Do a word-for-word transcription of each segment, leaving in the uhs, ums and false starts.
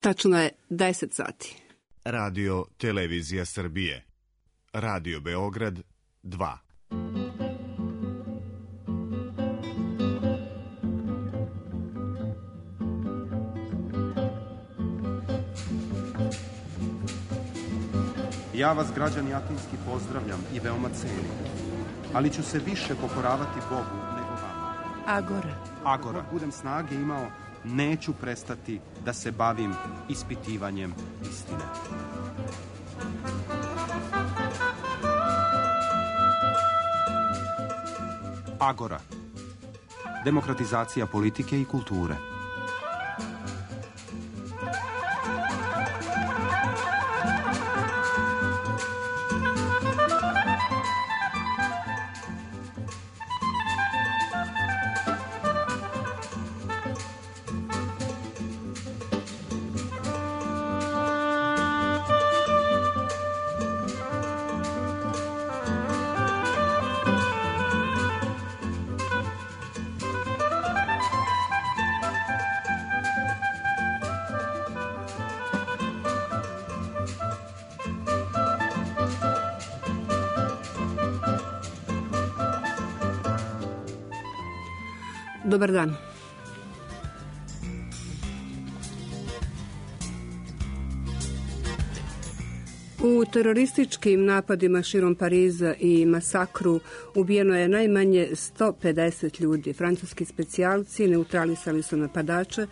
Tačno je deset sati. Radio Televizija Srbije. Radio Beograd dva. Ja vas, građani Atinski, pozdravljam i veoma cenim, ali ću se više pokoravati Bogu nego vama. Agora. Agora. Ako budem snage imao, neću prestati da se bavim ispitivanjem istine. Agora. Demokratizacija politike i kulture. Dobar dan. U terorističkim napadima širom Pariza i masakru ubijeno je najmanje sto pedeset ljudi. Francuski specijalci neutralisali su napadače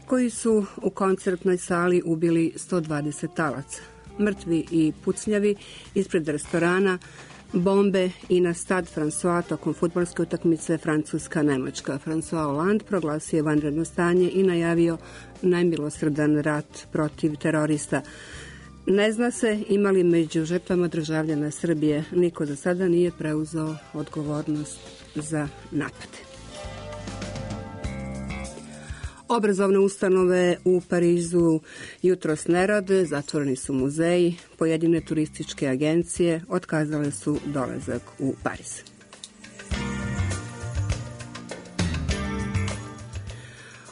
koji su u koncertnoj sali ubili sto dvadeset talaca. Mrtvi i pucnjavi ispred restorana, bombe i na stad François tokom fudbalske utakmice Francuska-Nemačka. François Hollande proglasio je vanredno stanje i najavio najmilosrdan rat protiv terorista. Ne zna se ima li među žrtvama državljana Srbije. Niko za sada nije preuzeo odgovornost za napade. Obrazovne ustanove u Parizu jutros ne rade, zatvoreni su muzeji, pojedine turističke agencije otkazale su dolazak u Pariz.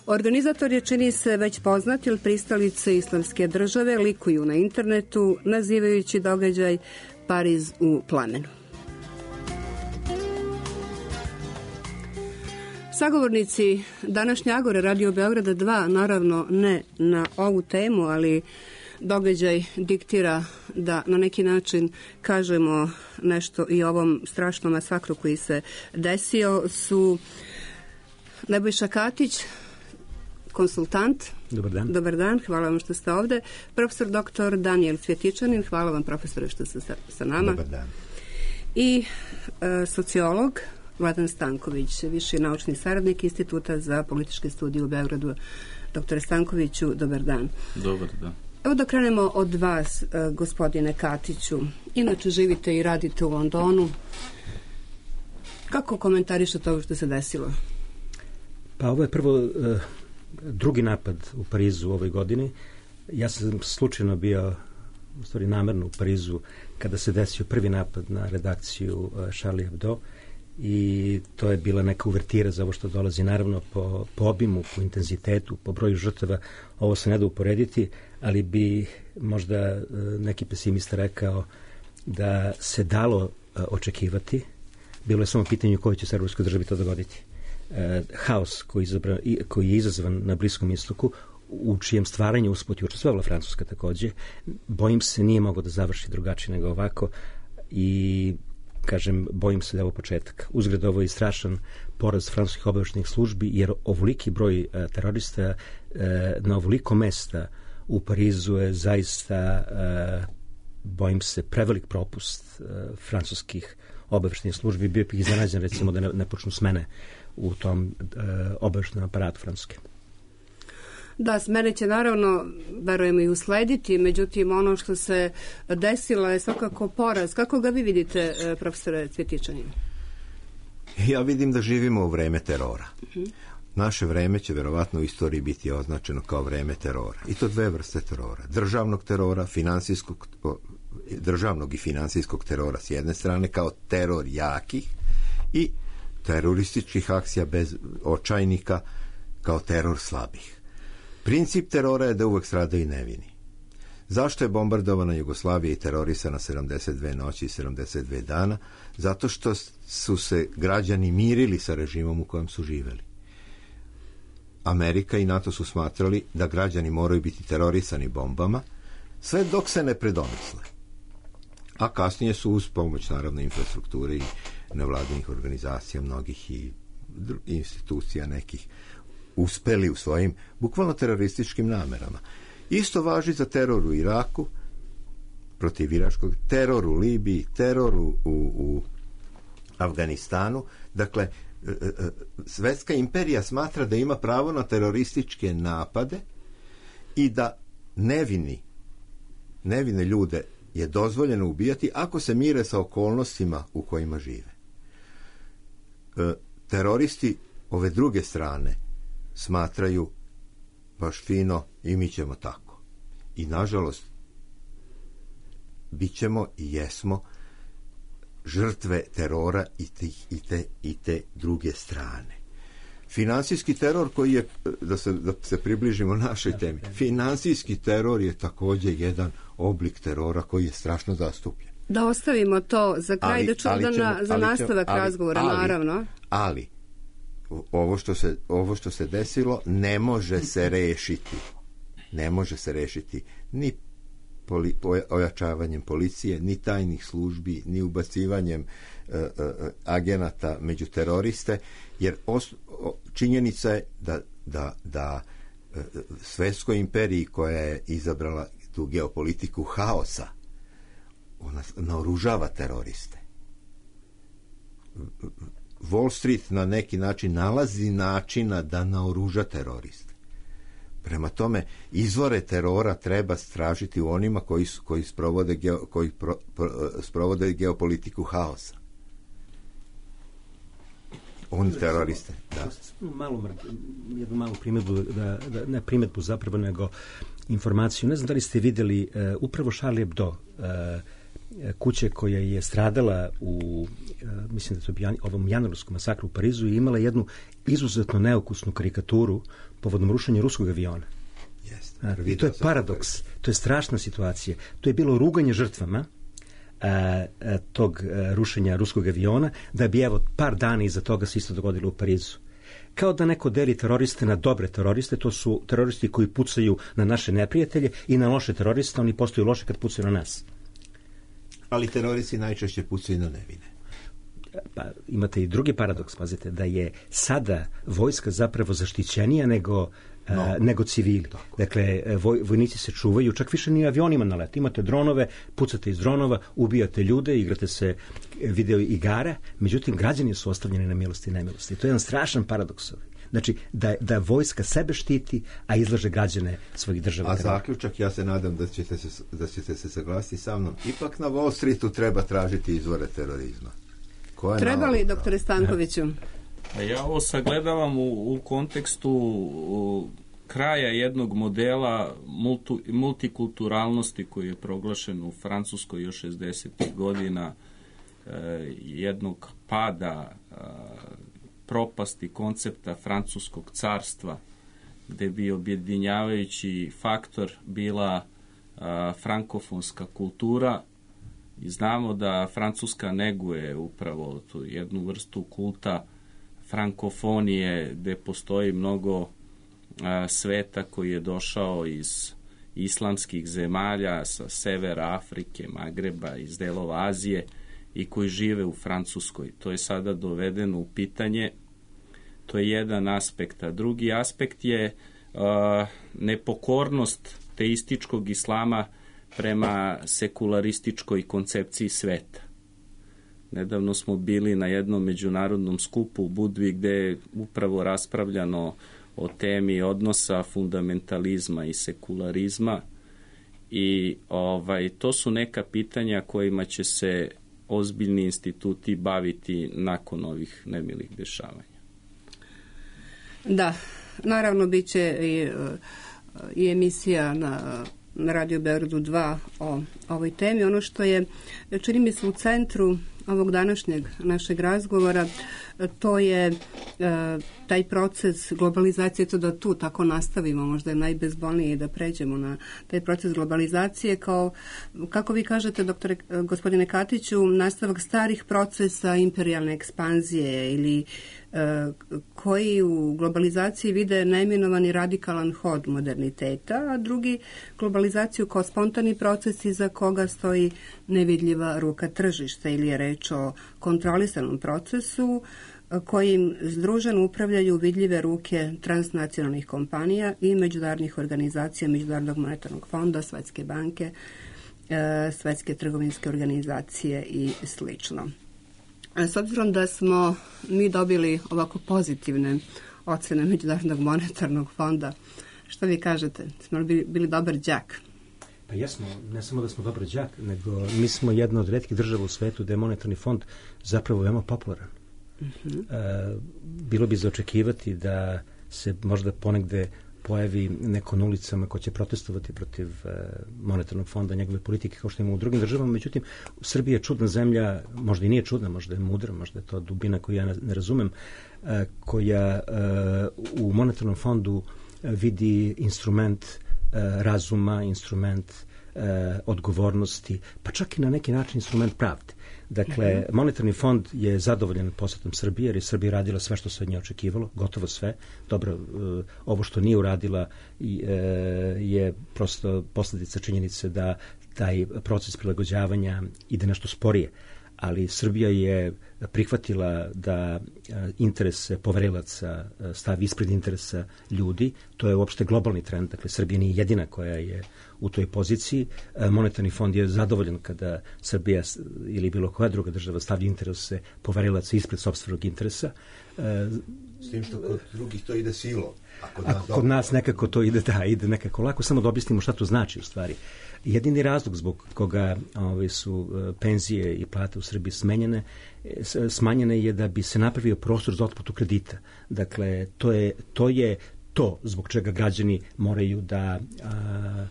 Organizator je, čini se, već poznat, jer pristalice Islamske države likuju na internetu nazivajući događaj Pariz u plamenu. Sagovornici današnje Agore Radio Beograda dva, naravno ne na ovu temu, ali događaj diktira da na neki način kažemo nešto i o ovom strašnom masakru koji se desio, su Nebojša Katić, konsultant. Dobar dan. Dobar dan, hvala vam što ste ovde. Profesor doktor Danijel Cvjetičanin, hvala vam profesore što ste sa, sa nama. Dobar dan. I e, sociolog Vladan Stanković, viši naučni saradnik Instituta za političke studije u Beogradu. Doktore Stankoviću, dobar dan. Dobar dan. Evo da krenemo od vas, gospodine Katiću. Inače živite i radite u Londonu. Kako komentarišete ovo što se desilo? Pa ovo je prvo drugi napad u Parizu u ovoj godini. Ja sam slučajno bio, u stvari namerno u Parizu, kada se desio prvi napad na redakciju Charlie Hebdo, i to je bila neka uvertira za ovo što dolazi. Naravno, po, po obimu, po intenzitetu, po broju žrtava, ovo se ne da uporediti, ali bi možda neki pesimista rekao da se dalo očekivati. Bilo je samo pitanje u kojoj će se evropskoj državi to dogoditi. Haos koji, izabra, koji je izazvan na Bliskom istoku, u čijem stvaranju usput je učestvovala Francuska takođe, bojim se nije mogao da završi drugačije nego ovako, i kažem, bojim se da je ovo početak. Uzgred, ovo je strašan poraz francuskih obaveštajnih službi, jer ovoliki broj a, terorista a, na ovoliko mesta u Parizu je zaista, a, bojim se, prevelik propust a, francuskih obaveštajnih službi. Bio bih iznenađen, recimo, da ne, ne počnu smene u tom obaveštajnom aparatu Francuske. Da, smene će naravno, verujemo, i uslediti, međutim ono što se desilo je svakako poraz. Kako ga vi vidite, profesore Cvjetičanin? Ja vidim da živimo u vreme terora. Uh-huh. Naše vreme će verovatno u istoriji biti označeno kao vreme terora. I to dve vrste terora. Državnog terora, finansijskog, državnog i finansijskog terora s jedne strane, kao teror jakih, i terorističkih akcija bez očajnika kao teror slabih. Princip terora je da uvek stradaju nevini. Zašto je bombardovana Jugoslavija i terorisana sedamdeset dve noći i sedamdeset dva dana? Zato što su se građani mirili sa režimom u kojem su živeli. Amerika i NATO su smatrali da građani moraju biti terorisani bombama, sve dok se ne predomisle. A kasnije su uz pomoć naravno infrastrukture i nevladinih organizacija, mnogih i institucija nekih, uspeli u svojim bukvalno terorističkim namerama. Isto važi za teror u Iraku, protiv iračkog, teror u Libiji, teror u, u Afganistanu. Dakle, svetska imperija smatra da ima pravo na terorističke napade i da nevini, nevine ljude je dozvoljeno ubijati ako se mire sa okolnostima u kojima žive. E, teroristi ove druge strane smatraju baš fino i mi ćemo tako. I nažalost bit ćemo i jesmo žrtve terora i, tih, i, te, i te druge strane. Finansijski teror koji je, da se, da se približimo našoj temi, finansijski teror je također jedan oblik terora koji je strašno zastupljen. Da ostavimo to za kraj, ali, da ču, da na, za ali, nastavak ali, razgovora, ali, naravno. Ali, ovo što, se, ovo što se desilo ne može se rešiti. Ne može se rešiti ni poli, ojačavanjem policije, ni tajnih službi, ni ubacivanjem uh, uh, agenata među teroriste, jer os, o, činjenica je da, da, da uh, svetskoj imperiji koja je izabrala tu geopolitiku haosa, ona naoružava teroriste. Wall Street na neki način nalazi načina da naoruža teroriste. Prema tome, izvore terora treba stražiti u onima koji, koji, sprovode, geo, koji pro, pro, sprovode geopolitiku haosa. Oni teroriste. Da. Malo, jednu malu primjedbu, da, da, ne primjedbu zapravo, nego informaciju. Ne znam da li ste vidjeli uh, upravo Charlie Hebdo, uh, kuće koja je stradala u, uh, mislim da to je ovom januarskom masakru u Parizu, i imala jednu izuzetno neukusnu karikaturu povodom rušenja ruskog aviona. Yes, I to je paradoks, to je strašna situacija. To je bilo ruganje žrtvama a, a, tog a, rušenja ruskog aviona, da bi evo par dana iza toga se isto dogodilo u Parizu. Kao da neko deli teroriste na dobre teroriste, to su teroristi koji pucaju na naše neprijatelje, i na loše teroriste, oni postaju loše kad pucaju na nas. Ali teroristi najčešće pucaju na nevine. Pa imate i drugi paradoks, pazite, da je sada vojska zapravo zaštićenija nego, no. a, nego civili. Tako. Dakle, voj, vojnici se čuvaju, čak više ni avionima na let. Imate dronove, pucate iz dronova, ubijate ljude, igrate se video igara, međutim, građani su ostavljeni na milosti i nemilosti. To je jedan strašan paradoks. Znači, da, da vojska sebe štiti, a izlaže građane svojih država. A zaključak, ja se nadam da ćete se, da ćete se saglasiti sa mnom, ipak na Wall Streetu treba tražiti izvore terorizma. Treba li, doktore Stankoviću? Ja ovo sagledavam u, u kontekstu u, kraja jednog modela multu, multikulturalnosti koji je proglašen u Francuskoj još šezdesetih godina, e, jednog pada, e, propasti koncepta francuskog carstva, gde bi objedinjavajući faktor bila a, frankofonska kultura. I znamo da Francuska neguje upravo tu jednu vrstu kulta frankofonije, gde postoji mnogo a, sveta koji je došao iz islamskih zemalja, sa severa Afrike, Magreba, iz delova Azije, i koji žive u Francuskoj. To je sada dovedeno u pitanje. To je jedan aspekt. A drugi aspekt je a, nepokornost teističkog islama prema sekularističkoj koncepciji sveta. Nedavno smo bili na jednom međunarodnom skupu u Budvi, gde je upravo raspravljano o temi odnosa fundamentalizma i sekularizma, i ovaj, to su neka pitanja kojima će se ozbiljni instituti baviti nakon ovih nemilih dešavanja. Da, naravno bit će i, i emisija na na Radio Beogradu dva o ovoj temi. Ono što je, čini mi se, u centru ovog današnjeg našeg razgovora, to je e, taj proces globalizacije, to da tu tako nastavimo, možda je najbezbolnije da pređemo na taj proces globalizacije kao, kako vi kažete, doktore, gospodine Katiću, nastavak starih procesa imperijalne ekspanzije ili e, koji u globalizaciji vide neimenovani radikalan hod moderniteta, a drugi globalizaciju kao spontani proces iza koga stoji nevidljiva ruka tržišta ili je reč o kontrolisanom procesu kojim združeno upravljaju vidljive ruke transnacionalnih kompanija i međunarodnih organizacija, Međunarodnog monetarnog fonda, Svetske banke, Svetske trgovinske organizacije i slično. S obzirom da smo mi dobili ovako pozitivne ocene Međunarodnog monetarnog fonda, što vi kažete? Smo li bili, bili dobar đak? Pa jesmo, ne samo da smo dobar đak, nego mi smo jedna od retkih država u svetu da je monetarni fond zapravo veoma popularan. Uh-huh. E, bilo bi za očekivati da se možda ponegde pojavi neko na ulicama ko će protestovati protiv e, monetarnog fonda, njegove politike kao što ima u drugim državama. Međutim, Srbija je čudna zemlja, možda i nije čudna, možda je mudra, možda je to dubina koju ja ne, ne razumem, e, koja e, u monetarnom fondu e, vidi instrument e, razuma, instrument e, odgovornosti, pa čak i na neki način instrument pravde. Dakle, mm-hmm. monetarni fond je zadovoljan posjetom Srbije, jer je Srbija radila sve što se od nje očekivalo, gotovo sve. Dobro, uh, ovo što nije uradila uh, je prosto posljedica činjenice da taj proces prilagođavanja ide nešto sporije. Ali Srbija je prihvatila da interese poverilaca stavi ispred interesa ljudi. To je uopšte globalni trend. Dakle, Srbija nije jedina koja je u toj poziciji. Monetarni fond je zadovoljan kada Srbija ili bilo koja druga država stavlja interese poverilaca ispred sopstvenog interesa. S tim što kod drugih to ide silom. A kod nas, a kod nas nekako to ide, da, ide nekako lako. Samo da objasnimo šta to znači u stvari. Jedini razlog zbog koga ove, su penzije i plate u Srbiji smenjene, smanjene je da bi se napravio prostor za otplatu kredita. Dakle, to je to, je to zbog čega građani moraju da, a,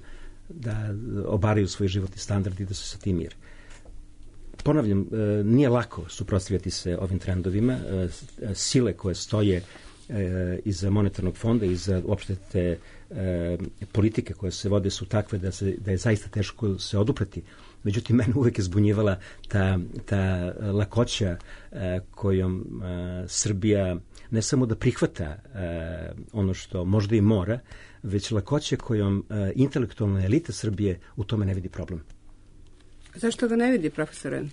da obaraju svoj životni standard i da se sa tim mire. Ponavljam, nije lako suprotstavljati se ovim trendovima. Sile koje stoje iza monetarnog fonda, iza uopšte te e, politike koje se vode su takve da, se, da je zaista teško se odupreti. Međutim, mene uvek je zbunjivala ta, ta lakoća e, kojom e, Srbija ne samo da prihvata e, ono što možda i mora, već lakoća kojom e, intelektualna elita Srbije u tome ne vidi problem. Zašto ga ne vidi, profesore?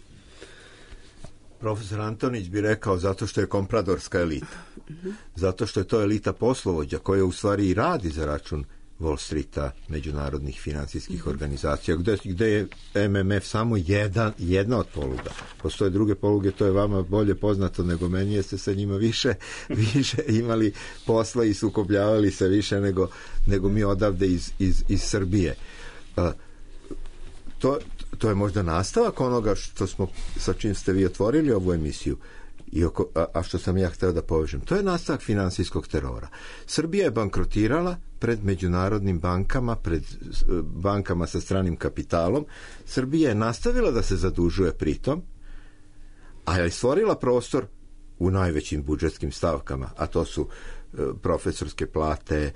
Profesor Antonić bi rekao zato što je kompradorska elita. Zato što je to elita poslovođa koja u stvari i radi za račun Wall Streeta, međunarodnih finansijskih mm-hmm. organizacija, gde, gde je M M F samo jedan, jedna od poluga. Postoje druge poluge, to je vama bolje poznato nego meni, jeste sa njima više, više imali posla i sukobljavali se više nego, nego mi odavde iz, iz, iz Srbije. Uh, to, to je možda nastavak onoga što smo, sa čim ste vi otvorili ovu emisiju, I oko, a, a što sam ja hteo da povežem. To je nastavak finansijskog terora. Srbija je bankrotirala pred međunarodnim bankama, pred bankama sa stranim kapitalom. Srbija je nastavila da se zadužuje pritom, a je stvorila prostor u najvećim budžetskim stavkama, a to su e, profesorske plate,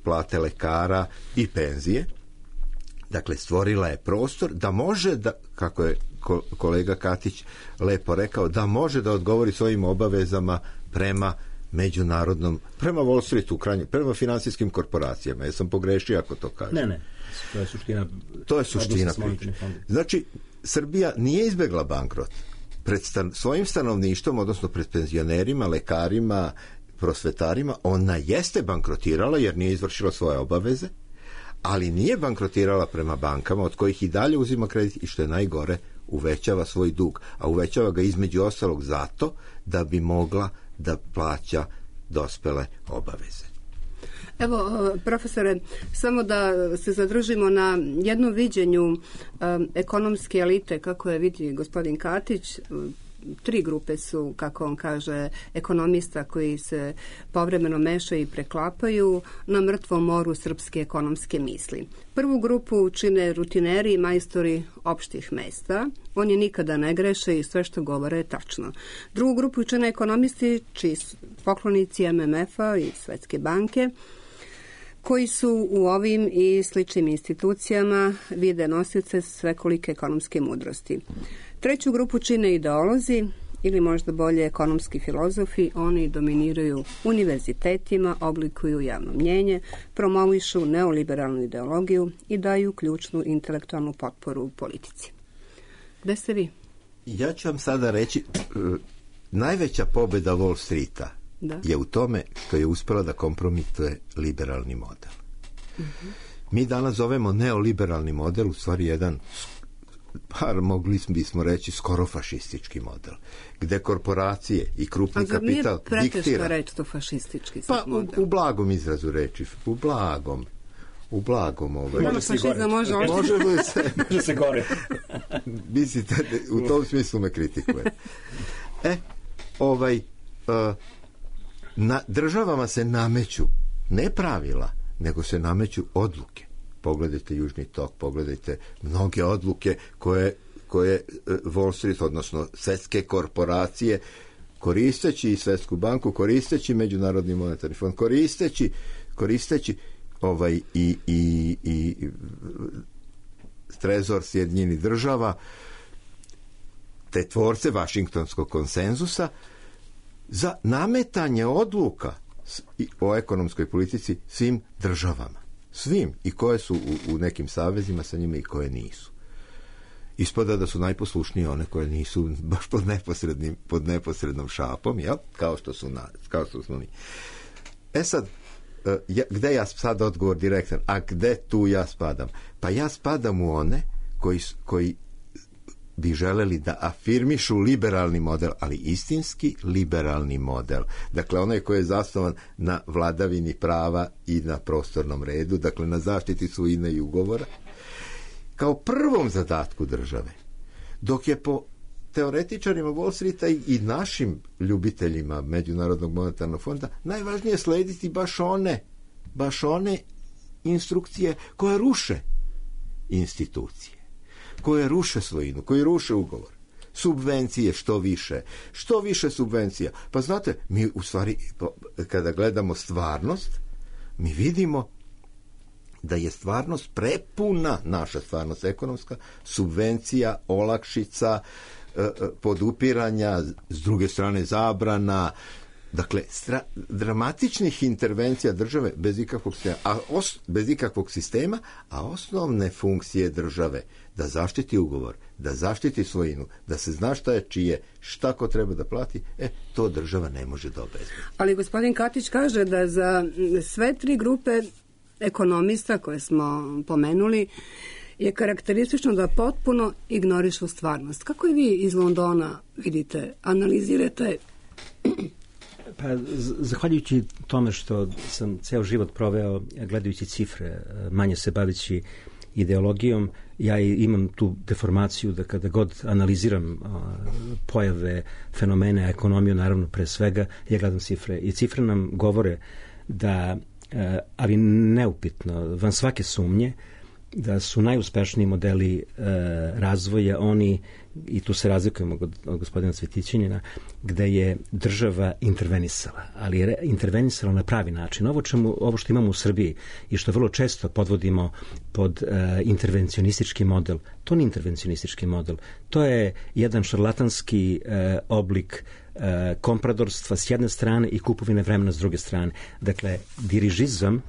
plate lekara i penzije. Dakle, stvorila je prostor da može da, kako je kolega Katić lepo rekao, da može da odgovori svojim obavezama prema međunarodnom, prema Wall Streetu, krajnje, prema finansijskim korporacijama. Ja sam pogrešio ako to kažem. Ne, ne, to je suština. To je suština priče. Znači, Srbija nije izbegla bankrot. Pred stan, svojim stanovništvom, odnosno pred penzionerima, lekarima, prosvetarima, ona jeste bankrotirala jer nije izvršila svoje obaveze, ali nije bankrotirala prema bankama od kojih i dalje uzima kredit i što je najgore, uvećava svoj dug, a uvećava ga između ostalog zato da bi mogla da plaća dospele obaveze. Evo, profesore, samo da se zadržimo na jednom viđenju um, ekonomske elite, kako je vidi gospodin Katić. tri grupe su, kako on kaže, ekonomista koji se povremeno mešaju i preklapaju na mrtvom moru srpske ekonomske misli. Prvu grupu čine rutineri i majstori opštih mesta. Oni nikada ne greše i sve što govore je tačno. Drugu grupu čine ekonomisti čiji su poklonici em em ef-a i Svetske banke, koji su u ovim i sličnim institucijama vide nosioce svekolike ekonomske mudrosti. Treću grupu čine ideolozi ili možda bolje ekonomski filozofi. Oni dominiraju univerzitetima, oblikuju javno mnjenje, promovišu neoliberalnu ideologiju i daju ključnu intelektualnu potporu u politici. Gde ste vi? Ja ću vam sada reći, najveća pobjeda Wall Streeta da. je u tome što je uspjela da kompromituje liberalni model. Uh-huh. Mi danas zovemo neoliberalni model u stvari jedan, par mogli bismo reći, skoro fašistički model, gde korporacije i krupni kapital diktira. A zar nije preteška reći to fašistički pa, model? U, u blagom izrazu reči, u blagom. U blagom ovaj. Može se gore. Može, može, može se. može se gore. Mislite, u tom smislu me kritikuje. E, ovaj, uh, na državama se nameću ne pravila, nego se nameću odluke. Pogledajte Južni tok, pogledajte mnoge odluke koje, koje Wall Street, odnosno svetske korporacije, koristeći i Svetsku banku, koristeći Međunarodni monetarni fond, koristeći, koristeći ovaj i, i, i trezor Sjedinjenih država, te tvorce Vašingtonskog konsenzusa, za nametanje odluka o ekonomskoj politici svim državama. Svim. I koje su u, u nekim savezima sa njima i koje nisu. Ispada da su najposlušnije one koje nisu baš pod neposrednim, pod neposrednom šapom, jel? Kao što su, na, kao što smo mi. E sad, ja, gde ja sad odgovor direktan? A gde tu ja spadam? Pa ja spadam u one koji, koji bi želeli da afirmišu liberalni model, ali istinski liberalni model. Dakle, onaj koji je zasnovan na vladavini prava i na prostornom redu, dakle na zaštiti svojine i ugovora, kao prvom zadatku države. Dok je po teoretičarima Wall Streeta i, i našim ljubiteljima Međunarodnog monetarnog fonda najvažnije slediti baš one, baš one instrukcije koje ruše institucije, koje ruše svojinu, koje ruše ugovor. Subvencije što više. Što više subvencija. Pa znate, mi u stvari, kada gledamo stvarnost, mi vidimo da je stvarnost prepuna, naša stvarnost ekonomska, subvencija, olakšica, podupiranja, s druge strane zabrana, dakle, stra, dramatičnih intervencija države bez ikakvog sistema, a os, bez ikakvog sistema, a osnovne funkcije države da zaštiti ugovor, da zaštiti svojinu, da se zna šta je čije, šta ko treba da plati, e, to država ne može da obezbedi. Ali gospodin Katić kaže da za sve tri grupe ekonomista koje smo pomenuli je karakteristično da potpuno ignorišu stvarnost. Kako i vi iz Londona vidite, analizirate? Pa, zahvaljujući tome što sam ceo život proveo gledajući cifre, manje se bavići ideologijom, ja imam tu deformaciju da kada god analiziram a, pojave, fenomene, ekonomiju, naravno pre svega, ja gledam cifre. I cifre nam govore da, a, ali neupitno, van svake sumnje, da su najuspešniji modeli e, razvoja oni, i tu se razlikujemo od, od gospodina Cvetićanina, gde je država intervenisala, ali je intervenisala na pravi način. Ovo, čemu, ovo što imamo u Srbiji i što vrlo često podvodimo pod e, intervencionistički model, to nije intervencionistički model, to je jedan šarlatanski e, oblik e, kompradorstva s jedne strane i kupovine vremena s druge strane. Dakle, dirižizam,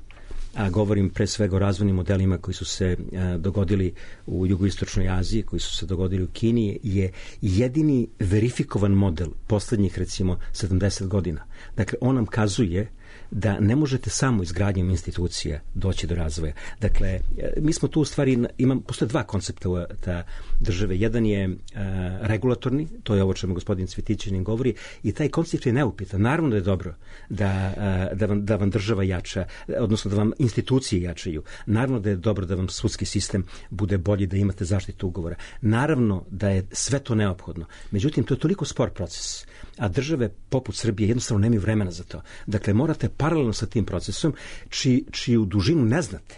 a govorim pre svega o razvojnim modelima koji su se a, dogodili u jugoistočnoj Aziji, koji su se dogodili u Kini, je jedini verifikovan model poslednjih, recimo, sedamdeset godina. Dakle, on nam kazuje da ne možete samo izgradnjom institucija doći do razvoja. Dakle, mi smo tu u stvari, imam, postoje dva koncepta ta države. Jedan je uh, regulatorni, to je ovo čemu gospodin Cvjetićanin govori, i taj koncept je neupitan. Naravno da je dobro da, uh, da, vam, da vam država jača, odnosno da vam institucije jačaju. Naravno da je dobro da vam sudski sistem bude bolji, da imate zaštitu ugovora. Naravno da je sve to neophodno. Međutim, to je toliko spor proces, a države poput Srbije jednostavno nemaju vremena za to. Dakle, morate paralelno sa tim procesom, či, čiju dužinu ne znate,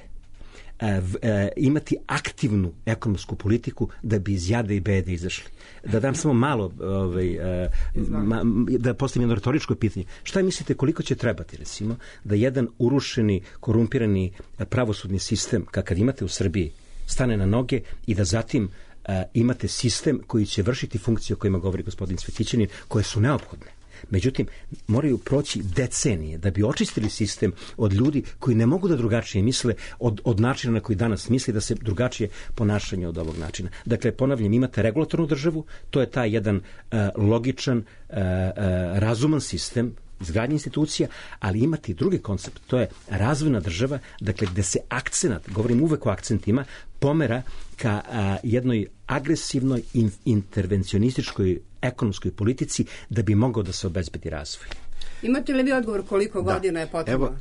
e, e, imati aktivnu ekonomsku politiku da bi iz jade i bede izašli. Da dam samo malo, ovaj, e, ma, da postavim jedno retoričko pitanje. Šta mislite koliko će trebati, recimo, da jedan urušeni, korumpirani pravosudni sistem, kakav imate u Srbiji, stane na noge i da zatim Uh, imate sistem koji će vršiti funkcije o kojima govori gospodin Cvjetićanin, koje su neophodne. Međutim, moraju proći decenije da bi očistili sistem od ljudi koji ne mogu da drugačije misle od, od načina na koji danas misli, da se drugačije ponašanje od ovog načina. Dakle, ponavljam, imate regulatornu državu, to je taj jedan uh, logičan, uh, uh, razuman sistem izgradnje institucija, ali imati drugi koncept, to je razvojna država, dakle gde se akcenat, govorim uvek o akcentima, pomera ka a, jednoj agresivnoj in, intervencionističkoj ekonomskoj politici da bi mogao da se obezbedi razvoj. Imate li vi odgovor koliko da. godina je potrebno? Evo,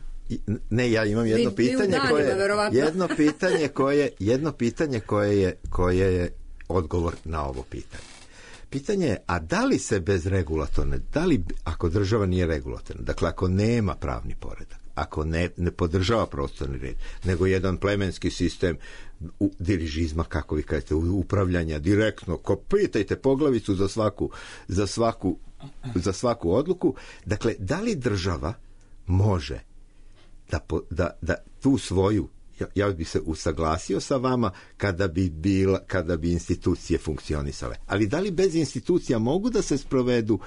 ne, ja imam jedno vi, pitanje danima, koje jedno pitanje koje jedno pitanje koje je koje je odgovor na ovo pitanje. Pitanje je, a da li se bez regulatorne, da li ako država nije regulatorna, dakle ako nema pravni poredak, ako ne, ne podržava prostorni red, nego jedan plemenski sistem u, dirižizma, kako vi kažete, upravljanja direktno, ko pitajte poglavicu za svaku, za svaku, za svaku odluku, dakle, da li država može da, da, da tu svoju, ja, ja bih se usaglasio sa vama kada bi, bila, kada bi institucije funkcionisale. Ali da li bez institucija mogu da se sprovedu,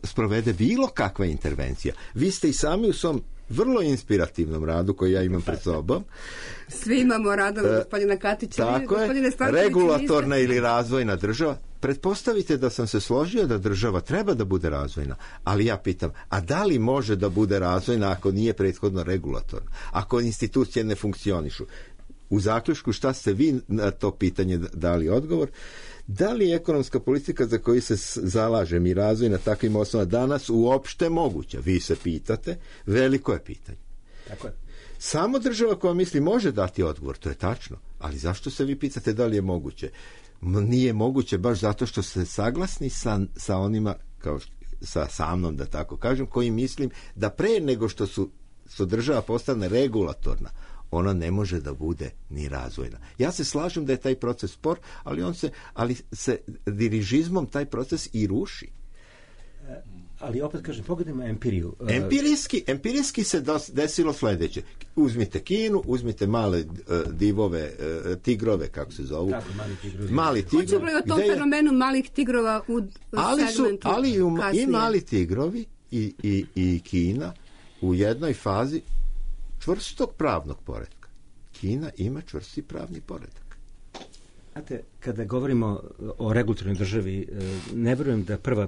sprovede bilo kakva intervencija? Vi ste i sami u svom vrlo inspirativnom radu koji ja imam pred sobom. Svi imamo radove gospodina Katića. Tako je, regulatorna ili razvojna država. Pretpostavite da sam se složio da država treba da bude razvojna, ali ja pitam, a da li može da bude razvojna ako nije prethodno regulatorna? Ako institucije ne funkcionišu? U zaključku, šta ste vi na to pitanje dali odgovor? Da li je ekonomska politika za koju se zalažem i razvoj na takvim osnovama danas uopšte moguća? Vi se pitate, veliko je pitanje. Tako je. Samo država koja misli može dati odgovor, to je tačno, ali zašto se vi pitate da li je moguće? Nije moguće baš zato što ste saglasni sa, sa onima, kao sa, sa mnom da tako kažem, koji mislim da pre nego što su, su država postane regulatorna, ona ne može da bude ni razvojna. Ja se slažem da je taj proces spor, ali on se, ali se dirižizmom taj proces i ruši. Ali opet kažem, pogledajmo empiriju. Empirijski, empirijski se desilo sledeće. Uzmite Kinu, uzmite male uh, divove, uh, tigrove, kako se zovu. Tako, mali tigrovi. Mali tigrovi. Hoćemo li o tom fenomenu malih tigrova u, u ali segmentu su, ali u, kasnije? i mali tigrovi i, i, i Kina u jednoj fazi čvrstog pravnog poretka. Kina ima čvrsti pravni poredak. Znate, kada govorimo o regulatornoj državi, ne verujem da prva,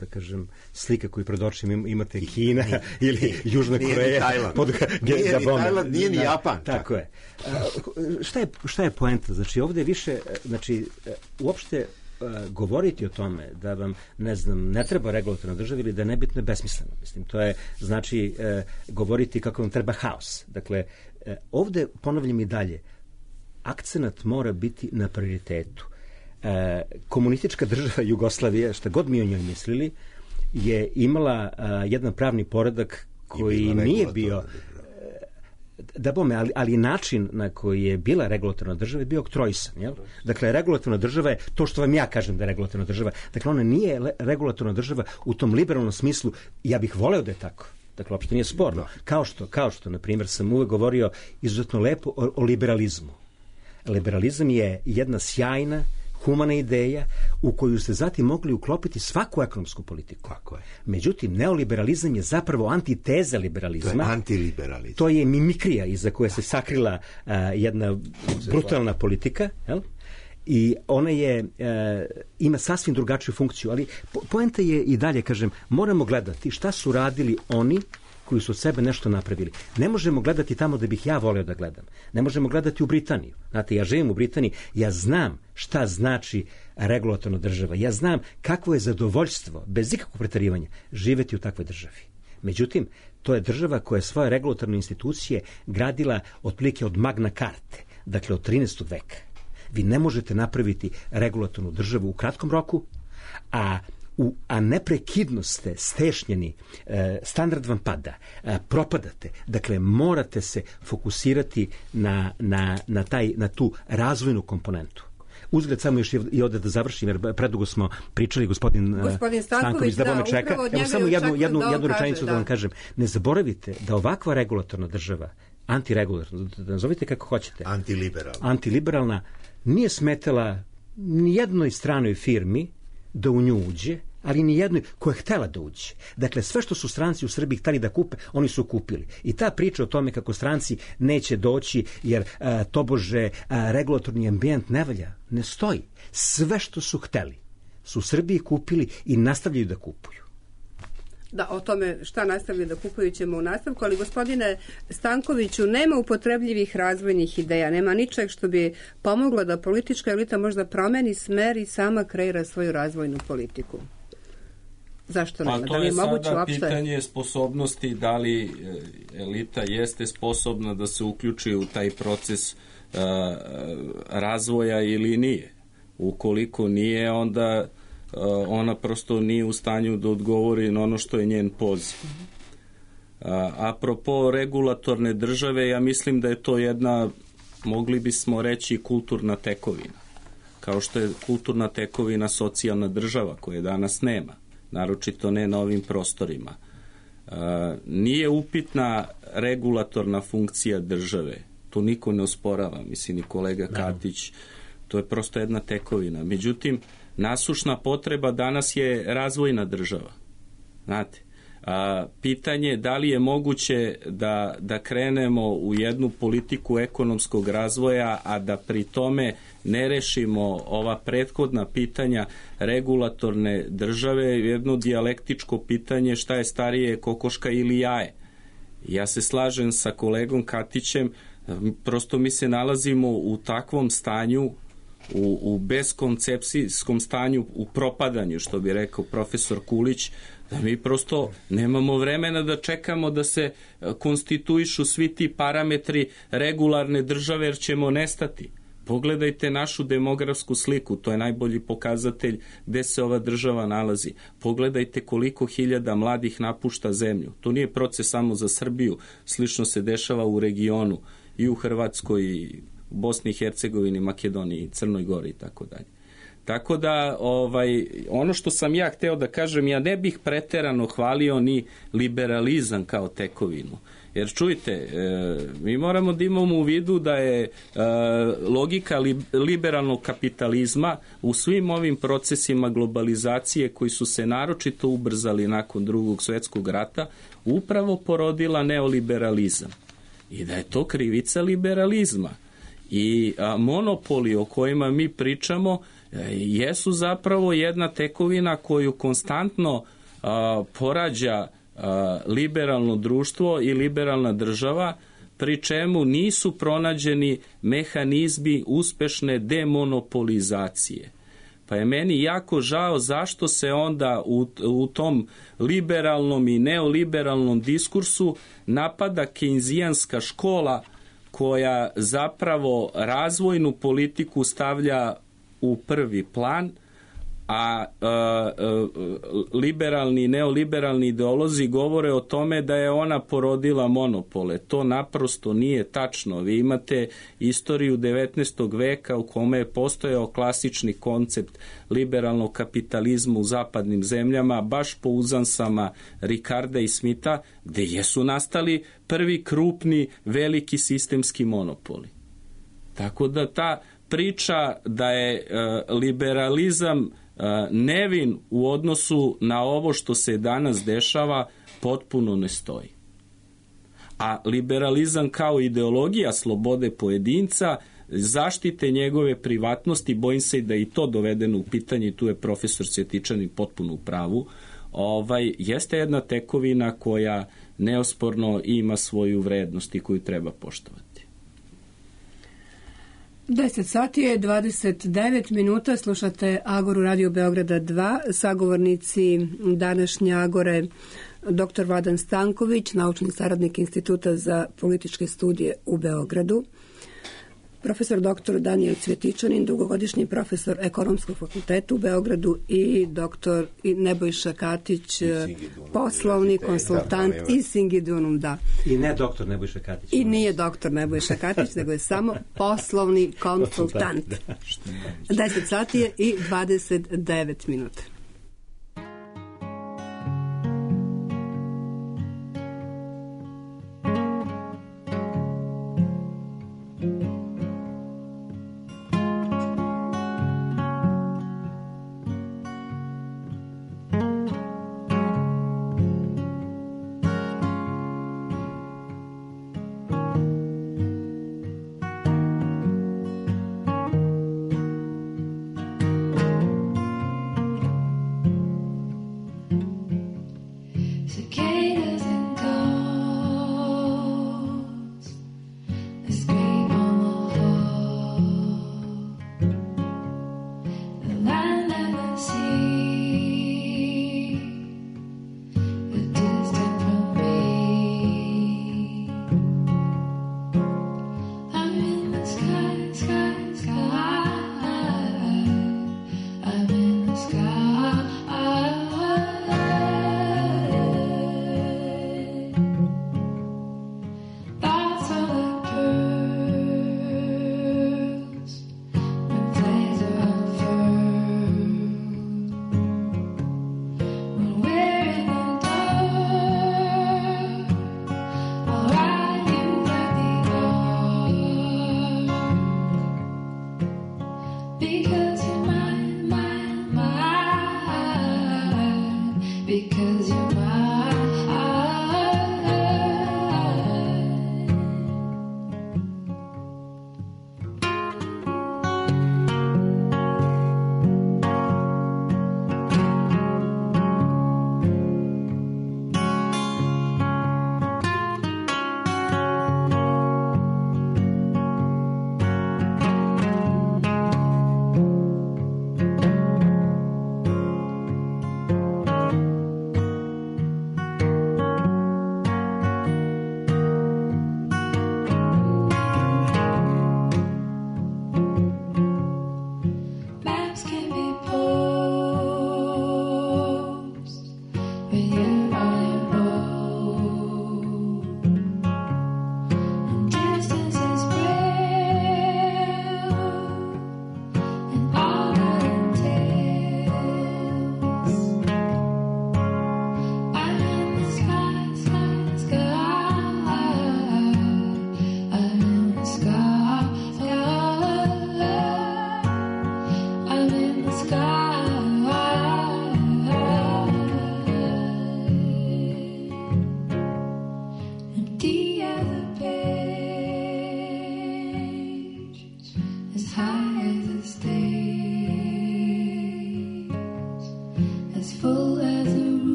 da kažem, slika koju pred očima imate Kina ili Južna Koreja. Pod nije ni Tajland, nije ni Japan. Tako je. Šta je, šta je poenta? Znači, ovdje je više, znači, uopšte govoriti o tome da vam, ne znam, ne treba regulatorna država ili da je nebitno je besmisleno. Mislim, to je, znači, govoriti kako vam treba haos. Dakle, ovdje, ponavljam i dalje, akcenat mora biti na prioritetu. E, komunistička država Jugoslavija, šta god mi o njoj mislili, je imala a, jedan pravni poredak koji nije bio da bome, ali, ali način na koji je bila regulatorna država je bio oktroisan. Jel? Dakle, regulatorna država je to što vam ja kažem da je regulatorna država. Dakle, ona nije le, regulatorna država u tom liberalnom smislu. Ja bih voleo da je tako. Dakle, uopšte nije sporno. Kao što, kao što, na primjer, sam uvek govorio izuzetno lepo o, o liberalizmu. Liberalizam je jedna sjajna, humana ideja u koju ste zatim mogli uklopiti svaku ekonomsku politiku. Tako je. Međutim, neoliberalizam je zapravo antiteza liberalizma. To je antiliberalizam. To je mimikrija iza koje se sakrila uh, jedna brutalna politika, jel? I ona je, uh, ima sasvim drugačiju funkciju, ali po, poenta je i dalje, kažem, moramo gledati šta su radili oni koji su od sebe nešto napravili. Ne možemo gledati tamo da bih ja voleo da gledam. Ne možemo gledati u Britaniju. Znate, ja živim u Britaniji, ja znam šta znači regulatorna država. Ja znam kakvo je zadovoljstvo, bez ikakvog preterivanja, živeti u takvoj državi. Međutim, to je država koja je svoje regulatorne institucije gradila otprilike od Magna Carte, dakle od trinaestog veka. Vi ne možete napraviti regulatornu državu u kratkom roku, a U, a neprekidno ste stešnjeni, e, standard vam pada, e, propadate. Dakle, morate se fokusirati na, na, na, taj, na tu razvojnu komponentu. Uzgled samo još i ovdje da završim, jer predugo smo pričali, gospodin, gospodin Stanković da me čeka. Evo samo jednu, jednu, da jednu rečenicu kaže, da. da vam kažem. Ne zaboravite da ovakva regulatorna država, antiregulatorna, da nazovite kako hoćete, antiliberalna, antiliberalna nije smetala ni jednoj stranoj firmi da u nju uđe, ali ni jednoj koja je htela da uđe. Dakle, sve što su stranci u Srbiji hteli da kupe, oni su kupili. I ta priča o tome kako stranci neće doći jer a, tobože a, regulatorni ambijent ne valja, ne stoji. Sve što su hteli su u Srbiji kupili i nastavljaju da kupuju. Da, o tome šta nastavljaju da kupuju ćemo u nastavku, ali gospodine Stankoviću, nema upotrebljivih razvojnih ideja, nema ničeg što bi pomoglo da politička elita možda promeni smer i sama kreira svoju razvojnu politiku. Zašto nema? Pa to da li je, je moguće sada uopšte? Pitanje sposobnosti, da li elita jeste sposobna da se uključi u taj proces uh, razvoja ili nije. Ukoliko nije, onda Uh, ona prosto nije u stanju da odgovori na ono što je njen poziv. Uh, apropo regulatorne države, ja mislim da je to jedna, mogli bismo reći, kulturna tekovina. Kao što je kulturna tekovina socijalna država, koje danas nema, naročito ne na ovim prostorima. Uh, nije upitna regulatorna funkcija države, to niko ne osporava, mislim i kolega Katić, to je prosto jedna tekovina. Međutim, nasušna potreba danas je razvojna država. Znate, a, pitanje je da li je moguće da, da krenemo u jednu politiku ekonomskog razvoja, a da pri tome ne rešimo ova prethodna pitanja regulatorne države, jedno dijalektičko pitanje šta je starije, kokoška ili jaje. Ja se slažem sa kolegom Katićem, prosto mi se nalazimo u takvom stanju, u, u beskoncepcijskom stanju, u propadanju, što bi rekao profesor Kulić, da mi prosto nemamo vremena da čekamo da se konstituišu svi ti parametri regularne države, jer ćemo nestati. Pogledajte našu demografsku sliku, to je najbolji pokazatelj gde se ova država nalazi. Pogledajte koliko hiljada mladih napušta zemlju. To nije proces samo za Srbiju, slično se dešava u regionu, i u Hrvatskoj, i Bosni i Hercegovini, Makedoniji, Crnoj Gori i tako dalje. Tako da, ovaj, ono što sam ja hteo da kažem, ja ne bih preterano hvalio ni liberalizam kao tekovinu. Jer čujte, e, mi moramo da imamo u vidu da je e, logika li, liberalnog kapitalizma u svim ovim procesima globalizacije koji su se naročito ubrzali nakon Drugog svjetskog rata upravo porodila neoliberalizam. I da je to krivica liberalizma. I a, monopoli o kojima mi pričamo jesu zapravo jedna tekovina koju konstantno a, porađa a, liberalno društvo i liberalna država, pri čemu nisu pronađeni mehanizmi uspešne demonopolizacije. Pa je meni jako žao zašto se onda u, u tom liberalnom i neoliberalnom diskursu napada kejnzijanska škola koja zapravo razvojnu politiku stavlja u prvi plan, a e, e, liberalni i neoliberalni ideolozi govore o tome da je ona porodila monopole. To naprosto nije tačno. Vi imate istoriju devetnaestog veka u kome je postojao klasični koncept liberalnog kapitalizma u zapadnim zemljama, baš po uzansama Ricarda i Smitha, gde jesu nastali prvi krupni veliki sistemski monopoli. Tako da ta priča da je e, liberalizam nevin u odnosu na ovo što se danas dešava potpuno ne stoji. A liberalizam kao ideologija slobode pojedinca, zaštite njegove privatnosti, bojim se da je i to dovedeno u pitanje, tu je profesor Cvjetičanin potpuno u pravu, ovaj, jeste jedna tekovina koja neosporno ima svoju vrednost i koju treba poštovati. deset sati je dvadeset devet minuta, slušate Agoru Radio Beograda dva, sagovornici današnje Agore doktor Vladan Stanković, naučni saradnik Instituta za političke studije u Beogradu, profesor doktor Danijel Cvjetičanin, dugogodišnji profesor Ekonomskog fakulteta u Beogradu i doktor Nebojša Katić, poslovni konsultant iz Singidunum, da. I ne doktor Nebojša Katić. I nije doktor Nebojša Katić, nego je samo poslovni konsultant. deset sati je i dvadeset devet minuta.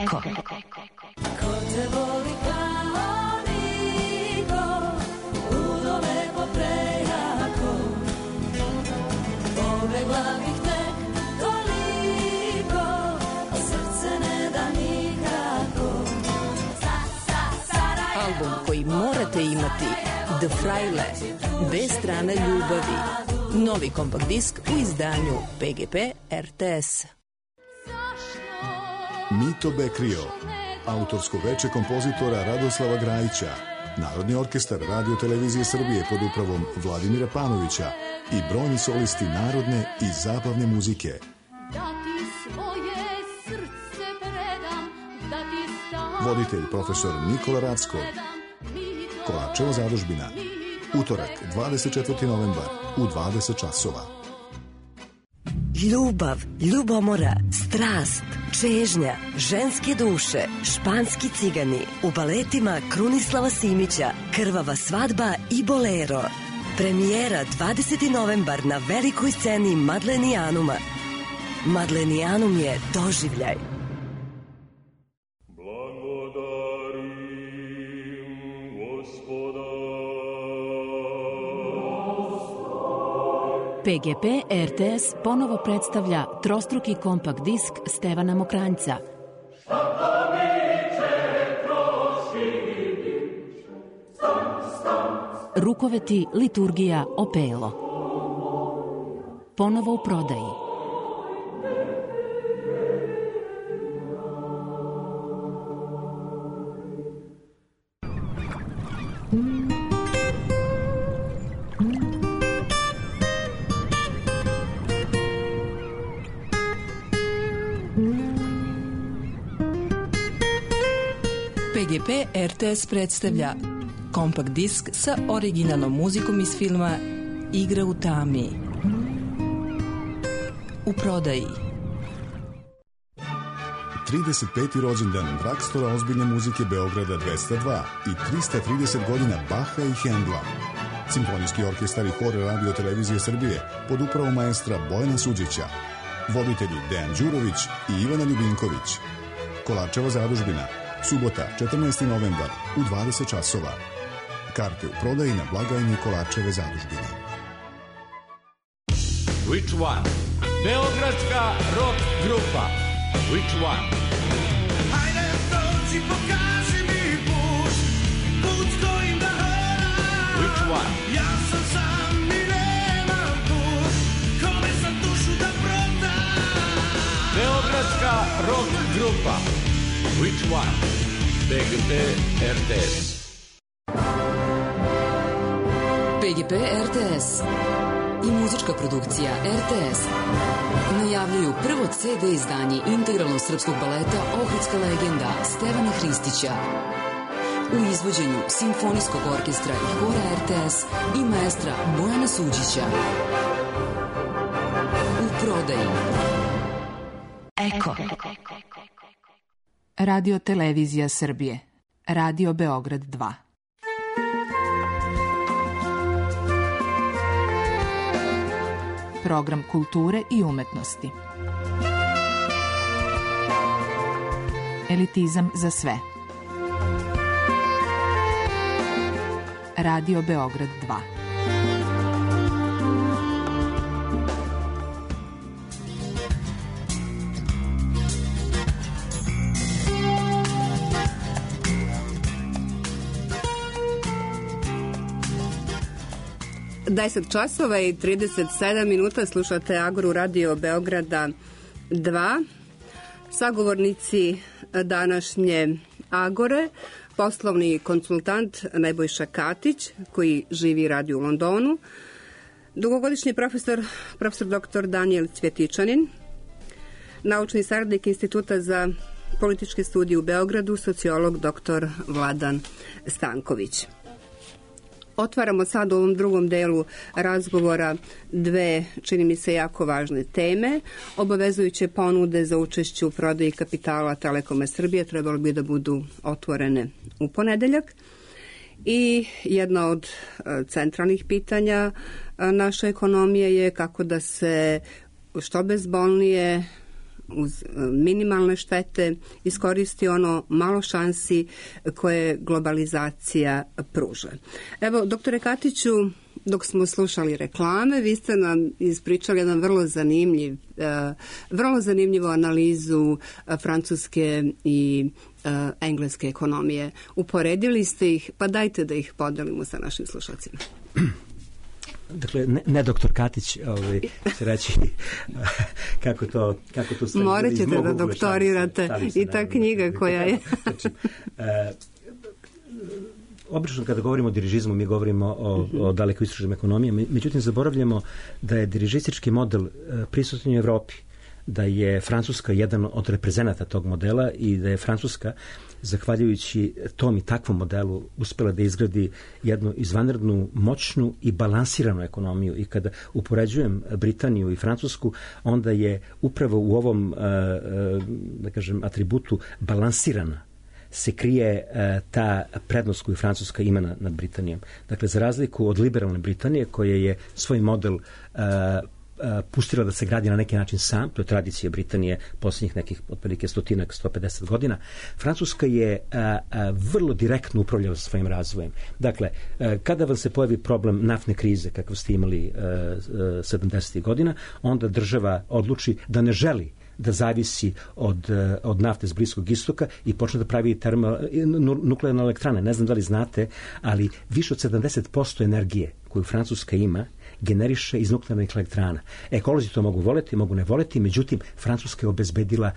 Eko. Ko te voli kao niko, udome po prejako, pobegla bih tek toliko, a srce ne da nikako. Album koji morate imati, The Fraile, bez strane ljubavi. Novi kompakt disk u izdanju P G P R T S. Mito Bekrio, autorsko veče kompozitora Radoslava Grajića, Narodni orkestar Radio Televizije Srbije pod upravom Vladimira Panovića i brojni solisti narodne i zabavne muzike. Voditelj profesor Nikola Racko. Kovačeva zadužbina. Utorak, dvadeset četvrti novembar u dvadeset časova. ljubav, ljubomora, strast, čežnja, ženske duše, španski cigani, u baletima Krunislava Simića, Krvava svadba i Bolero. Premijera dvadeseti novembar na velikoj sceni Madlenijanuma. Madlenijanum je doživljaj. P G P R T S ponovo predstavlja trostruki kompakt disk Stevana Mokranjca. Rukoveti, liturgija, opelo. Ponovo u prodaji. P G P R T S predstavlja kompakt disk sa originalnom muzikom iz filma Igra u tami. U prodaji. trideset peti rođendan Drakstora ozbiljne muzike Beograda dvesta dva i trista trideset godina Baha i Hendla. Simfonijski orkestar i hor Radio Televizije Srbije pod upravom maestra Bojana Suđića. Voditelji Dejan Đurović i Ivana Ljubinković. Kolarčeva zadužbina. Subota, četrnaesti novembar u dvadeset časova. Karte u prodaji na blagajni Kolarčeve zadužbine. Which one? Beogradska rock grupa. Which one? Hajde dođi, pokaži mi put, put kojim da hodam. Which one? Ja sam sam i nemam put, kome sam dušu da prodam. Beogradska rock grupa. Which one? P G P R T S. P G P R T S i muzička produkcija R T S najavljuju prvo C D izdanje integralnog srpskog baleta Ohridska legenda Stevana Hristića u izvođenju Simfonijskog orkestra i hora R T S i maestra Bojana Suđića. U prodaji. Eko. Radio Televizija Srbije. Radio Beograd dva. Program kulture i umetnosti. Elitizam za sve. Radio Beograd dva. deset časova i trideset sedam minuta, slušate Agoru Radio Beograda dva. Sagovornici današnje Agore, poslovni konsultant Nebojša Katić, koji živi i radi u Londonu, dugogodišnji profesor, profesor doktor Danijel Cvjetičanin, naučni saradnik Instituta za političke studije u Beogradu, sociolog doktor Vladan Stanković. Otvaramo sad u ovom drugom delu razgovora dve, čini mi se, jako važne teme. Obavezujuće ponude za učešće u prodaji kapitala Telekoma Srbije trebalo bi da budu otvorene u ponedeljak. I jedna od centralnih pitanja naše ekonomije je kako da se što bezbolnije, uz minimalne štete, iskoristi ono malo šansi koje globalizacija pruža. Evo, doktore Katiću, dok smo slušali reklame, vi ste nam ispričali jedan vrlo zanimljiv, vrlo zanimljivu analizu francuske i engleske ekonomije. Uporedili ste ih, pa dajte da ih podelimo sa našim slušalcima. Dakle, ne, ne doktor Katić, ovaj, će reći kako to, kako to stoji. Morat ćete da doktorirate i ta knjiga koja je. Znači, e, obično kada govorimo o dirižizmu, mi govorimo o, o daleko istraženim ekonomijama, međutim zaboravljamo da je dirižistički model prisutan u Evropi, da je Francuska jedan od reprezenata tog modela i da je Francuska, zahvaljujući tom i takvom modelu, uspela da izgradi jednu izvanrednu, moćnu i balansiranu ekonomiju. I kada upoređujem Britaniju i Francusku, onda je upravo u ovom, da kažem, atributu balansirana se krije ta prednost koju Francuska ima nad Britanijom. Dakle, za razliku od liberalne Britanije, koja je svoj model pustila da se gradi na neki način sam, to je tradicija Britanije posljednjih nekih otprilike stotinak, sto pedeset godina, Francuska je a, a, vrlo direktno upravljala svojim razvojem. Dakle, a, kada vam se pojavi problem naftne krize, kakav ste imali sedamdesetih godina, onda država odluči da ne želi da zavisi od, od nafte s Bliskog istoka i počne da pravi termo, nuklearne elektrane. Ne znam da li znate, ali više od sedamdeset posto energije koju Francuska ima generiše iz nuklearnih elektrana. Ekolozi to mogu voleti, mogu ne voleti, međutim, Francuska je obezbedila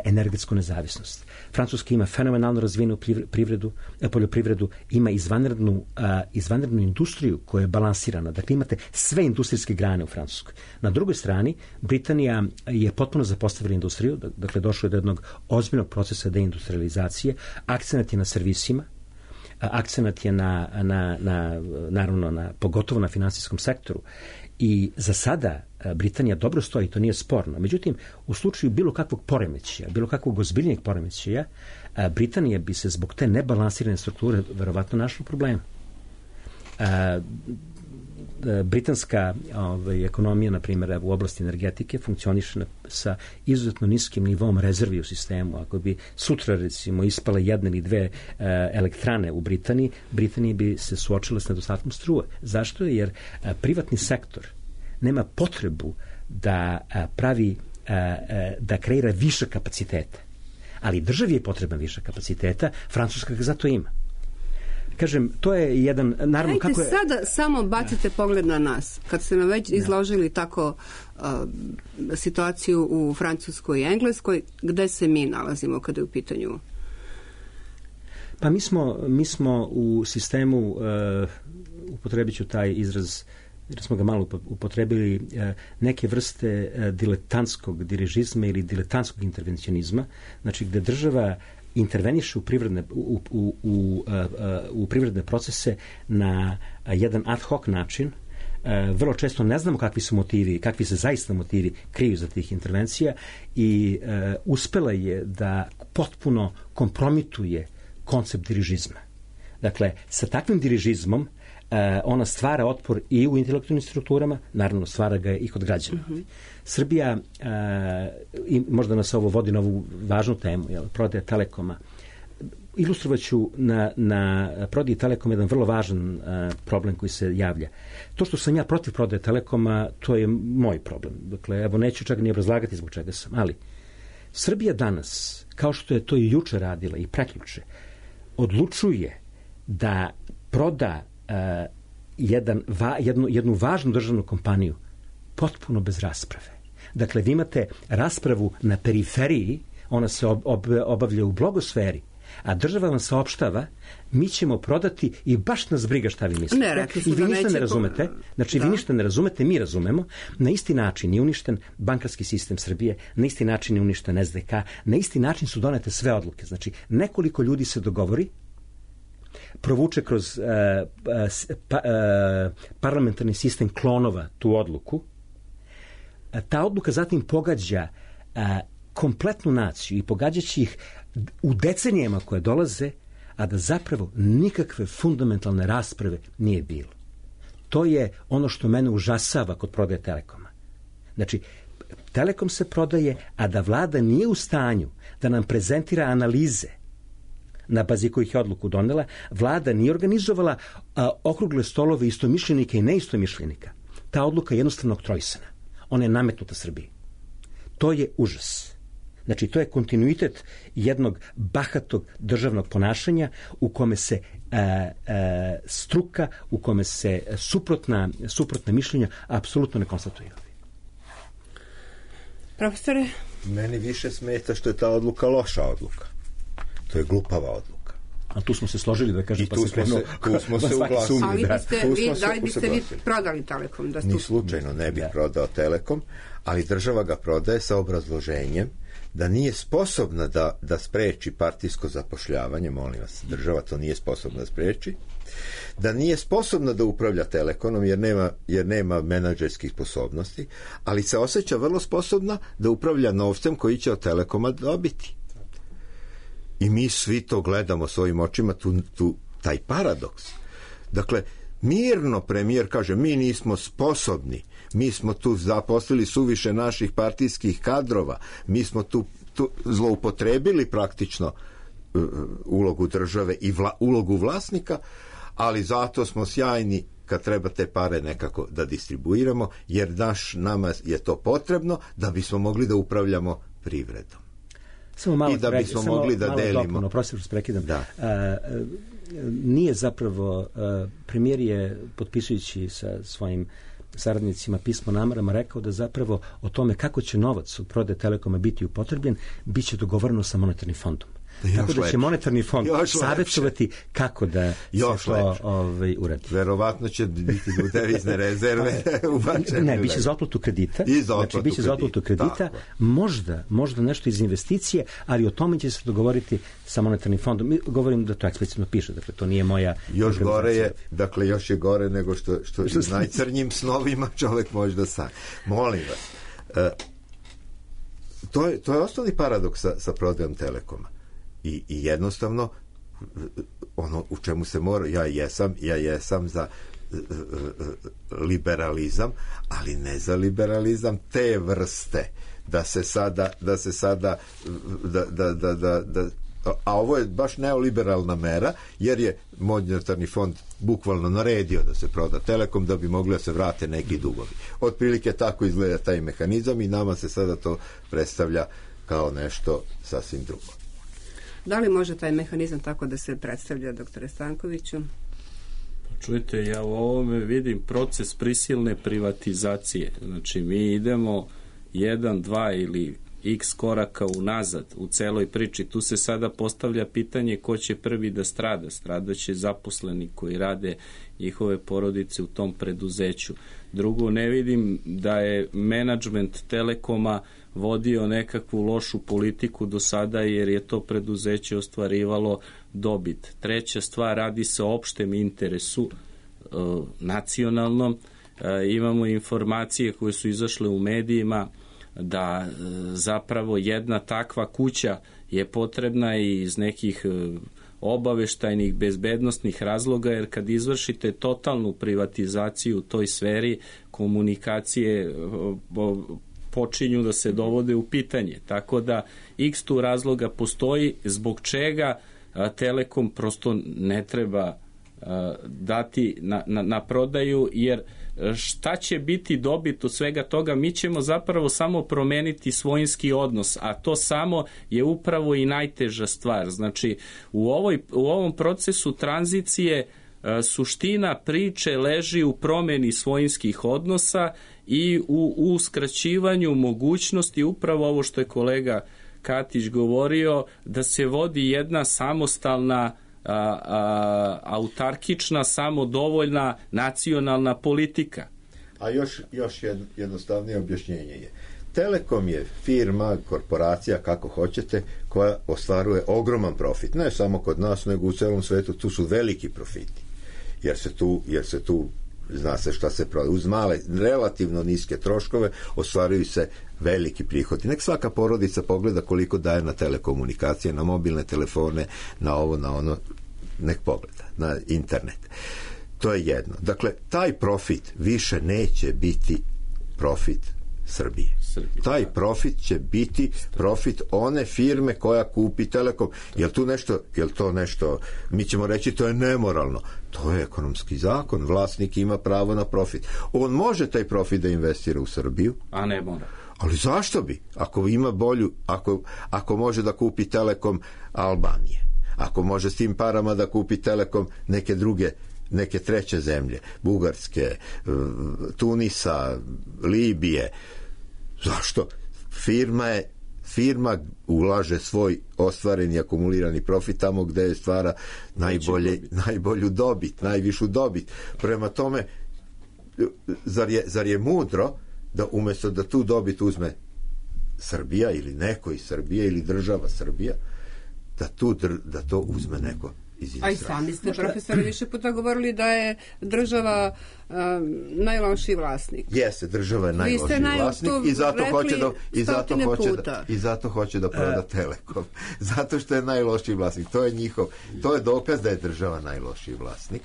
energetsku nezavisnost. Francuska ima fenomenalno razvijenu privredu, poljoprivredu, ima izvanrednu, izvanrednu industriju koja je balansirana. Dakle, imate sve industrijske grane u Francuskoj. Na drugoj strani, Britanija je potpuno zapostavila industriju, dakle, došlo je do jednog ozbiljnog procesa deindustrializacije, akcenat je na servisima, akcenat je na, na, na, naravno, na, pogotovo na finansijskom sektoru. I za sada Britanija dobro stoji, to nije sporno. Međutim, u slučaju bilo kakvog poremećaja, bilo kakvog ozbiljnijeg poremećaja, Britanija bi se zbog te nebalansirane strukture verovatno našla problema. Britanska ovaj, ekonomija, na primjer, u oblasti energetike funkcioniše sa izuzetno niskim nivom rezervi u sistemu. Ako bi sutra, recimo, ispale jedne ili dve uh, elektrane u Britaniji, Britanija bi se suočila s nedostatkom struje. Zašto? Jer uh, privatni sektor nema potrebu da uh, pravi, uh, uh, da kreira više kapaciteta. Ali državi je potreban više kapaciteta, Francuska ga zato ima. Kažem, to je jedan, naravno, Ajde, kako je... sada samo bacite pogled na nas. Kad ste nam već izložili tako uh, situaciju u Francuskoj i Engleskoj, gde se mi nalazimo kada je u pitanju? Pa mi smo, mi smo u sistemu, uh, upotrebit ću taj izraz, jer smo ga malo upotrebili, uh, neke vrste uh, diletantskog dirižizma ili diletantskog intervencionizma, znači gde država interveniše u privredne, u, u, u, u privredne procese na jedan ad hoc način. Vrlo često ne znamo kakvi su motivi, kakvi se zaista motivi kriju za tih intervencija i uh, uspela je da potpuno kompromituje koncept dirižizma. Dakle, sa takvim dirižizmom uh, ona stvara otpor i u intelektualnim strukturama, naravno stvara ga i kod građana. Mm-hmm. Srbija, uh, i možda nas ovo vodi na ovu važnu temu, jel, prodaja Telekoma. Ilustrovaću na, na prodaji Telekoma jedan vrlo važan uh, problem koji se javlja. To što sam ja protiv prodaje Telekoma, to je moj problem. Dakle, evo, neću čak ni obrazlagati zbog čega sam, ali Srbija danas, kao što je to i juče radila i prekjuče, odlučuje da proda uh, jedan, va, jednu, jednu važnu državnu kompaniju potpuno bez rasprave. Dakle, vi imate raspravu na periferiji, ona se ob, ob, obavlja u blogosferi, a država vam saopštava, mi ćemo prodati i baš nas briga šta vi mislite. Ne, I vi ništa ne razumete. Znači, da. vi ništa ne razumete, mi razumemo. Na isti način je uništen bankarski sistem Srbije, na isti način je uništen S D K, na isti način su donete sve odluke. Znači, nekoliko ljudi se dogovori, provuče kroz uh, pa, uh, parlamentarni sistem klonova tu odluku. Ta odluka zatim pogađa uh, kompletnu naciju i pogađaće ih u decenijama koje dolaze, a da zapravo nikakve fundamentalne rasprave nije bilo. To je ono što mene užasava kod prodaje Telekoma. Znači, Telekom se prodaje, a da vlada nije u stanju da nam prezentira analize na bazi kojih je odluku donela, vlada nije organizovala a, okrugle stolove istomišljenika i neistomišljenika. Ta odluka je jednostavno oktrojsana. Ona je nametnuta Srbiji. To je užas. Znači, to je kontinuitet jednog bahatog državnog ponašanja u kome se a, a, struka, u kome se suprotna, suprotna mišljenja apsolutno ne konstatuju. Profesore? Meni više smeta što je ta odluka loša odluka. To je glupava odluka. A tu smo se složili da kažem, I pa tu se smo krenuo. se, tu smo se uglasili. Ali Da, biste tu vi, smo se da li biste vi usaglasili. prodali Telekom? Da Ni stu... slučajno ne bih Da. prodao Telekom, ali država ga prodaje sa obrazloženjem da nije sposobna da, da spreči partijsko zapošljavanje, molim vas, država to nije sposobna da spreči, da nije sposobna da upravlja Telekomom jer nema, jer nema menadžerskih sposobnosti, ali se osjeća vrlo sposobna da upravlja novcem koji će od Telekoma dobiti. I mi svi to gledamo svojim očima, tu, tu, taj paradoks. Dakle, mirno premijer kaže, mi nismo sposobni, mi smo tu zaposlili suviše naših partijskih kadrova, mi smo tu, tu zloupotrebili praktično uh, ulogu države i vla, ulogu vlasnika, ali zato smo sjajni kad treba te pare nekako da distribuiramo, jer naš, nama je to potrebno da bismo mogli da upravljamo privredom. Samo malo I da sprek, bismo samo mogli da malo delimo. Dopunu, prosto što prekidam. Da. A, a, nije zapravo, a, premijer je potpisujući sa svojim saradnicima pismo namerama rekao da zapravo o tome kako će novac od prodaje Telekoma biti upotrebljen, bit će dogovoreno sa monetarnim fondom. Još Tako da će lepše. monetarni fond Još savjetovati kako da Još se to ovaj, uradi. Verovatno će biti u devizne rezerve ubačene. Ne, biće za otplatu kredita. I za znači, otplatu biće za otplatu kredita. Tako. Možda, možda nešto iz investicije, ali o tome će se dogovoriti sa monetarnim fondom. Mi govorim da to eksplicitno piše, dakle to nije moja još gore je, dakle još je gore nego što, što, što najcrnjim snovima čovjek može da sanja. Molim vas. Uh, to, je, to je osnovni paradoks sa, sa prodajom Telekoma. I, i jednostavno ono u čemu se mora, ja jesam ja jesam za uh, uh, liberalizam, ali ne za liberalizam te vrste da se sada da se sada da, da, da, da, da a ovo je baš neoliberalna mera, jer je monetarni fond bukvalno naredio da se proda Telekom da bi mogli da se vrate neki dugovi. Otprilike tako izgleda taj mehanizam i nama se sada to predstavlja kao nešto sasvim drugo. Da li može taj mehanizam tako da se predstavlja, doktore Stankoviću? Čujte, ja u ovome vidim proces prisilne privatizacije. Znači, mi idemo jedan, dva ili x koraka unazad u celoj priči. Tu se sada postavlja pitanje ko će prvi da strada. Stradaće zaposleni koji rade, njihove porodice u tom preduzeću. Drugo, ne vidim da je menadžment Telekoma vodio nekakvu lošu politiku do sada, jer je to preduzeće ostvarivalo dobit. Treća stvar, radi se o opštem interesu, e, nacionalnom. E, imamo informacije koje su izašle u medijima da e, zapravo jedna takva kuća je potrebna i iz nekih e, obaveštajnih bezbednostnih razloga, jer kad izvršite totalnu privatizaciju u toj sferi, komunikacije e, počinju da se dovode u pitanje. Tako da x tu razloga postoji zbog čega a, Telekom prosto ne treba a, dati na, na, na prodaju, jer šta će biti dobit od svega toga? Mi ćemo zapravo samo promeniti svojinski odnos, a to samo je upravo i najteža stvar. Znači, u, ovoj, u ovom procesu tranzicije a, suština priče leži u promeni svojinskih odnosa i u, u skraćivanju mogućnosti, upravo ovo što je kolega Katić govorio, da se vodi jedna samostalna, a, a, autarkična, samodovoljna nacionalna politika. A još, još jednostavnije objašnjenje je. Telekom je firma, korporacija, kako hoćete, koja ostvaruje ogroman profit. Ne samo kod nas, nego u celom svetu. Tu su veliki profiti. Jer se tu, jer se tu zna se šta se prodaje. Uz male, relativno niske troškove ostvaruju se veliki prihodi. Nek svaka porodica pogleda koliko daje na telekomunikacije, na mobilne telefone, na ovo, na ono, nek pogleda, na internet. To je jedno. Dakle, taj profit više neće biti profit Srbije. Srbije. Taj profit će biti profit one firme koja kupi Telekom. Jel tu nešto, jel to nešto, mi ćemo reći to je nemoralno. To je ekonomski zakon. Vlasnik ima pravo na profit. On može taj profit da investira u Srbiju. A ne mora. Ali zašto bi? Ako ima bolju, ako, ako može da kupi Telekom Albanije, ako može s tim parama da kupi Telekom neke druge, neke treće zemlje, Bugarske, Tunisa, Libije, zašto? Firma je firma ulaže svoj ostvareni akumulirani profit tamo gde stvara najbolje, najbolju dobit, najvišu dobit. Prema tome, zar je, zar je mudro da umjesto da tu dobit uzme Srbija ili neko iz Srbije ili država Srbija, da, tu, da to uzme neko iz Izraela. A i sami ste, profesori, više puta govorili da je država um, najlošiji vlasnik. Jeste, država je najlošiji vlasnik i zato hoće da i zato hoće da, i zato hoće da proda Telekom. Zato što je najlošiji vlasnik. To je njihov, to je dokaz da je država najlošiji vlasnik.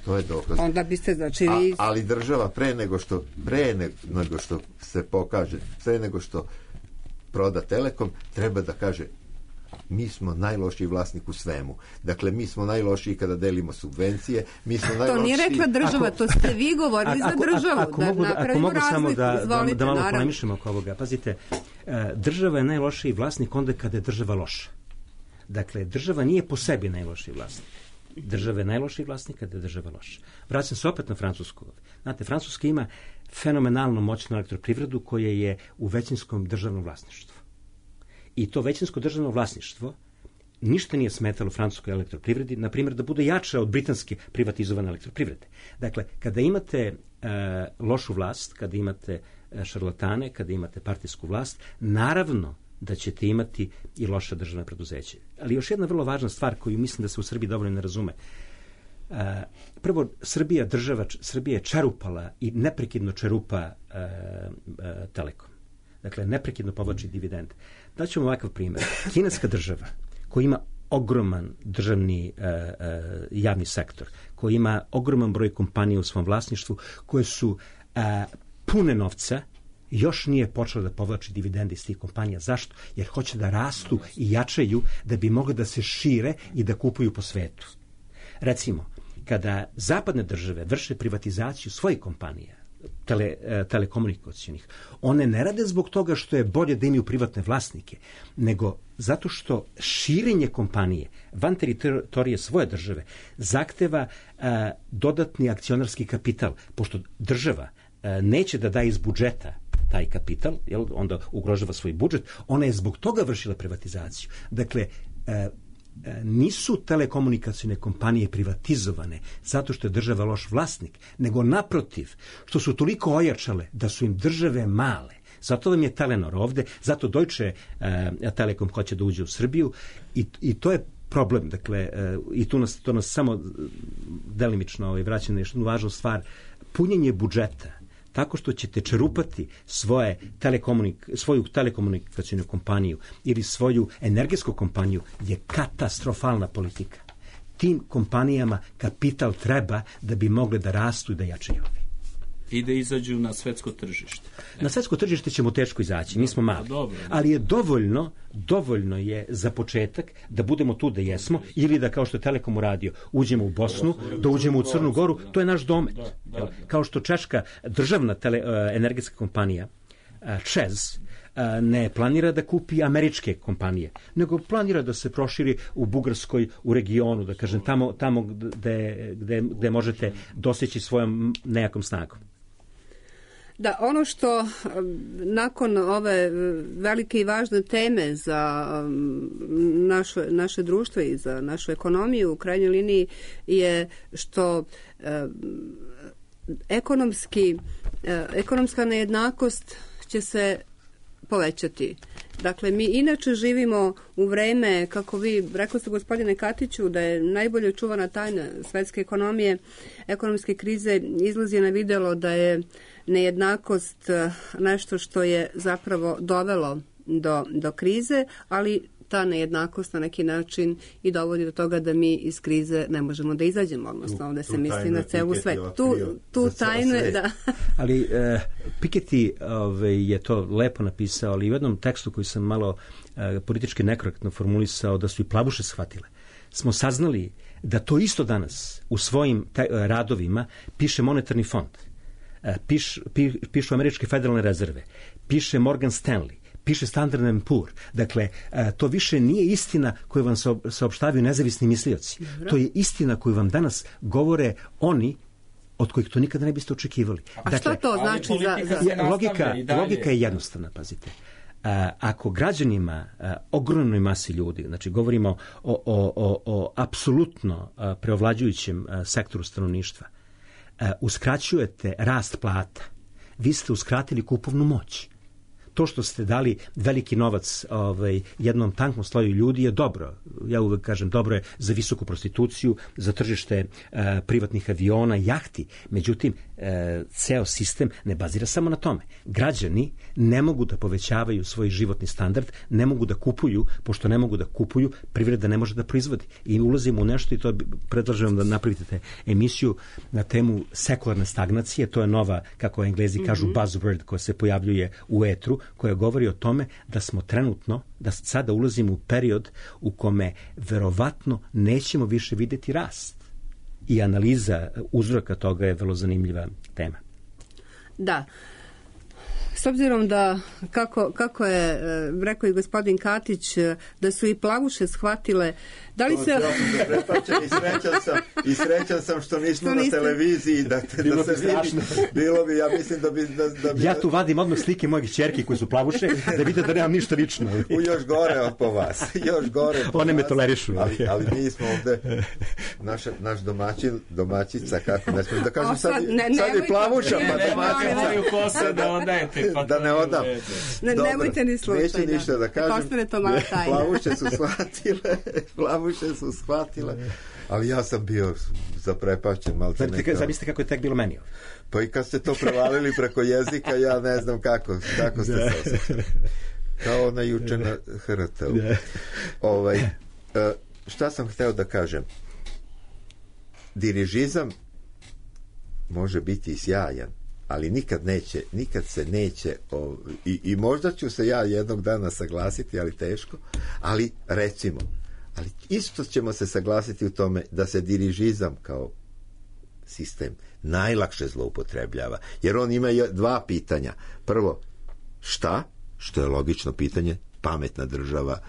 To je dokaz. Onda biste znači vi... A, ali država pre nego što pre nego što se pokaže, pre nego što proda Telekom, treba da kaže mi smo najlošiji vlasnik u svemu. Dakle, mi smo najlošiji kada delimo subvencije, mi smo najlošiji... To nije rekla država, ako, to ste vi govorili ako, za državu. Ako, ako, da mogu, da, ako mogu samo da, izvolite, da, da malo naravno. polemišemo oko ovoga. Pazite, država je najlošiji vlasnik onda kada je država loša. Dakle, država nije po sebi najlošiji vlasnik. Država je najlošiji vlasnik kada je država loša. Vraćam se opet na Francusku. Znate, Francuska ima fenomenalno moćnu elektroprivredu koja je u većinskom državnom vlasništvu. I to većinsko državno vlasništvo ništa nije smetalo francuskoj elektroprivredi, na primjer, da bude jača od britanske privatizovane elektroprivrede. Dakle, kada imate e, lošu vlast, kada imate e, šarlatane, kada imate partijsku vlast, naravno da ćete imati i loša državna preduzeća. Ali još jedna vrlo važna stvar koju mislim da se u Srbiji dovoljno ne razume. E, prvo, Srbija, država, Srbija je čerupala i neprekidno čerupa e, e, Telekom. Dakle, neprekidno povlači dividende. Daćemo ovakav primjer. Kineska država koja ima ogroman državni e, e, javni sektor, koja ima ogroman broj kompanija u svom vlasništvu, koje su e, pune novca, još nije počela da povlači dividende iz tih kompanija. Zašto? Jer hoće da rastu i jačaju da bi mogli da se šire i da kupuju po svetu. Recimo, kada zapadne države vrše privatizaciju svojih kompanija, tele, telekomunikacionih, one ne rade zbog toga što je bolje da imaju privatne vlasnike, nego zato što širenje kompanije van teritorije svoje države zahteva a, dodatni akcionarski kapital, pošto država a, neće da daje iz budžeta taj kapital, jel, onda ugrožava svoj budžet, ona je zbog toga vršila privatizaciju. Dakle, a, nisu telekomunikacione kompanije privatizovane zato što je država loš vlasnik, nego naprotiv, što su toliko ojačale da su im države male. Zato vam je Telenor ovde, zato Deutsche uh, Telekom hoće da uđe u Srbiju i, i to je problem. Dakle, uh, i tu nas, to nas samo delimično ovaj, vraća na jednu važnu stvar. Punjenje budžeta tako što ćete čerupati svoje telekomunik, svoju telekomunikacijnu kompaniju ili svoju energetsku kompaniju je katastrofalna politika. Tim kompanijama kapital treba da bi mogli da rastu i da jačaju. I da izađu na svetsko tržište. Na svetsko tržište ćemo teško izaći, mi smo mali. Ali je dovoljno, dovoljno je za početak da budemo tu da jesmo ili da, kao što je Telekom uradio, uđemo u Bosnu, da uđemo u Crnu Goru, to je naš domet. Kao što češka državna tele, energetska kompanija ČEZ ne planira da kupi američke kompanije, nego planira da se proširi u Bugarskoj, u regionu, da kažem, tamo, tamo gde, gde, gde možete doseći svojom nejakom snagom. Da, ono što nakon ove velike i važne teme za naše, naše društvo i za našu ekonomiju u krajnjoj liniji je što eh, ekonomski, eh, ekonomska nejednakost će se povećati. Dakle, mi inače živimo u vreme, kako vi rekli ste, gospodine Katiću, da je najbolje čuvana tajna svetske ekonomije, ekonomske krize izlazi na videlo da je nejednakost nešto što je zapravo dovelo do, do krize, ali ta nejednakost na neki način i dovodi do toga da mi iz krize ne možemo da izađemo, odnosno ovde se misli na celu svet. Tu, tu tajnu je, da. Ali uh, Piketty ove, je to lepo napisao, ali u jednom tekstu koji sam malo uh, politički nekorektno formulisao, da su i plavuše shvatile, smo saznali da to isto danas u svojim taj, uh, radovima piše monetarni fond, uh, piš, pi, pišu američke federalne rezerve, piše Morgan Stanley, piše Standard and Poor. Dakle, to više nije istina koju vam saopštavaju nezavisni mislioci. To je istina koju vam danas govore oni od kojih to nikada ne biste očekivali. A dakle, šta to znači za... za... Logika, logika je jednostavna, pazite. A, ako građanima, a, ogromnoj masi ljudi, znači govorimo o, o, o, o apsolutno a, preovlađujućem a, sektoru stanovništva, a, uskraćujete rast plata, vi ste uskratili kupovnu moć. To što ste dali veliki novac ovaj, jednom tanknom sloju ljudi je dobro. Ja uvek kažem, dobro je za visoku prostituciju, za tržište e, privatnih aviona, jahti. Međutim, e, ceo sistem ne bazira samo na tome. Građani ne mogu da povećavaju svoj životni standard, ne mogu da kupuju, pošto ne mogu da kupuju, privreda ne može da proizvodi. I ulazimo u nešto i to predlažem da napravite emisiju na temu sekularne stagnacije. To je nova, kako Englezi kažu, mm-hmm. buzzword koja se pojavljuje u etru, koja govori o tome da smo trenutno, da sada ulazimo u period u kome verovatno nećemo više videti rast. I analiza uzroka toga je vrlo zanimljiva tema. Da. S obzirom da, kako, kako je rekao i gospodin Katić, da su i plavuše shvatile, da li se... Ja sam zaprepačen i srećan sam, i srećan sam što nismo što na televiziji, da, bilo da se vidi. Bilo bi, ja mislim da bi... Da, da bi... Ja tu vadim odmah slike mojih ćerki koji su plavuše, da vidite da nemam ništa lično. U još gore od po vas. Još gore po One vas. me tolerišu. Ali, ali mi smo ovde, naš, naš domaćin, domaćica, kako ne smijem da kažem, sad, sad, ne, sad je plavuša, pa domaćica. Da odajete. Da ne odam. Ne, nemojte ni slučaj. Neću da. ništa da kažem. Postane to mala tajna. Plavuše su shvatile, plavuše su shvatile, ali ja sam bio zaprepašćen. Zamislite kako je tek bilo meni. Pa i kad ste to prevalili preko jezika, ja ne znam kako, kako ste se osjećali. Kao ona juče na H R T-u. Ovaj, šta sam hteo da kažem? Dirižizam može biti sjajan, ali nikad neće, nikad se neće o, i, i možda ću se ja jednog dana saglasiti, ali teško, ali recimo, ali isto ćemo se saglasiti u tome da se dirižizam kao sistem najlakše zloupotrebljava, jer on ima dva pitanja. Prvo, šta? Što je logično pitanje, pametna država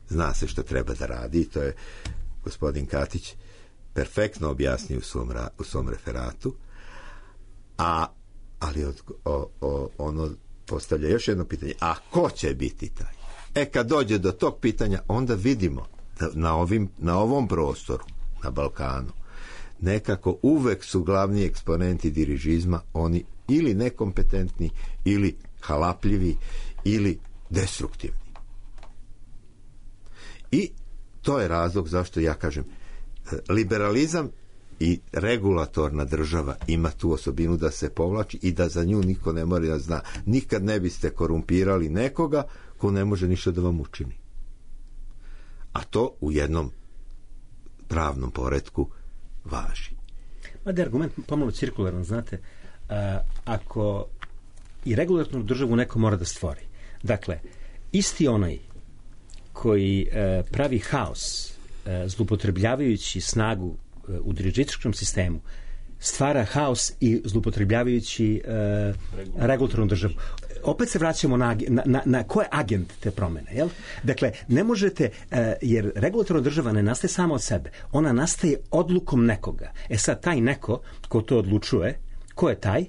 zna se što treba da radi, i to je gospodin Katić perfektno objasnio u svom, u svom referatu. A ali od, o, o, ono postavlja još jedno pitanje, a ko će biti taj? E, kad dođe do tog pitanja, onda vidimo da na, ovim, na ovom prostoru, na Balkanu, nekako uvek su glavni eksponenti dirižizma oni ili nekompetentni, ili halapljivi, ili destruktivni. I to je razlog zašto ja kažem, liberalizam i regulatorna država ima tu osobinu da se povlači i da za nju niko ne mora da zna. Nikad ne biste korumpirali nekoga ko ne može ništa da vam učini. A to u jednom pravnom poretku važi. Ma da je argument pomalo cirkularan, znate, a, ako i regulatornu državu neko mora da stvori. Dakle, isti onaj koji e, pravi haos e, zlupotrebljavajući snagu u dirižističkom sistemu stvara haos i zloupotrebljavajući uh, regulatornu državu. Opet se vraćamo na, na, na, na ko je agent te promene, jel? Dakle, ne možete, uh, jer regulatorna država ne nastaje samo od sebe, ona nastaje odlukom nekoga. E sad, taj neko ko to odlučuje, ko je taj?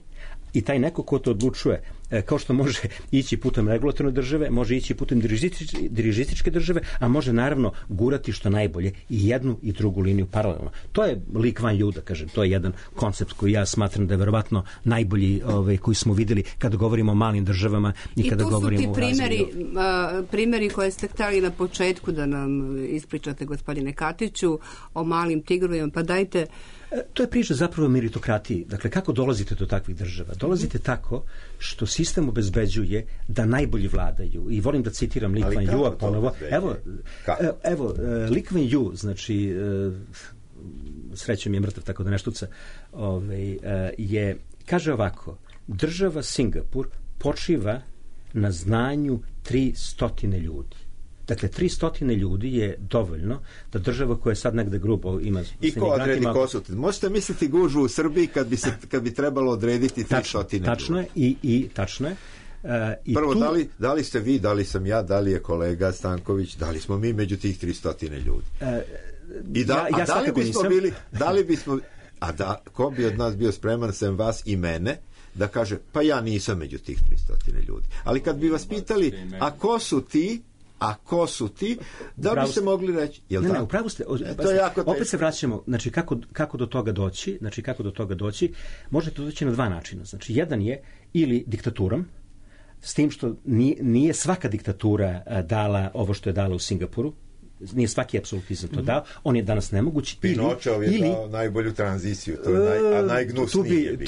I taj neko ko to odlučuje, kao što može ići putem regulatorne države, može ići putem dirižističke, dirižističke države, a može naravno gurati što najbolje i jednu i drugu liniju paralelno. To je lik Van Ju, da kažem, to je jedan koncept koji ja smatram da je verovatno najbolji ovaj, koji smo videli kada govorimo o malim državama i, I kada govorimo o razvoju. I tu su ti primjeri, uh, primjeri koje ste htjeli na početku da nam ispričate, gospodine Katiću, o malim tigrovima, pa dajte. To je priča zapravo o meritokratiji. Dakle, kako dolazite do takvih država? Dolazite tako što sistem obezbeđuje da najbolji vladaju. I volim da citiram Lee Kuan Yew ponovo. Evo, evo Lee Kuan Yew, znači, srećom je mrtav, tako da ne štuca, ovaj, je, kaže ovako, država Singapur počiva na znanju tri stotine ljudi. Dakle, tri stotine ljudi je dovoljno da država koja je sad negde grubo ima... I ko odredi ko su? Možete misliti gužvu u Srbiji kad bi, se, kad bi trebalo odrediti tri stotine ljudi? Tačno je, i, i tačno je. Uh, i Prvo, tu... da, li, da li ste vi, da li sam ja, da li je kolega Stanković, da li smo mi među tih tri stotine ljudi? Uh, I da, ja, ja a da li bismo nisam... bili, da li bismo, a da, ko bi od nas bio spreman sem vas i mene, da kaže, pa ja nisam među tih tristo ljudi. Ali kad bi vas pitali, a ko su ti, a ko su ti, da bi se mogli reći, jel ne, tako? Ne, upravo ste, o, e, to je jako opet se vraćamo, znači kako, kako do toga doći, znači kako do toga doći, možete doći na dva načina. Znači, jedan je ili diktaturom, s tim što nije, nije svaka diktatura a, dala ovo što je dala u Singapuru, nije svaki apsolutizam to dao, on je danas nemoguć. Pinočov je ili, dao najbolju tranziciju, to je naj, a najgnusniji je bio.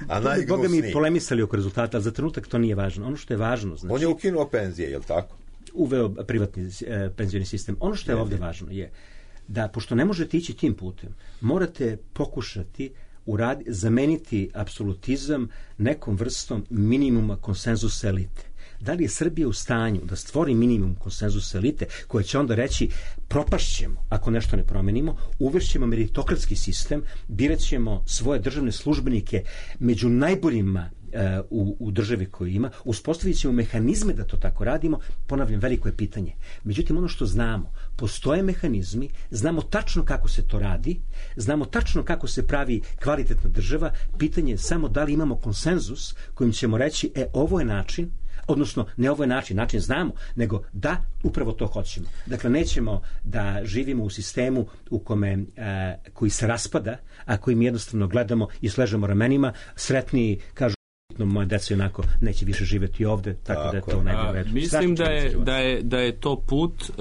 A najgnusniji. Boga mi polemisali oko rezultata, ali za trenutak to nije važno. Ono što je važno, znači... On je ukinuo penzije, je li tako? Uveo privatni e, penzioni sistem. Ono što je ne, ovdje ne. važno je da, pošto ne možete ići tim putem, morate pokušati uradi, zameniti apsolutizam nekom vrstom minimuma konsenzusa elite. Da li je Srbija u stanju da stvori minimum konsenzusa elite koja će onda reći propašćemo ako nešto ne promenimo, uvešćemo meritokratski sistem, birat ćemo svoje državne službenike među najboljima U, u državi koju ima, uspostavit ćemo mehanizme da to tako radimo, ponavljam, veliko je pitanje. Međutim, ono što znamo, postoje mehanizmi, znamo tačno kako se to radi, znamo tačno kako se pravi kvalitetna država, pitanje je samo da li imamo konsenzus kojim ćemo reći, e, ovo je način, odnosno, ne ovo je način, način znamo, nego da, upravo to hoćemo. Dakle, nećemo da živimo u sistemu u kome, e, koji se raspada, a kojim jednostavno gledamo i sležemo ramenima, sretniji, kažu, moja deca onako neće više živjeti ovde, tako, tako da je to najbolje. Mislim da je, da, je, da je to put, uh,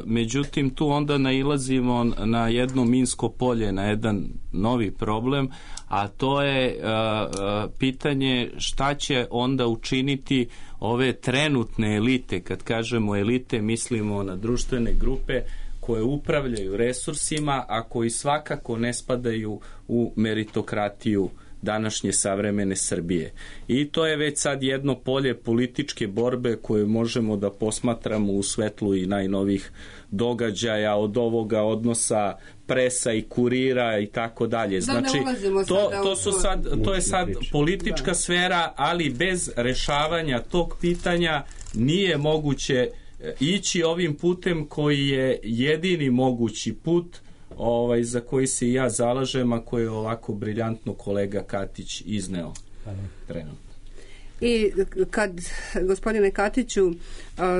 međutim tu onda nailazimo na jedno minsko polje, na jedan novi problem, a to je uh, uh, pitanje šta će onda učiniti ove trenutne elite. Kad kažemo elite, mislimo na društvene grupe koje upravljaju resursima, a koji svakako ne spadaju u meritokratiju današnje savremene Srbije. I to je već sad jedno polje političke borbe koje možemo da posmatramo u svetlu i najnovih događaja od ovoga odnosa presa i kurira i tako dalje. Znači, to, to, su sad, to je sad politička sfera, ali bez rešavanja tog pitanja nije moguće ići ovim putem koji je jedini mogući put ovaj, za koji se i ja zalažem, a koji je ovako briljantno kolega Katić izneo trenutno. I kad, gospodine Katiću,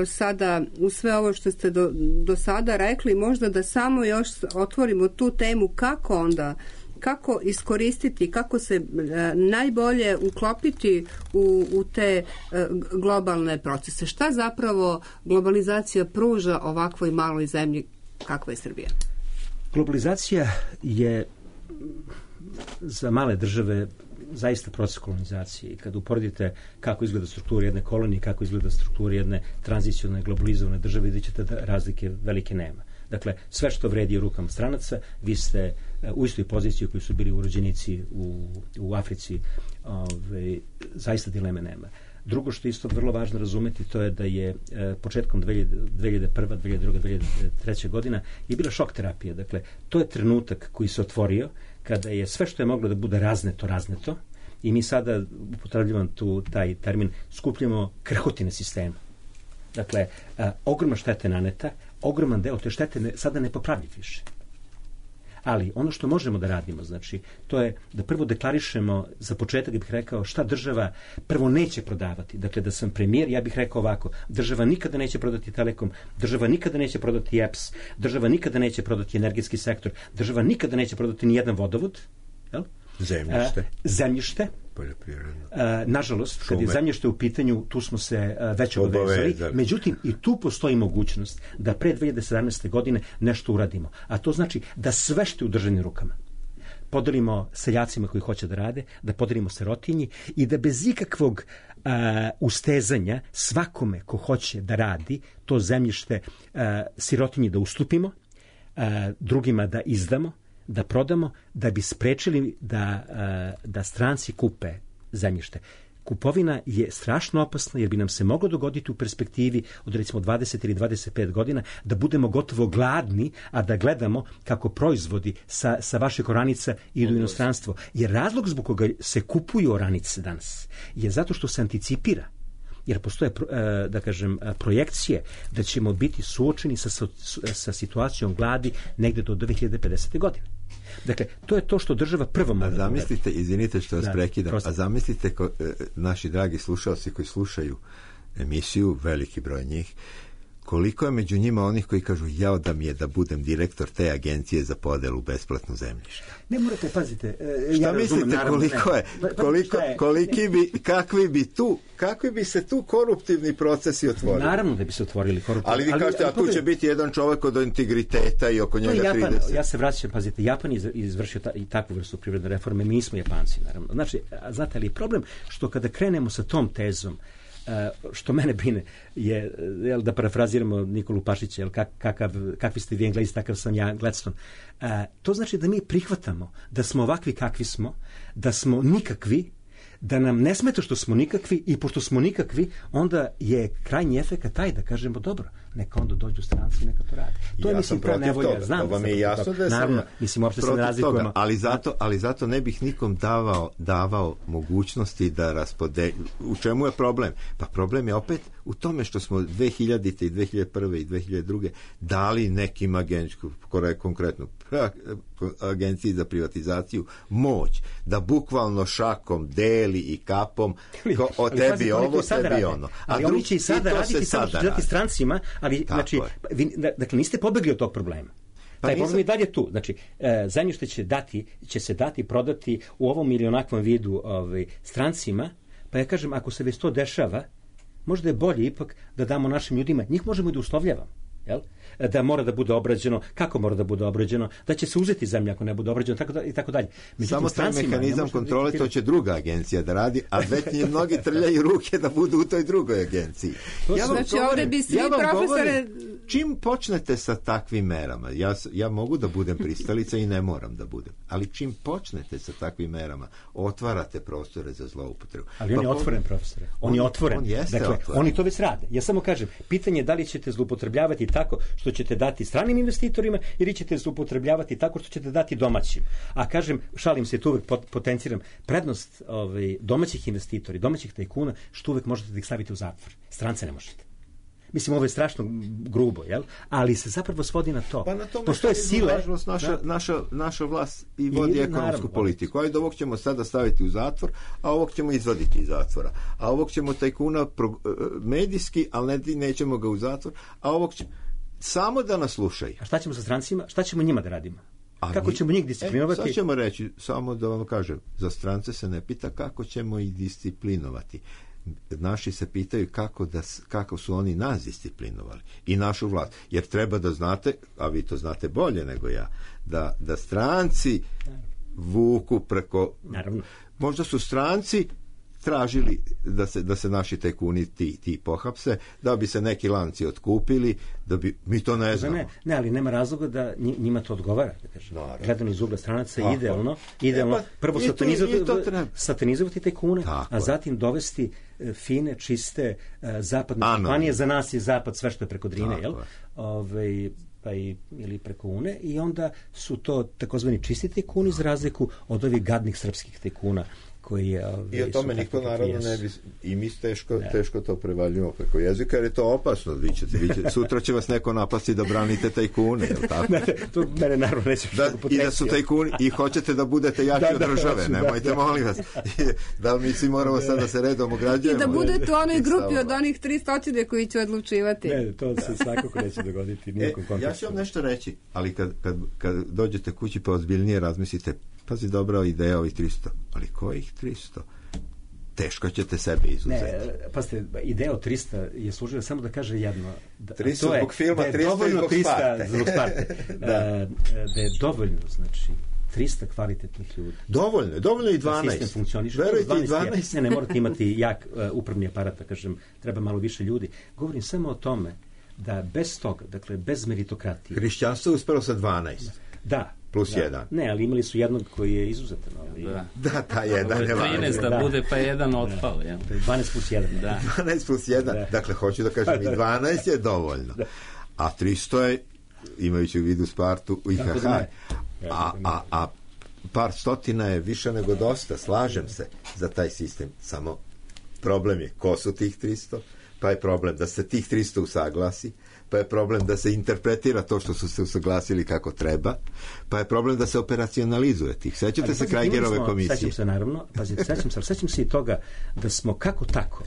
sada u sve ovo što ste do, do sada rekli, možda da samo još otvorimo tu temu kako onda, kako iskoristiti, kako se najbolje uklopiti u, u te globalne procese. Šta zapravo globalizacija pruža ovakvoj maloj zemlji kakva je Srbija? Globalizacija je za male države zaista proces kolonizacije. I kad uporedite kako izgleda struktura jedne kolonije, kako izgleda struktura jedne tranzicionalne globalizovane države, vidjet ćete da razlike velike nema. Dakle, sve što vredi u rukama stranaca, vi ste u istoj poziciji koji su bili urođenici u, u Africi, ove, zaista dileme nema. Drugo što je isto vrlo važno razumeti, to je da je e, početkom dve hiljade prve, dve hiljade druge, dve hiljade treće godina je bila šok terapija. Dakle, to je trenutak koji se otvorio kada je sve što je moglo da bude razneto, razneto, i mi sada, upotrebljavam tu taj termin, skupljamo krhotine sistema. Dakle, a, ogromna štete naneta, ogroman deo te štete ne, sada ne popravljiv više. Ali ono što možemo da radimo, znači, to je da prvo deklarišemo, za početak bih rekao šta država prvo neće prodavati. Dakle, da sam premijer, ja bih rekao ovako, država nikada neće prodati Telekom, država nikada neće prodati E P S, država nikada neće prodati energetski sektor, država nikada neće prodati ni jedan vodovod, jel? Zemljište. A, zemljište. A, nažalost, kad je zemljište u pitanju, tu smo se a, već obavezali. Međutim, i tu postoji mogućnost da pre dve hiljade sedamnaeste. godine nešto uradimo. A to znači da sve što je u državnim rukama podelimo seljacima koji hoće da rade, da podelimo sirotinji i da bez ikakvog a, ustezanja svakome ko hoće da radi to zemljište a, sirotinji da ustupimo, a, drugima da izdamo, da prodamo, da bi sprečili da, da stranci kupe zemljište. Kupovina je strašno opasna jer bi nam se moglo dogoditi u perspektivi od recimo dvadeset ili dvadeset pet godina da budemo gotovo gladni, a da gledamo kako proizvodi sa, sa vaših oranica idu u inostranstvo. Jer razlog zbog koga se kupuju oranice danas je zato što se anticipira, jer postoje, da kažem, projekcije da ćemo biti suočeni sa, sa situacijom gladi negde do dve hiljade pedesete. godine. Dakle, to je to što država prvo mora. A zamislite, izvinite što vas da, prekidam, prosto. a zamislite ko, e, naši dragi slušalci koji slušaju emisiju, veliki broj njih, koliko je među njima onih koji kažu jao da mi je da budem direktor te agencije za podelu besplatno zemljište. Ne morate, pazite. E, Šta ja mislite razumem, naravno, koliko ne. je, Pa, koliko, šta je? koliki bi, kakvi bi tu, kakvi bi se tu koruptivni procesi otvorili? Naravno da bi se otvorili koruptivni. Ali vi kažete, a tu će biti jedan čovek od integriteta i oko njega Japan, trideset. ja se vraćam, pazite, Japan je izvršio ta, i takvu vrstu privredne reforme, mi smo Japanci, naravno. Znači, a znate li, problem što kada krenemo sa tom tezom, Uh, što mene brine je, jel, da parafraziramo Nikolu Pašića, jel, kak, kakav, kakvi ste vi Englezi, takav sam ja Gladstone. Uh, to znači da mi prihvatamo da smo ovakvi kakvi smo, da smo nikakvi, da nam ne smeta što smo nikakvi i pošto smo nikakvi, onda je krajnji efekat taj da kažemo dobro, neka onda dođu stranci i neka to rade. To ja je, mislim, ta nevolja. Znam, to vam je jasno da je naravno, mislim, uopšte se ne razlikujemo. Ali zato, ali zato ne bih nikom davao, davao mogućnosti da raspode... U čemu je problem? Pa problem je opet u tome što smo dve hiljadite i dve hiljade prve i dve hiljade druge dali nekim agencijama, konkretno agenciji za privatizaciju, moć da bukvalno šakom deli i kapom ko, o tebi pazi, ovo, tebi rade. Ono. A ali drugi, oni će i sada raditi samo što će dati strancima, ali znači, vi, dakle, niste pobegli od tog problema. Pa taj problem je dalje tu. Znači, e, zemljište će, dati, će se dati, prodati u ovom ili onakvom vidu ovaj, strancima, pa ja kažem, ako se već to dešava, možda je bolje ipak da damo našim ljudima, njih možemo i da uslovljavamo. Jel? Da mora da bude obrađeno, kako mora da bude obrađeno, da će se uzeti zemlja ako ne bude obrađeno, tako da, i tako dalje. Međutim, samo taj mehanizam kontrole to će druga agencija da radi, a već njih mnogi trljaju ruke da budu u toj drugoj agenciji. Ja vam znači, govorim, bi svi ja profesore... Govorim, čim počnete sa takvim merama, ja, ja mogu da budem pristalica i ne moram da budem, ali čim počnete sa takvim merama, otvarate prostore za zloupotrebu. Ali on je pa, otvoren, profesore. On, on je otvoren. On jeste dakle, otvoren. Oni to već rade. Ja samo kažem, pitanje je da li ćete zloupotrebljavati tako što ćete dati stranim investitorima ili ćete zloupotrebljavati tako što ćete dati domaćim. A kažem, šalim se, tu uvek potenciram, prednost ovaj, domaćih investitori, domaćih tajkuna, što uvek možete da ih stavite u zatvor. Strance ne možete. Mislim, ovo je strašno grubo, jel? Ali se zapravo svodi na to. Pa na tome postoje sile. Naša, da? naša, naša vlast i vodi I, ekonomsku naravno, politiku. Ajde, ovog ćemo sada staviti u zatvor, a ovog ćemo izvaditi iz zatvora. A ovog ćemo tajkuna pro, medijski, ali ne, nećemo ga u zatvor, a ovog ćemo... Samo da nas slušaju. A šta ćemo sa strancima? Šta ćemo njima da radimo? A kako mi, ćemo njih disciplinovati? E, sad ćemo reći, samo da vam kažem, za strance se ne pita kako ćemo ih disciplinovati. Naši se pitaju kako, da, kako su oni nas disciplinovali i našu vlast. Jer treba da znate, a vi to znate bolje nego ja, da, da stranci vuku preko... Naravno. Možda su stranci tražili da se, da se naši tajkuni ti, ti pohapse, da bi se neki lanci otkupili, da bi, mi to ne znamo. Ne, ne, ali nema razloga da njima to odgovara. Da gledano iz ugla stranaca je idealno, idealno e pa, prvo satanizovati, satanizovati tajkune, a zatim dovesti fine, čiste uh, zapadne kompanije, za nas je zapad sve što je preko Drine, jel? Ove, pa i, ili preko Une, i onda su to takozvani čisti tajkuni za razliku od ovih gadnih srpskih tajkuna koji je, ove, i o tome niko naravno ne bi, i mi teško, teško to prevaljujemo preko jezika, jer je to opasno. Vi ćete, vi ćete, sutra će vas neko napasti da branite tajkune, je li tako? Ne, to mene naravno neće da, i da su tajkuni i hoćete da budete jači da, od države, da, nemojte da, molim vas. Da mi svi moramo sad da se redom ograđujemo. I da budete u onoj grupi od onih tri stotine koji će odlučivati. Ne, to se svakako neće dogoditi nijekom kontekstu. Ja ću vam nešto reći, ali kad, kad, kad dođete kući pa ozbiljnije razmislite, pazi, dobra ideja ovih tristo, ali kojih tristo? Teško ćete sebe izuzeti. Ne, pazite, ideja od trista je služila samo da kaže jedno. Da, tristo zbog filma, da tristo zbog Sparte. Zbog Sparte. da. da je dovoljno, znači, trista kvalitetnih ljudi. Dovoljno, dovoljno i dvanaest. Da sistem funkcioniše. Verujte, i dvanaest. Ne, ne morate imati jak uh, upravni aparat, da kažem, treba malo više ljudi. Govorim samo o tome da bez toga, dakle, bez meritokratije. Hrišćanstvo je uspelo sa dvanaest. Da. Plus da. jedan. Ne, ali imali su jednog koji je izuzetan. Ali... Da, da, ta jedan je trinaest da, da bude, pa jedan otpao. Da. Ja. dvanaest plus jedan. Da. dvanaest plus jedan. Da. Dakle, hoću da kažem, i dvanaest je dovoljno. Da. A tristo je, imajući u vidu Spartu, i ha ha. A, a, a par stotina je više nego dosta, slažem se za taj sistem. Samo problem je, ko su tih tristo? pa je problem da se tih tristo usaglasi, pa je problem da se interpretira to što su se usaglasili kako treba, pa je problem da se operacionalizuje tih. Sećate Ali, se pazite, Krajgerove smo, komisije? Sećam se naravno, pazite, sećam se, ali sećam se i toga da smo kako tako,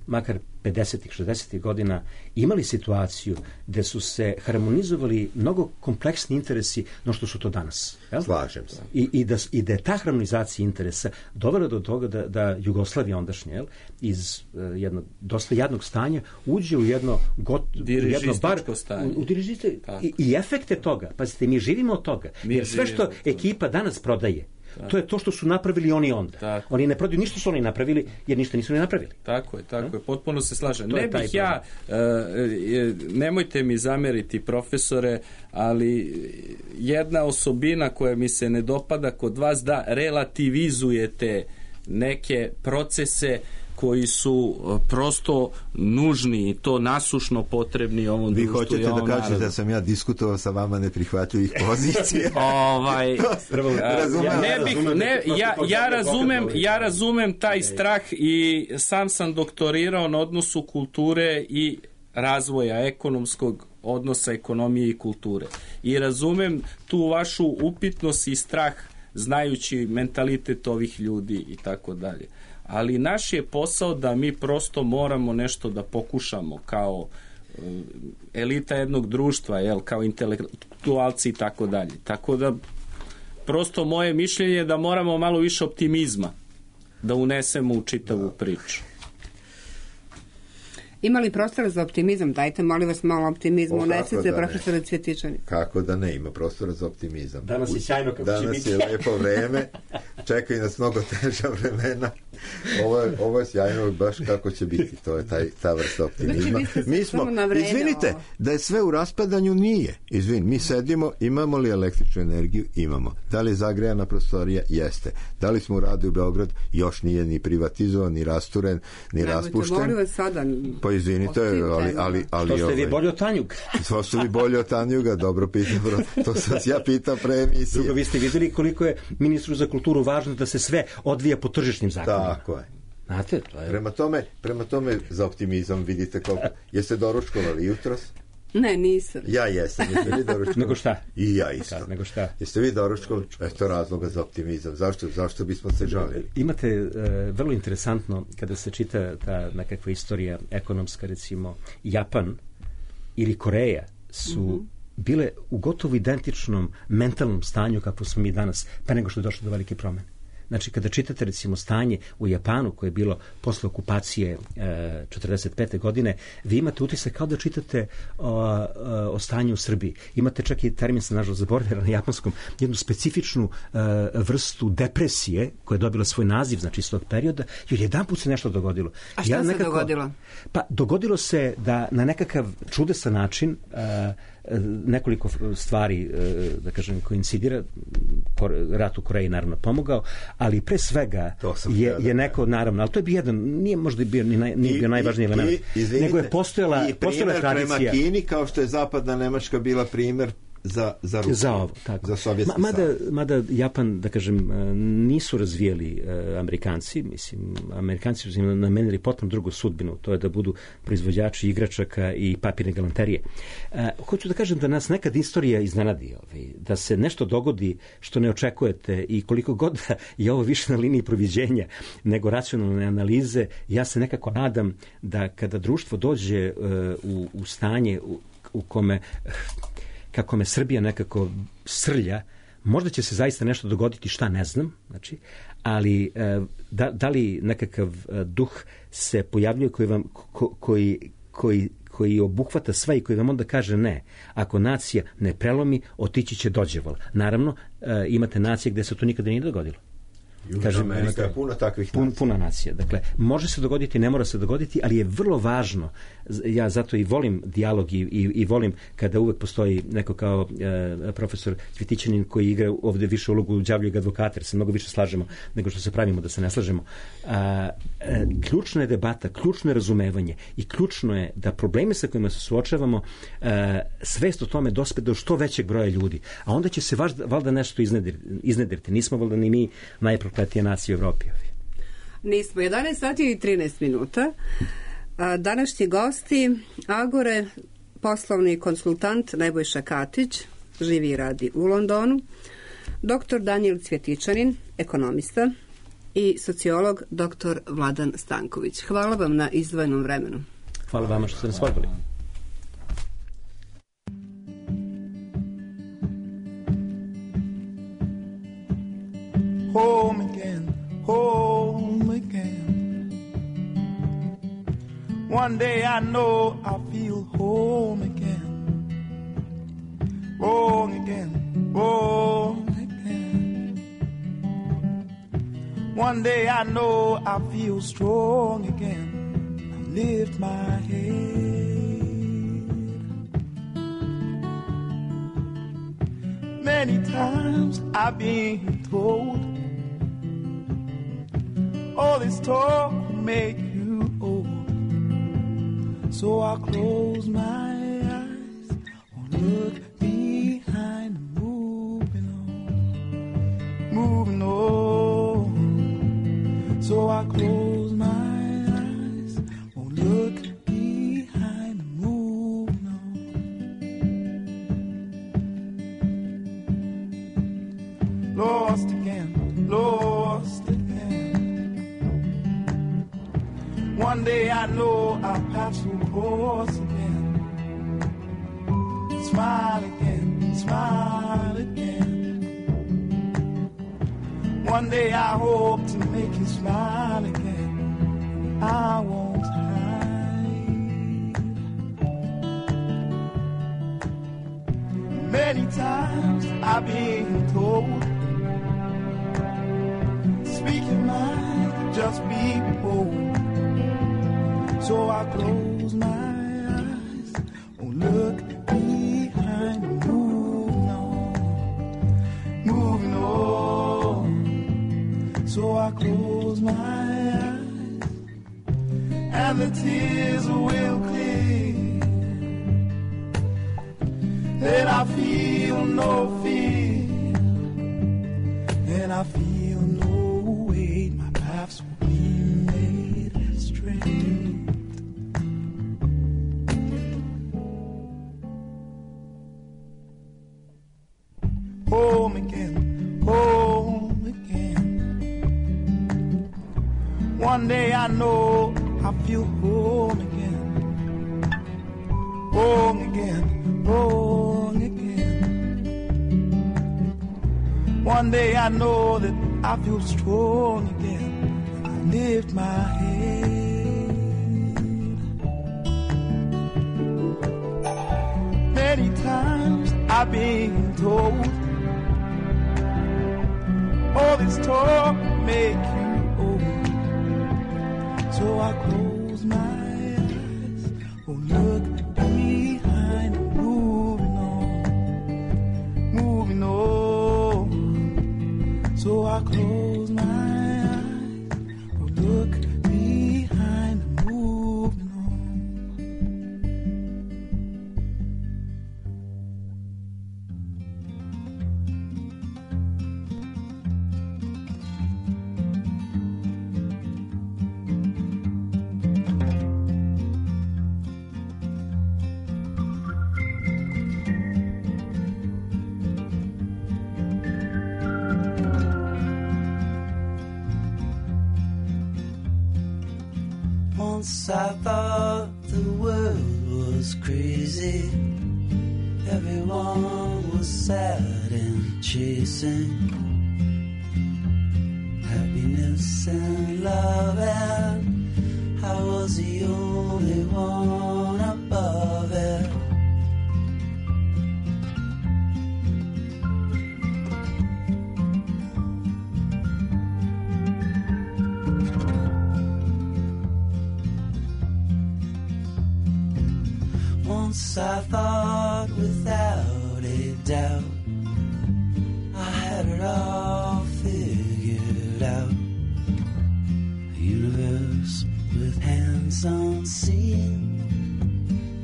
makar pedesetih, šezdesetih godina, imali situaciju gde su se harmonizovali mnogo kompleksni interesi no što su to danas. Jel? Slažem se. I, i, da, I da je ta harmonizacija interesa dovela do toga da, da Jugoslavija ondašnja, jel, iz uh, jednog dosta jadnog stanja uđe u jedno, got, jedno bar, stanje. U, u dirižiste, i, i efekte toga, pazite, mi živimo od toga. Mi jer sve što ekipa danas prodaje, tako. To je to što su napravili oni onda. Tako. Oni ne prodaju ništa su oni napravili, jer ništa nisu ni napravili. Tako je, tako no? je. Potpuno se slažem. To ne bih ja, uh, nemojte mi zameriti, profesore, ali jedna osobina koja mi se ne dopada kod vas, da relativizujete neke procese koji su prosto nužni i to nasušno potrebni ovom Vi društvu. hoćete da kažete da sam ja diskutovao sa vama neprihvatljivih pozicija? ovaj, ne bih, ne, ja, ja, razumem, ja razumem taj strah i sam sam doktorirao na odnosu kulture i razvoja ekonomskog odnosa ekonomije i kulture. I razumem tu vašu upitnost i strah znajući mentalitet ovih ljudi i tako dalje. Ali naš je posao da mi prosto moramo nešto da pokušamo kao elita jednog društva, jel, kao intelektualci i tako dalje. Tako da prosto moje mišljenje je da moramo malo više optimizma da unesemo u čitavu priču. Ima li prostora za optimizam? Dajte, molim vas, malo optimizmu. Unesite, profesore Cvjetičani. Kako da ne, ima prostora za optimizam. Danas je sjajno kako Danas će biti. Danas je lepo vreme, čekaju nas mnogo teža vremena. Ovo je, ovo je sjajno baš kako će biti. To je taj, ta vrsta optimizma. Znači, mi smo, izvinite, da je sve u raspadanju, nije. Izvin, mi sedimo, imamo li električnu energiju? Imamo. Da li je zagrejana prostorija? Jeste. Da li smo u Radu u Beograd? Još nije ni privatizovan, ni rasturen, ni Nemojte, raspušten. molim vas sada. Pa izvinite, ali... ali, ali to ste vi bolje od Tanjuga. To ste vi bolje od Tanjuga, dobro pitam. To sam ja pitao pre emisije. Drugo, vi ste vidjeli koliko je ministru za kulturu važno da se sve odvija po tržišnim zakonima. Tako je. Znate, to je... Prema tome, prema tome za optimizam vidite koliko... Jeste doručkovali jutros? Ne, nisam. Ja jesam. Jeste vi doručkovali? Nego šta? I ja isto. Kad, nego šta? Jeste vi doručkovali? Eto razloga za optimizam. Zašto, zašto bismo se žalili? Imate e, vrlo interesantno kada se čita ta nekakva istorija ekonomska, recimo Japan ili Koreja su mm-hmm. bile u gotovo identičnom mentalnom stanju kako smo mi danas, pa nego što je došlo do velike promene. Znači, kada čitate, recimo, stanje u Japanu, koje je bilo posle okupacije e, četrdeset pete godine, vi imate utisak kao da čitate o, o, o stanju u Srbiji. Imate čak i termin, sam nažalost zaboravio na japanskom, jednu specifičnu e, vrstu depresije, koja je dobila svoj naziv, znači, iz tog perioda, jer jedan put se nešto dogodilo. A šta ja, se nekako, dogodilo? Pa, dogodilo se da na nekakav čudesan način e, nekoliko stvari, da kažem, koincidira. Rat u Koreji naravno pomogao, ali pre svega je, je neko, naravno, ali to je bio jedan, nije možda bio, nije bio I, najvažniji element, nego je postojala, i postojala tradicija. Prema Kini, kao što je zapadna Nemačka bila primer za, za Rusiju, za ovo, tako. Za Sovjetski Ma, mada, mada Japan, da kažem, nisu razvijeli uh, Amerikanci, mislim, Amerikanci su im namenili potpuno drugu sudbinu, to je da budu proizvođači igračaka i papirne galanterije. Uh, hoću da kažem da nas nekad istorija iznenadi, ovaj, da se nešto dogodi što ne očekujete i koliko god je ovo više na liniji proviđenja nego racionalne analize, ja se nekako nadam da kada društvo dođe uh, u, u stanje u, u kome kako me Srbija nekako srlja, možda će se zaista nešto dogoditi, šta ne znam, znači, ali da, da li nekakav duh se pojavljuje koji vam, ko, koji, koji, koji obuhvata sve i koji vam onda kaže ne. Ako nacija ne prelomi, otići će dođeval. Naravno, imate nacije gde se to nikada nije dogodilo. Kažem, Amerika je puno takvih pun, puna nacija. Dakle, može se dogoditi, ne mora se dogoditi, ali je vrlo važno, ja zato i volim dijalog i, i, i volim kada uvek postoji neko kao e, profesor Cvjetičanin koji igra ovde više ulogu đavljeg advokata, jer se mnogo više slažemo nego što se pravimo da se ne slažemo. A, e, ključna je debata, ključno je razumevanje i ključno je da probleme sa kojima se suočavamo, e, svest o tome dospe do što većeg broja ljudi. A onda će se važda, valjda nešto iznedriti. Nismo valjda ni mi najprokletije nacije u Evropi. Nismo. jedanaest sati i trinaest minuta. A, današnji gosti Agore, poslovni konsultant Nebojša Katić, živi i radi u Londonu, doktor Danijel Cvjetičanin, ekonomista, i sociolog doktor Vladan Stanković. Hvala vam na izdvojenom vremenu. Hvala vama što ste nas pozvali. Home again, home again. One day I know I'll feel home again. Wrong again, wrong again. One day I know I'll feel strong again. I lift my head. Many times I've been told all this talk will make you old. So I close my eyes, won't look behind, moving on, moving on. So I close my eyes, won't look behind, moving on. Lost again, lost again. One day I know I'll pass through course again. Smile again, smile again. One day I hope to make you smile again. I won't hide. Many times I've been told, speak your mind, just be bold. So I close my eyes, won't look behind, moving on, moving on. So I close my eyes, and the tears will clear. Then I feel no fear, and I feel no weight. My paths will be made straight. Home again, home again. One day I know I feel home again. Home again, home again. One day I know that I feel strong again. I lift my head. Many times I've been told all this talk make you old. So I close my eyes, won't look behind, moving on, moving on. So I close my eyes, won't look behind, moving on. Once I thought the world was crazy. Everyone was sad and chasing happiness and love, and I was the only one above it. Once I thought without a doubt I had it all figured out. A universe with hands unseen.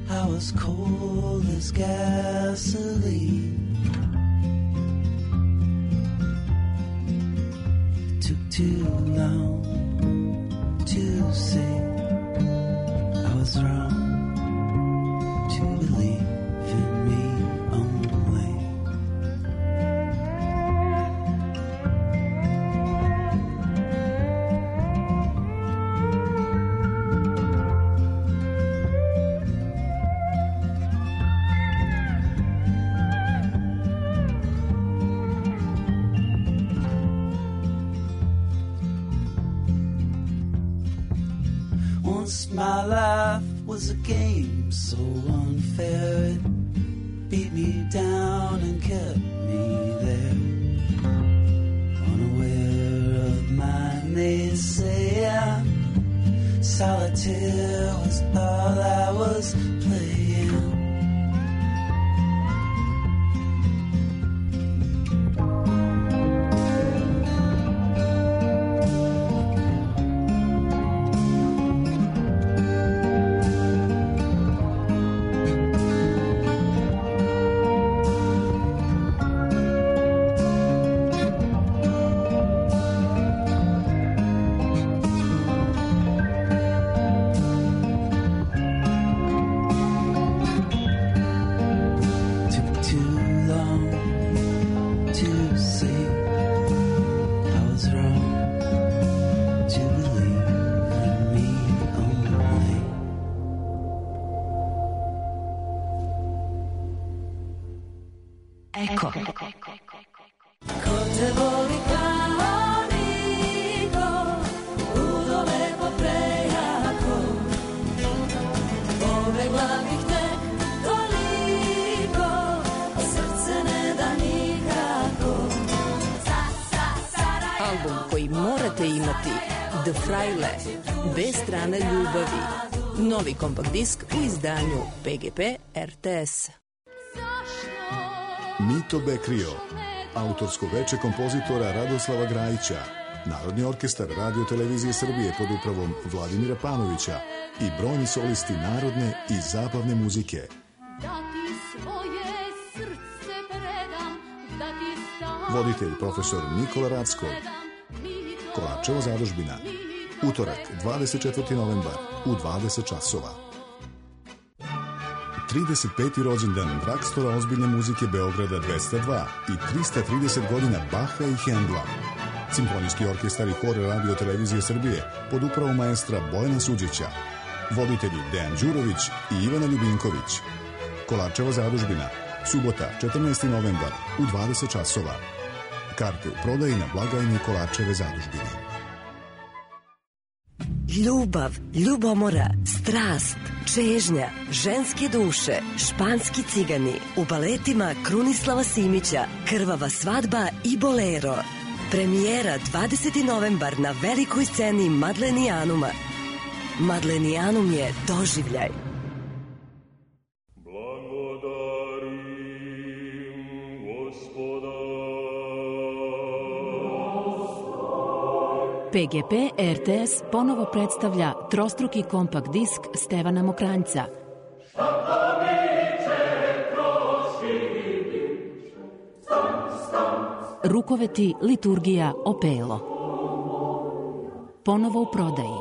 I was cold as gasoline. It took too long to see. I Most my life was a game so unfair. It beat me down and kept me there. Unaware of my naysayer, solitaire was all I was playing. Eko. Ko te voli kao niko, udole po prejako, pobegla bih tek toliko, a srce ne da nikako. Album koji morate imati, The Fraile, B strana ljubavi. Novi kompakt disk u izdanju P G P R T S. Mito Bekrio, autorsko veče kompozitora Radoslava Grajića, Narodni orkestar Radio Televizije Srbije pod upravom Vladimira Panovića i brojni solisti narodne i zabavne muzike. Voditelj profesor Nikola Rackov. Kolarčeva zadužbina. Utorak, dvadeset četvrti novembar u dvadeset časova. trideset peti rođendan Drakstora ozbiljne muzike Beograda dvesta dva i trista trideset godina Baha i Hendla. Simfonijski orkestar i hor Radio Televizije Srbije pod upravom maestra Bojana Suđića. Voditelji Dejan Đurović i Ivana Ljubinković. Kolarčeva zadužbina. Subota, četrnaesti novembar u dvadeset časova. Karte u prodaji na blagajni Kolarčeve zadužbine. Ljubav, ljubomora, strast, čežnja, ženske duše, španski cigani, u baletima Krunislava Simića, Krvava svadba i Bolero. Premijera dvadeseti novembar na velikoj sceni Madlenijanuma. Madlenijanum je doživljaj. P G P R T S ponovo predstavlja trostruki kompakt disk Stevana Mokranjca. Rukoveti, liturgija, opelo. Ponovo u prodaji.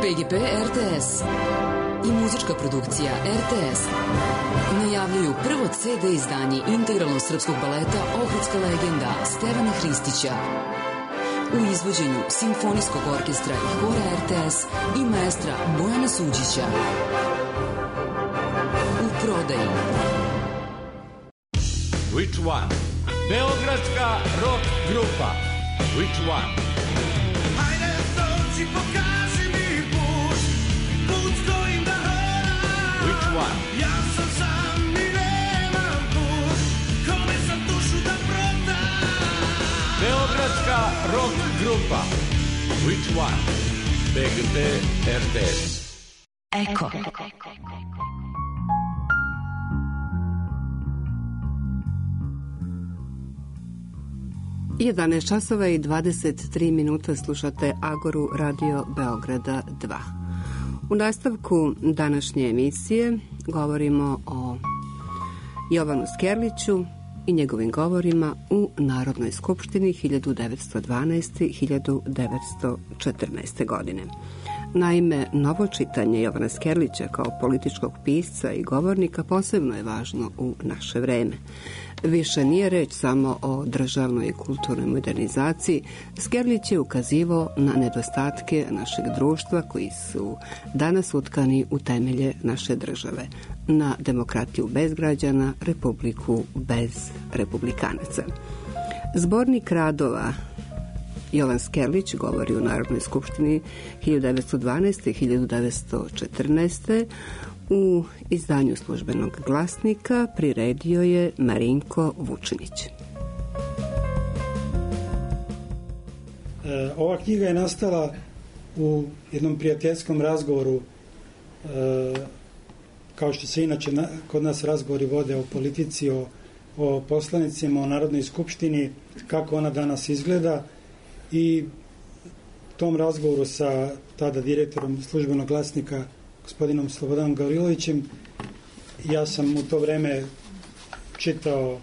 P G P R T S i muzička produkcija R T S najavljuju prvo C D izdanje integralnog srpskog baleta Ohridska legenda Stevana Hristića u izvođenju Simfonijskog orkestra i hora R T S i maestra Bojana Suđića. U prodaji. Which one? Beogradska rock grupa. Which one? Hajde dođi, pokaži mi put, put kojim da hodam. Which one? Ja sam sam i nemam put, kome sam dušu da prodam. Beogradska rock grupa. Which one? P G P R T S. Eko. jedanaest časova i dvadeset tri minuta slušate Agoru Radio Beograda dva. U nastavku današnje emisije govorimo o Jovanu Skerliću i njegovim govorima u Narodnoj skupštini hiljadu devetsto dvanaeste i hiljadu devetsto četrnaeste. godine. Naime, novo čitanje Jovana Skerlića kao političkog pisca i govornika posebno je važno u naše vreme. Više nije reč samo o državnoj i kulturnoj modernizaciji. Skerlić je ukazivao na nedostatke našeg društva koji su danas utkani u temelje naše države. Na demokratiju bez građana, republiku bez republikanaca. Zbornik radova Jovan Skerlić govori u Narodnoj skupštini hiljadu devetsto dvanaeste. i hiljadu devetsto četrnaeste. U izdanju Službenog glasnika priredio je Marinko Vučinić. E, ova knjiga je nastala u jednom prijateljskom razgovoru, e, kao što se inače na, kod nas razgovori vode o politici, o, o poslanicima, o Narodnoj skupštini, kako ona danas izgleda, i tom razgovoru sa tada direktorom Službenog glasnika gospodinom Slobodanom Gavrilovićem, ja sam u to vreme čitao, uh,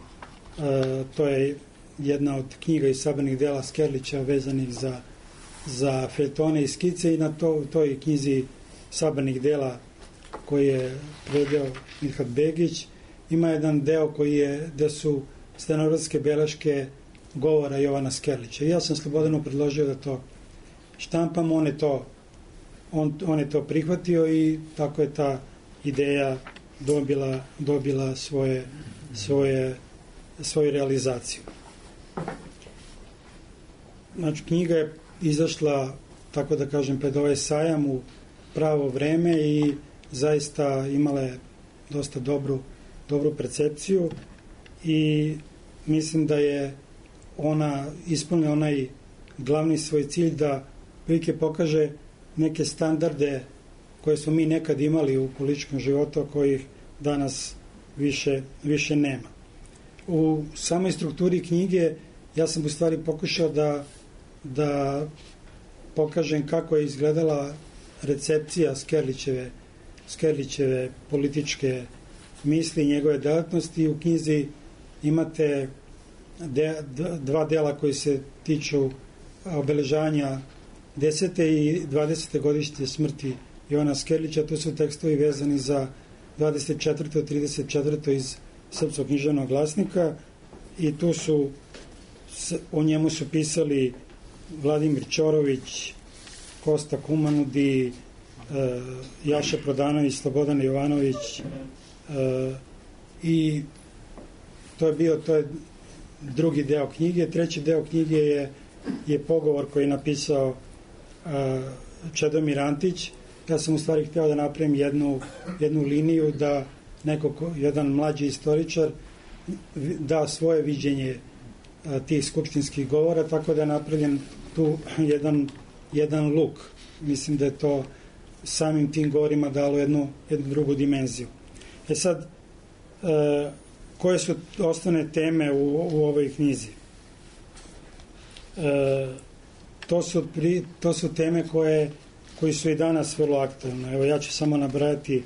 to je jedna od knjiga i sabranih dela Skerlića vezanih za, za feljtone i skice, i na to, toj knjizi sabranih dela koji je prevedeo Milhat Begić ima jedan deo koji je, gde su stenografske beleške govora Jovana Skerlića. I ja sam Slobodanu predložio da to štampam, on je to On, on je to prihvatio i tako je ta ideja dobila, dobila svoje, svoje, svoju realizaciju. Znači, knjiga je izašla, tako da kažem, pred ovaj sajam u pravo vreme i zaista imala je dosta dobru, dobru percepciju i mislim da je ona ispunila onaj glavni svoj cilj da prilike pokaže neke standarde koje smo mi nekad imali u političkom životu, kojih danas više, više nema. U samoj strukturi knjige ja sam u stvari pokušao da, da pokažem kako je izgledala recepcija Skerlićeve, Skerlićeve političke misli i njegove delatnosti. U knjizi imate de, dva dela koji se tiču obeležavanja desete i dvadesete godišnje smrti Jovana Skerlića. To su tekstovi vezani za dvadeset četvrto i trideset četvrto iz Srpskog književnog glasnika i tu su, o njemu su pisali Vladimir Ćorović, Kosta Kumanudi, Jaša Prodanović, Slobodan Jovanović, i to je bio, to je drugi deo knjige. Treći deo knjige je, je pogovor koji je napisao Čedomir Antić. Ja sam u stvari hteo da napravim jednu, jednu liniju da neko, jedan mlađi istoričar da svoje viđenje tih skupštinskih govora, tako da je napravljen tu jedan, jedan luk. Mislim da je to samim tim govorima dalo jednu, jednu drugu dimenziju. E sad, e, koje su osnovne teme u, u ovoj knjizi? E, To su, pri, to su teme koje, koji su i danas vrlo aktualne. Evo, ja ću samo nabrajati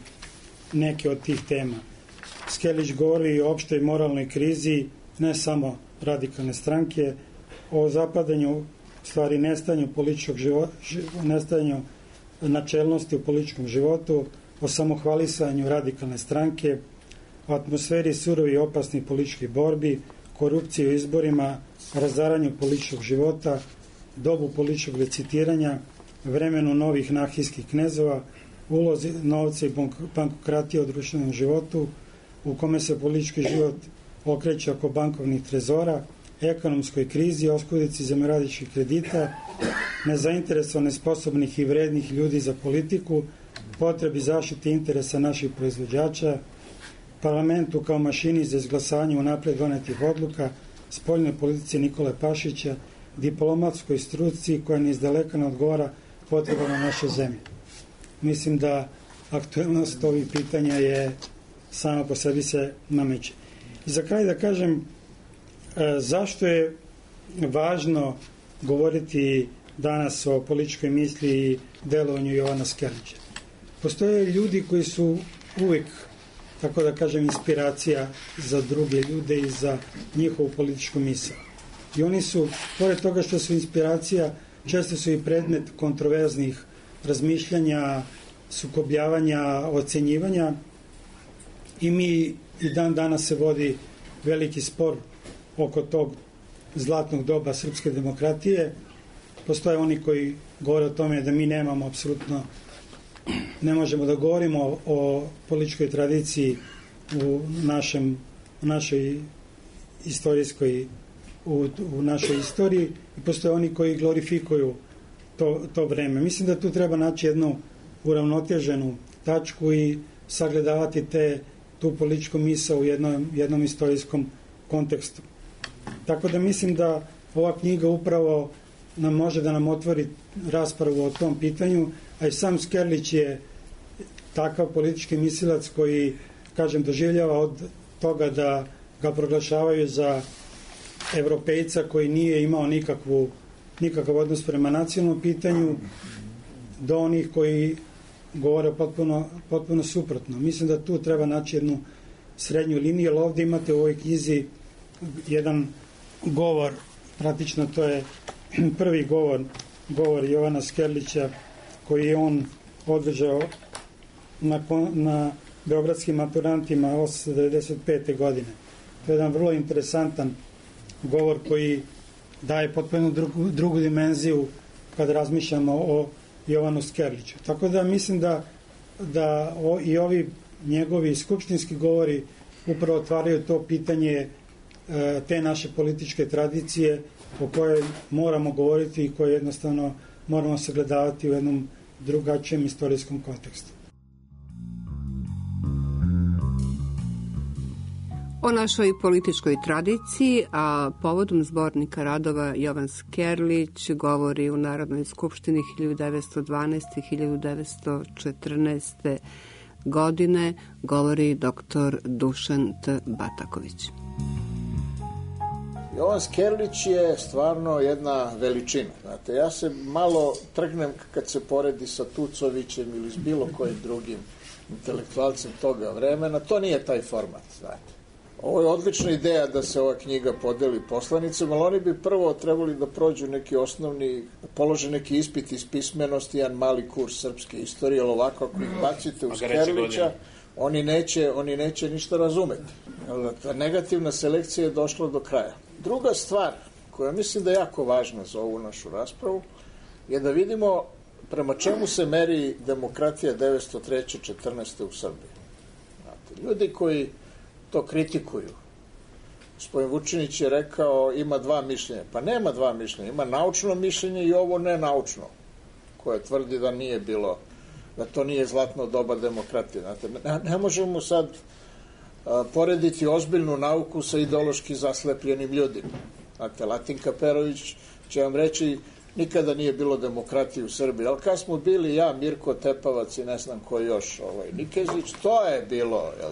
neke od tih tema. Skerlić govori o opštoj moralnoj krizi, ne samo radikalne stranke, o zapadanju, stvari nestanju političkog života, nestanju načelnosti u političkom životu, o samohvalisanju radikalne stranke, o atmosferi surovi i opasnih političkih borbi, korupciji u izborima, razaranju političkog života, dobu političkog licitiranja, vremenu novih anarhijskih knezova, ulozi novca i bankokratije u društvenom životu, u kome se politički život okreće oko bankovnih trezora, ekonomskoj krizi, oskudici zemljoradničkih kredita, nezainteresovane, sposobnih i vrednih ljudi za politiku, potrebi zaštite interesa naših proizvođača, parlamentu kao mašini za izglasavanje unapred donetih odluka, spoljnoj politici Nikole Pašića, diplomatskoj struci koja ni izdaleka ne odgovara potrebama naše zemlje. Mislim da aktuelnost ovih pitanja je sama po sebi se nameće. I za kraj da kažem e, zašto je važno govoriti danas o političkoj misli i delovanju Jovana Skerlića. Postoje ljudi koji su uvijek, tako da kažem, inspiracija za druge ljude i za njihovu političku misao. I oni su, pored toga što su inspiracija, često su i predmet kontroverznih razmišljanja, sukobljavanja, ocenjivanja, i mi i dan danas se vodi veliki spor oko tog zlatnog doba srpske demokratije. Postoje oni koji govore o tome da mi nemamo apsolutno, ne možemo da govorimo o političkoj tradiciji u našem, u našoj istorijskoj, u, u našoj istoriji, i postoje oni koji glorifikuju to, to vreme. Mislim da tu treba naći jednu uravnoteženu tačku i sagledavati te, tu političku misao u jednom, jednom istorijskom kontekstu. Tako da mislim da ova knjiga upravo nam može da nam otvori raspravu o tom pitanju, a i sam Skerlić je takav politički mislilac koji, kažem, doživljava od toga da ga proglašavaju za evropejca koji nije imao nikakvu, nikakav odnos prema nacionalnom pitanju, do onih koji govore potpuno, potpuno suprotno. Mislim da tu treba naći jednu srednju liniju, jer ovdje imate u ovoj knjizi jedan govor, praktično to je prvi govor, govor Jovana Skerlića, koji je on održao na, na beogradskim maturantima osamsto devedeset pete. godine. To je jedan vrlo interesantan govor koji daje potpuno drugu, drugu dimenziju kad razmišljamo o Jovanu Skerliću. Tako da mislim da, da o, i ovi njegovi skupštinski govori upravo otvaraju to pitanje e, te naše političke tradicije o kojoj moramo govoriti i koje jednostavno moramo sagledavati u jednom drugačijem istorijskom kontekstu. O našoj političkoj tradiciji, a povodom zbornika radova Jovan Skerlić govori u Narodnoj skupštini hiljadu devetsto dvanaeste. i hiljadu devetsto četrnaeste. godine, govori doktor Dušan T. Bataković. Jovan Skerlić je stvarno jedna veličina. Znate, ja se malo trgnem kad se poredi sa Tucovićem ili s bilo kojim drugim intelektualcem toga vremena. To nije taj format, znate. Ovo je odlična ideja da se ova knjiga podeli poslanicama, ali oni bi prvo trebali da prođu neki osnovni, da polože neki ispit iz pismenosti, jedan mali kurs srpske istorije, ali ovako ako ih bacite u Skerlića, oni neće, oni neće ništa razumeti. Ta negativna selekcija je došla do kraja. Druga stvar, koja mislim da je jako važna za ovu našu raspravu, je da vidimo prema čemu se meri demokratija devetsto treće četrnaeste. u Srbiji. Znate, ljudi koji to kritikuju. Gospodin Vučinić je rekao ima dva mišljenja. Pa nema dva mišljenja. Ima naučno mišljenje i ovo nenaučno, koje tvrdi da nije bilo, da to nije zlatno doba demokratije. Znate, ne, ne možemo sad a, porediti ozbiljnu nauku sa ideološki zaslepljenim ljudima. Znate, Latinka Perović će vam reći nikada nije bilo demokratije u Srbiji, ali kad smo bili ja, Mirko Tepavac i ne znam ko još, ovaj, Nikezić, to je bilo, jel?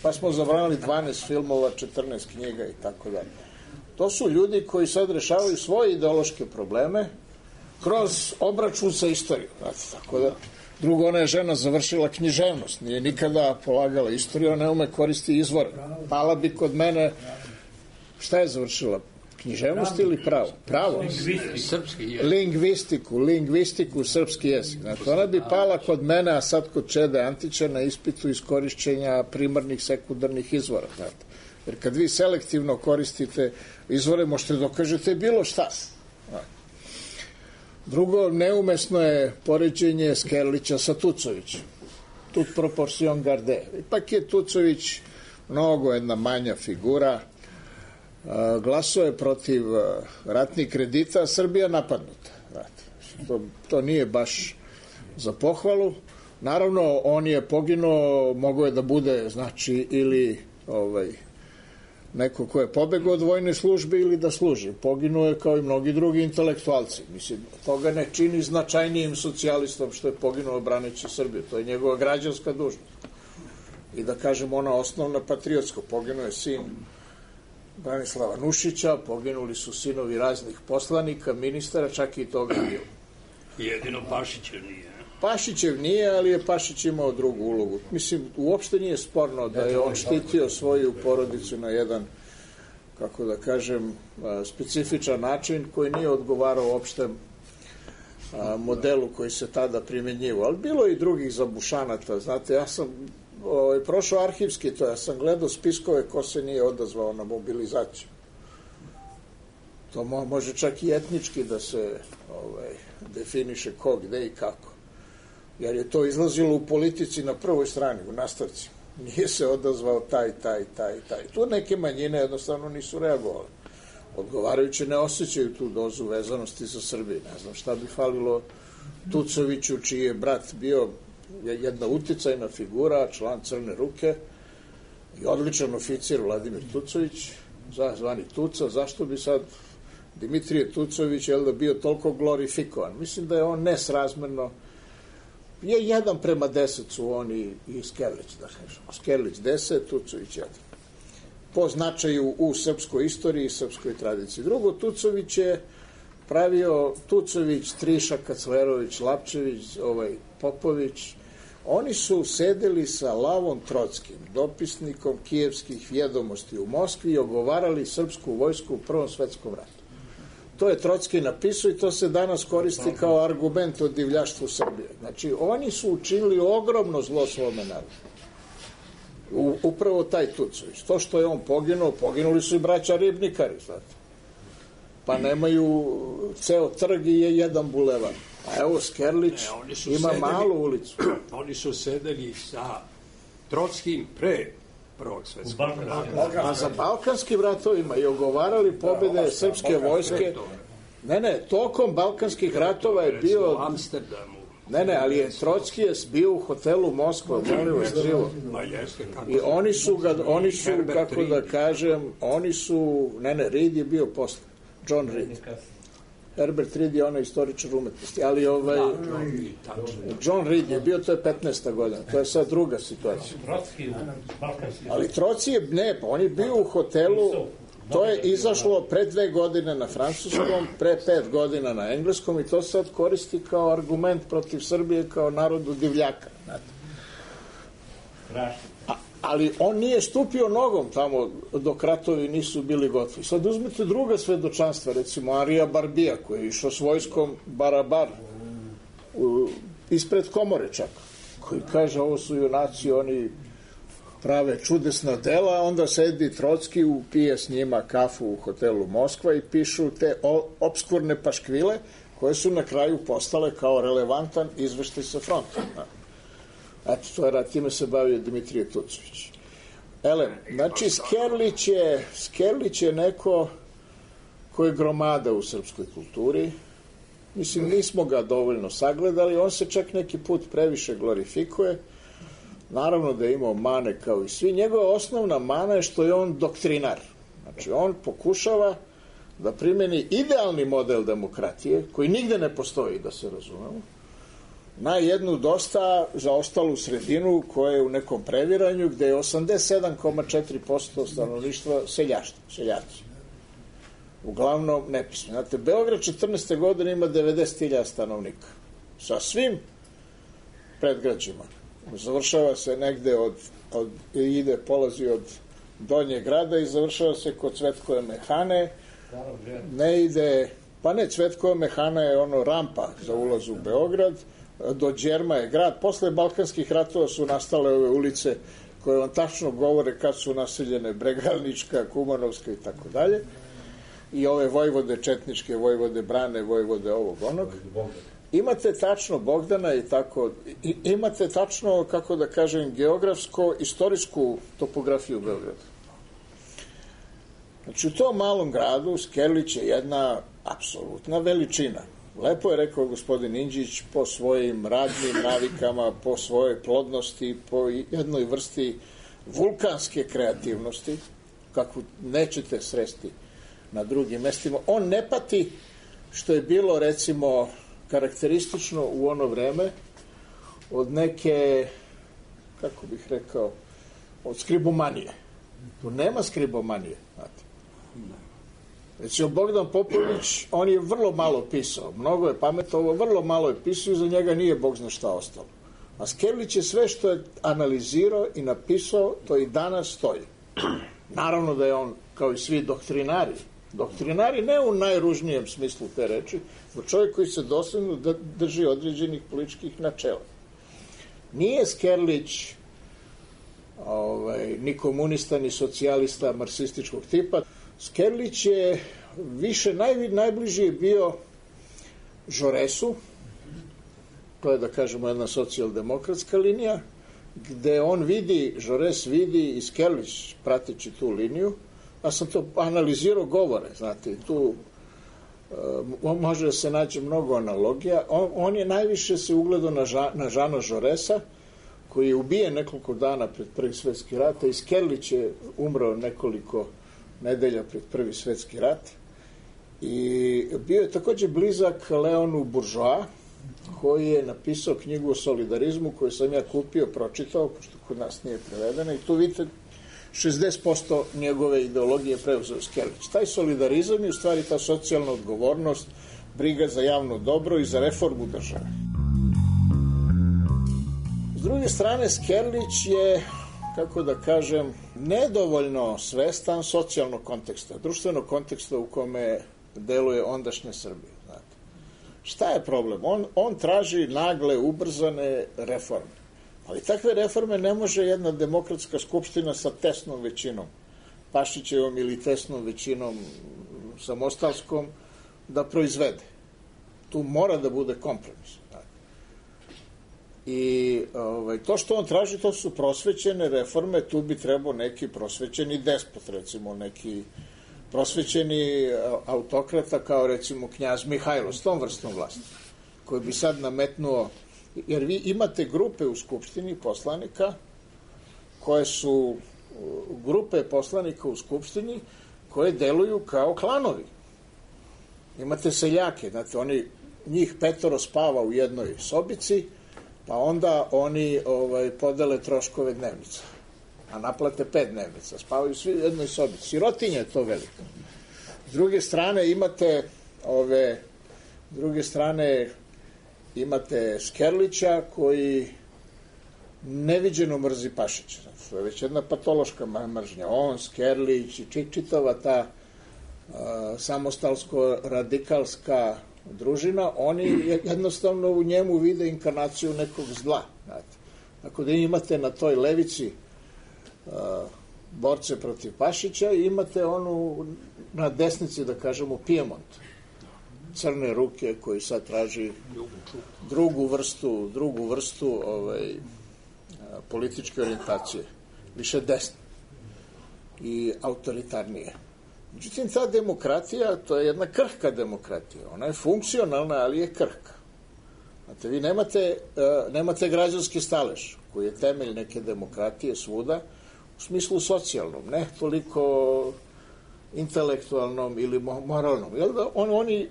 Pa smo zabranili dvanaest filmova, četrnaest knjiga i tako dalje. To su ljudi koji sad rešavaju svoje ideološke probleme kroz obračun sa istorijom. Znate, tako da, drugo, ona je žena završila književnost, nije nikada polagala istoriju, ona ne ume koristi izvore. Pala bi kod mene, šta je završila? Književnost ili pravo? Pravo. Lingvistiku, lingvistiku, srpski jezik. Znači, ona bi pala kod mene, a sad kod Čede Antića na ispitu iskorišćenja primarnih, sekundarnih izvora. Znate. Jer kad vi selektivno koristite izvore, možete dokažete bilo šta. Drugo, neumesno je poređenje Skerlića sa Tucovićem. Tut proporcion garde. Ipak je Tucović mnogo jedna manja figura, glasao je protiv ratnih kredita, a Srbija napadnuta. To, to nije baš za pohvalu. Naravno, on je poginuo, mogo je da bude, znači, ili ovaj, neko ko je pobegao od vojne službe ili da služi. Poginuo je kao i mnogi drugi intelektualci. Mislim, toga ne čini značajnijim socijalistom što je poginuo braneći Srbiju. To je njegova građanska dužnost. I da kažem, ona osnovna patriotska. Poginuo je sin Branislava Nušića, poginuli su sinovi raznih poslanika, ministara, čak i toga bilo. Jedino Pašićev nije. Pašićev nije, ali je Pašić imao drugu ulogu. Mislim, uopšte nije sporno da je on štitio svoju porodicu na jedan, kako da kažem, specifičan način koji nije odgovarao uopšte modelu koji se tada primjenjivao. Ali bilo je i drugih zabušanata. Znate, ja sam ovaj, prošao arhivski, to ja sam gledao spiskove ko se nije odazvao na mobilizaciju. To mo, može čak i etnički da se ovaj, definiše ko, gde i kako. Jer je to izlazilo u politici na prvoj strani, u nastavci. Nije se odazvao taj, taj, taj, taj. Tu neke manjine jednostavno nisu reagovali. Odgovarajuće ne osjećaju tu dozu vezanosti za Srbiju. Ne znam šta bi falilo Tucoviću, čiji je brat bio jedna uticajna figura, član Crne ruke i odličan oficir Vladimir Tucović, zvani Tuca. Zašto bi sad Dimitrije Tucović je da bio toliko glorifikovan? Mislim da je on nesrazmerno, je jedan prema deset su oni i Skerlić, da kažemo. Skerlić deset, Tucović jedan. Po značaju u srpskoj istoriji i srpskoj tradiciji. Drugo, Tucović je pravio, Tucović, Triša, Kaclerović, Lapčević, ovaj, Popović, oni su sedeli sa Lavom Trockim, dopisnikom kijevskih vjedomosti u Moskvi i ogovarali srpsku vojsku u Prvom svetskom ratu. To je Trocki napisao i to se danas koristi kao argument o divljaštvu Srbije. Znači, oni su učinili ogromno zlo svome narodu. U, upravo taj Tucović. To što je on poginuo, poginuli su i braća Ribnikari, znate. Pa nemaju ceo trg i je jedan bulevar. A evo Skerlić ne, ima sedeli, malu ulicu. Oni su sedeli sa Trockim pre Prvog svetskog rata. A za balkanskim ratovima i ogovarali pobjede srpske vojske. Ne, ne, tokom balkanskih ratova je bio... U Amsterdamu. Ne, ne, ali je Trocki je bio u hotelu Moskva, molim vas krivo. I oni su ga, oni su, kako da kažem, oni su, ne, ne, Reed je bio posle, John Reed. Herbert Reed je onaj istoričar umetnosti, ali ovaj, John Reed je bio, to je petnaesta godina, to je sad druga situacija. Ali Trocki je, ne, pa on je bio u hotelu, to je izašlo pre dve godine na francuskom, pre pet godina na engleskom i to sad koristi kao argument protiv Srbije kao narodu divljaka. A, ali on nije stupio nogom tamo dok ratovi nisu bili gotovi. Sad uzmite druga svedočanstva, recimo Arija Barbija koji je išao s vojskom Barabar u, ispred komore čak, koji kaže ovo su junaci, oni prave čudesna dela, onda sedi Trocki, pije s njima kafu u hotelu Moskva i pišu te obskurne paškvile koje su na kraju postale kao relevantan izveštaj sa fronta. Eto, to je rad, time se bavio Dimitrije Tucović. Ele, znači Skerlić je, Skerlić je neko koji je gromada u srpskoj kulturi. Mislim, nismo ga dovoljno sagledali, on se čak neki put previše glorifikuje. Naravno da je imao mane kao i svi. Njegova osnovna mana je što je on doktrinar. Znači, on pokušava da primeni idealni model demokratije, koji nigde ne postoji, da se razumemo, na jednu dosta zaostalu sredinu koja je u nekom previranju, gde je osamdeset sedam zarez četiri posto stanovništva seljaštvo, seljaci. Uglavnom nepismeni. Znate, Beograd četrnaeste godine ima devedeset hiljada stanovnika. Sa svim predgrađima. Završava se negde od, od ide, polazi od Donjeg grada i završava se kod Cvetkove mehane. Ne ide, pa ne, Cvetkova mehana je ono rampa za ulaz u Beograd, do Đerma je grad. Posle balkanskih ratova su nastale ove ulice koje vam tačno govore kad su naseljene, Bregalnička, Kumanovska i tako dalje. I ove vojvode četničke, vojvode Brane, vojvode ovog onog. Imate tačno Bogdana i tako, i, imate tačno, kako da kažem, geografsko-istorijsku topografiju Beograda. Znači, u tom malom gradu Skerlić je jedna apsolutna veličina. Lepo je rekao gospodin Inđić, po svojim radnim navikama, po svojoj plodnosti, po jednoj vrsti vulkanske kreativnosti, kakvu nećete sresti na drugim mestima. On ne pati, što je bilo, recimo, karakteristično u ono vreme, od neke, kako bih rekao, od skribomanije. Tu nema skribomanije, znate. Recimo, Bogdan Popović, on je vrlo malo pisao, mnogo je pametovao, vrlo malo je pisao i za njega nije Bog zna šta ostalo. A Skerlić je sve što je analizirao i napisao, to i danas stoji. Naravno da je on, kao i svi doktrinari, doktrinari ne u najružnijem smislu te reči, no čovjek koji se dosledno drži određenih političkih načela. Nije Skerlić ovaj, ni komunista, ni socijalista marksističkog tipa. Skerlić je više, naj, najbliži je bio Žoresu, to je da kažemo jedna socijaldemokratska linija, gde on vidi, Žores vidi i Skerlić prateći tu liniju, ja sam to analizirao govore, znate, tu uh, može da se nađe mnogo analogija. On, on je najviše se ugledao na, Ža, na Žana Žoresa, koji je ubijen nekoliko dana pred Prvi svetski rat, i Skerlić je umrao nekoliko nedelja pred Prvi svetski rat. I bio je takođe blizak Leonu Buržoa, koji je napisao knjigu o solidarizmu, koju sam ja kupio, pročitao, pošto kod nas nije prevedena, i tu vidite šezdeset posto njegove ideologije preuzeo Skerlić. Taj solidarizam je u stvari ta socijalna odgovornost, briga za javno dobro i za reformu države. S druge strane, Skerlić je, kako da kažem, nedovoljno svestan socijalnog konteksta, društvenog konteksta u kome deluje ondašnja Srbija. Znate. Šta je problem? On, on traži nagle, ubrzane reforme. Ali takve reforme ne može jedna demokratska skupština sa tesnom većinom, Pašićevom ili tesnom većinom samostalskom, da proizvede. Tu mora da bude kompromis. I ovaj, to što on traži, to su prosvećene reforme, tu bi trebao neki prosvećeni despot, recimo neki prosvećeni autokrata kao recimo knjaz Mihajlo s tom vrstom vlasti, koji bi sad nametnuo, jer vi imate grupe u Skupštini poslanika koje su grupe poslanika u Skupštini koje deluju kao klanovi. Imate seljake, znate, oni, njih petoro spava u jednoj sobici, pa onda oni ovaj, podele troškove dnevnica, a naplate pet dnevnica, spavaju svi u jednoj sobici. Sirotinja je to veliko. S druge strane imate ove, s druge strane imate Skerlića koji neviđeno mrzi Pašića. To je već jedna patološka mržnja. On, Skerlić i čitava ta uh, samostalsko-radikalska družina, oni jednostavno u njemu vide inkarnaciju nekog zla. Znate. Ako da imate na toj levici uh, borce protiv Pašića i imate onu na desnici, da kažemo, Pijemont, crne ruke koji sad traži drugu vrstu, drugu vrstu ovaj, političke orijentacije, više desne i autoritarnije. Međutim, ta demokratija, to je jedna krhka demokratija. Ona je funkcionalna, ali je krhka. Znate, vi nemate, nemate građanski stalež, koji je temelj neke demokratije svuda, u smislu socijalnom, ne toliko intelektualnom ili moralnom. Jel da on, oni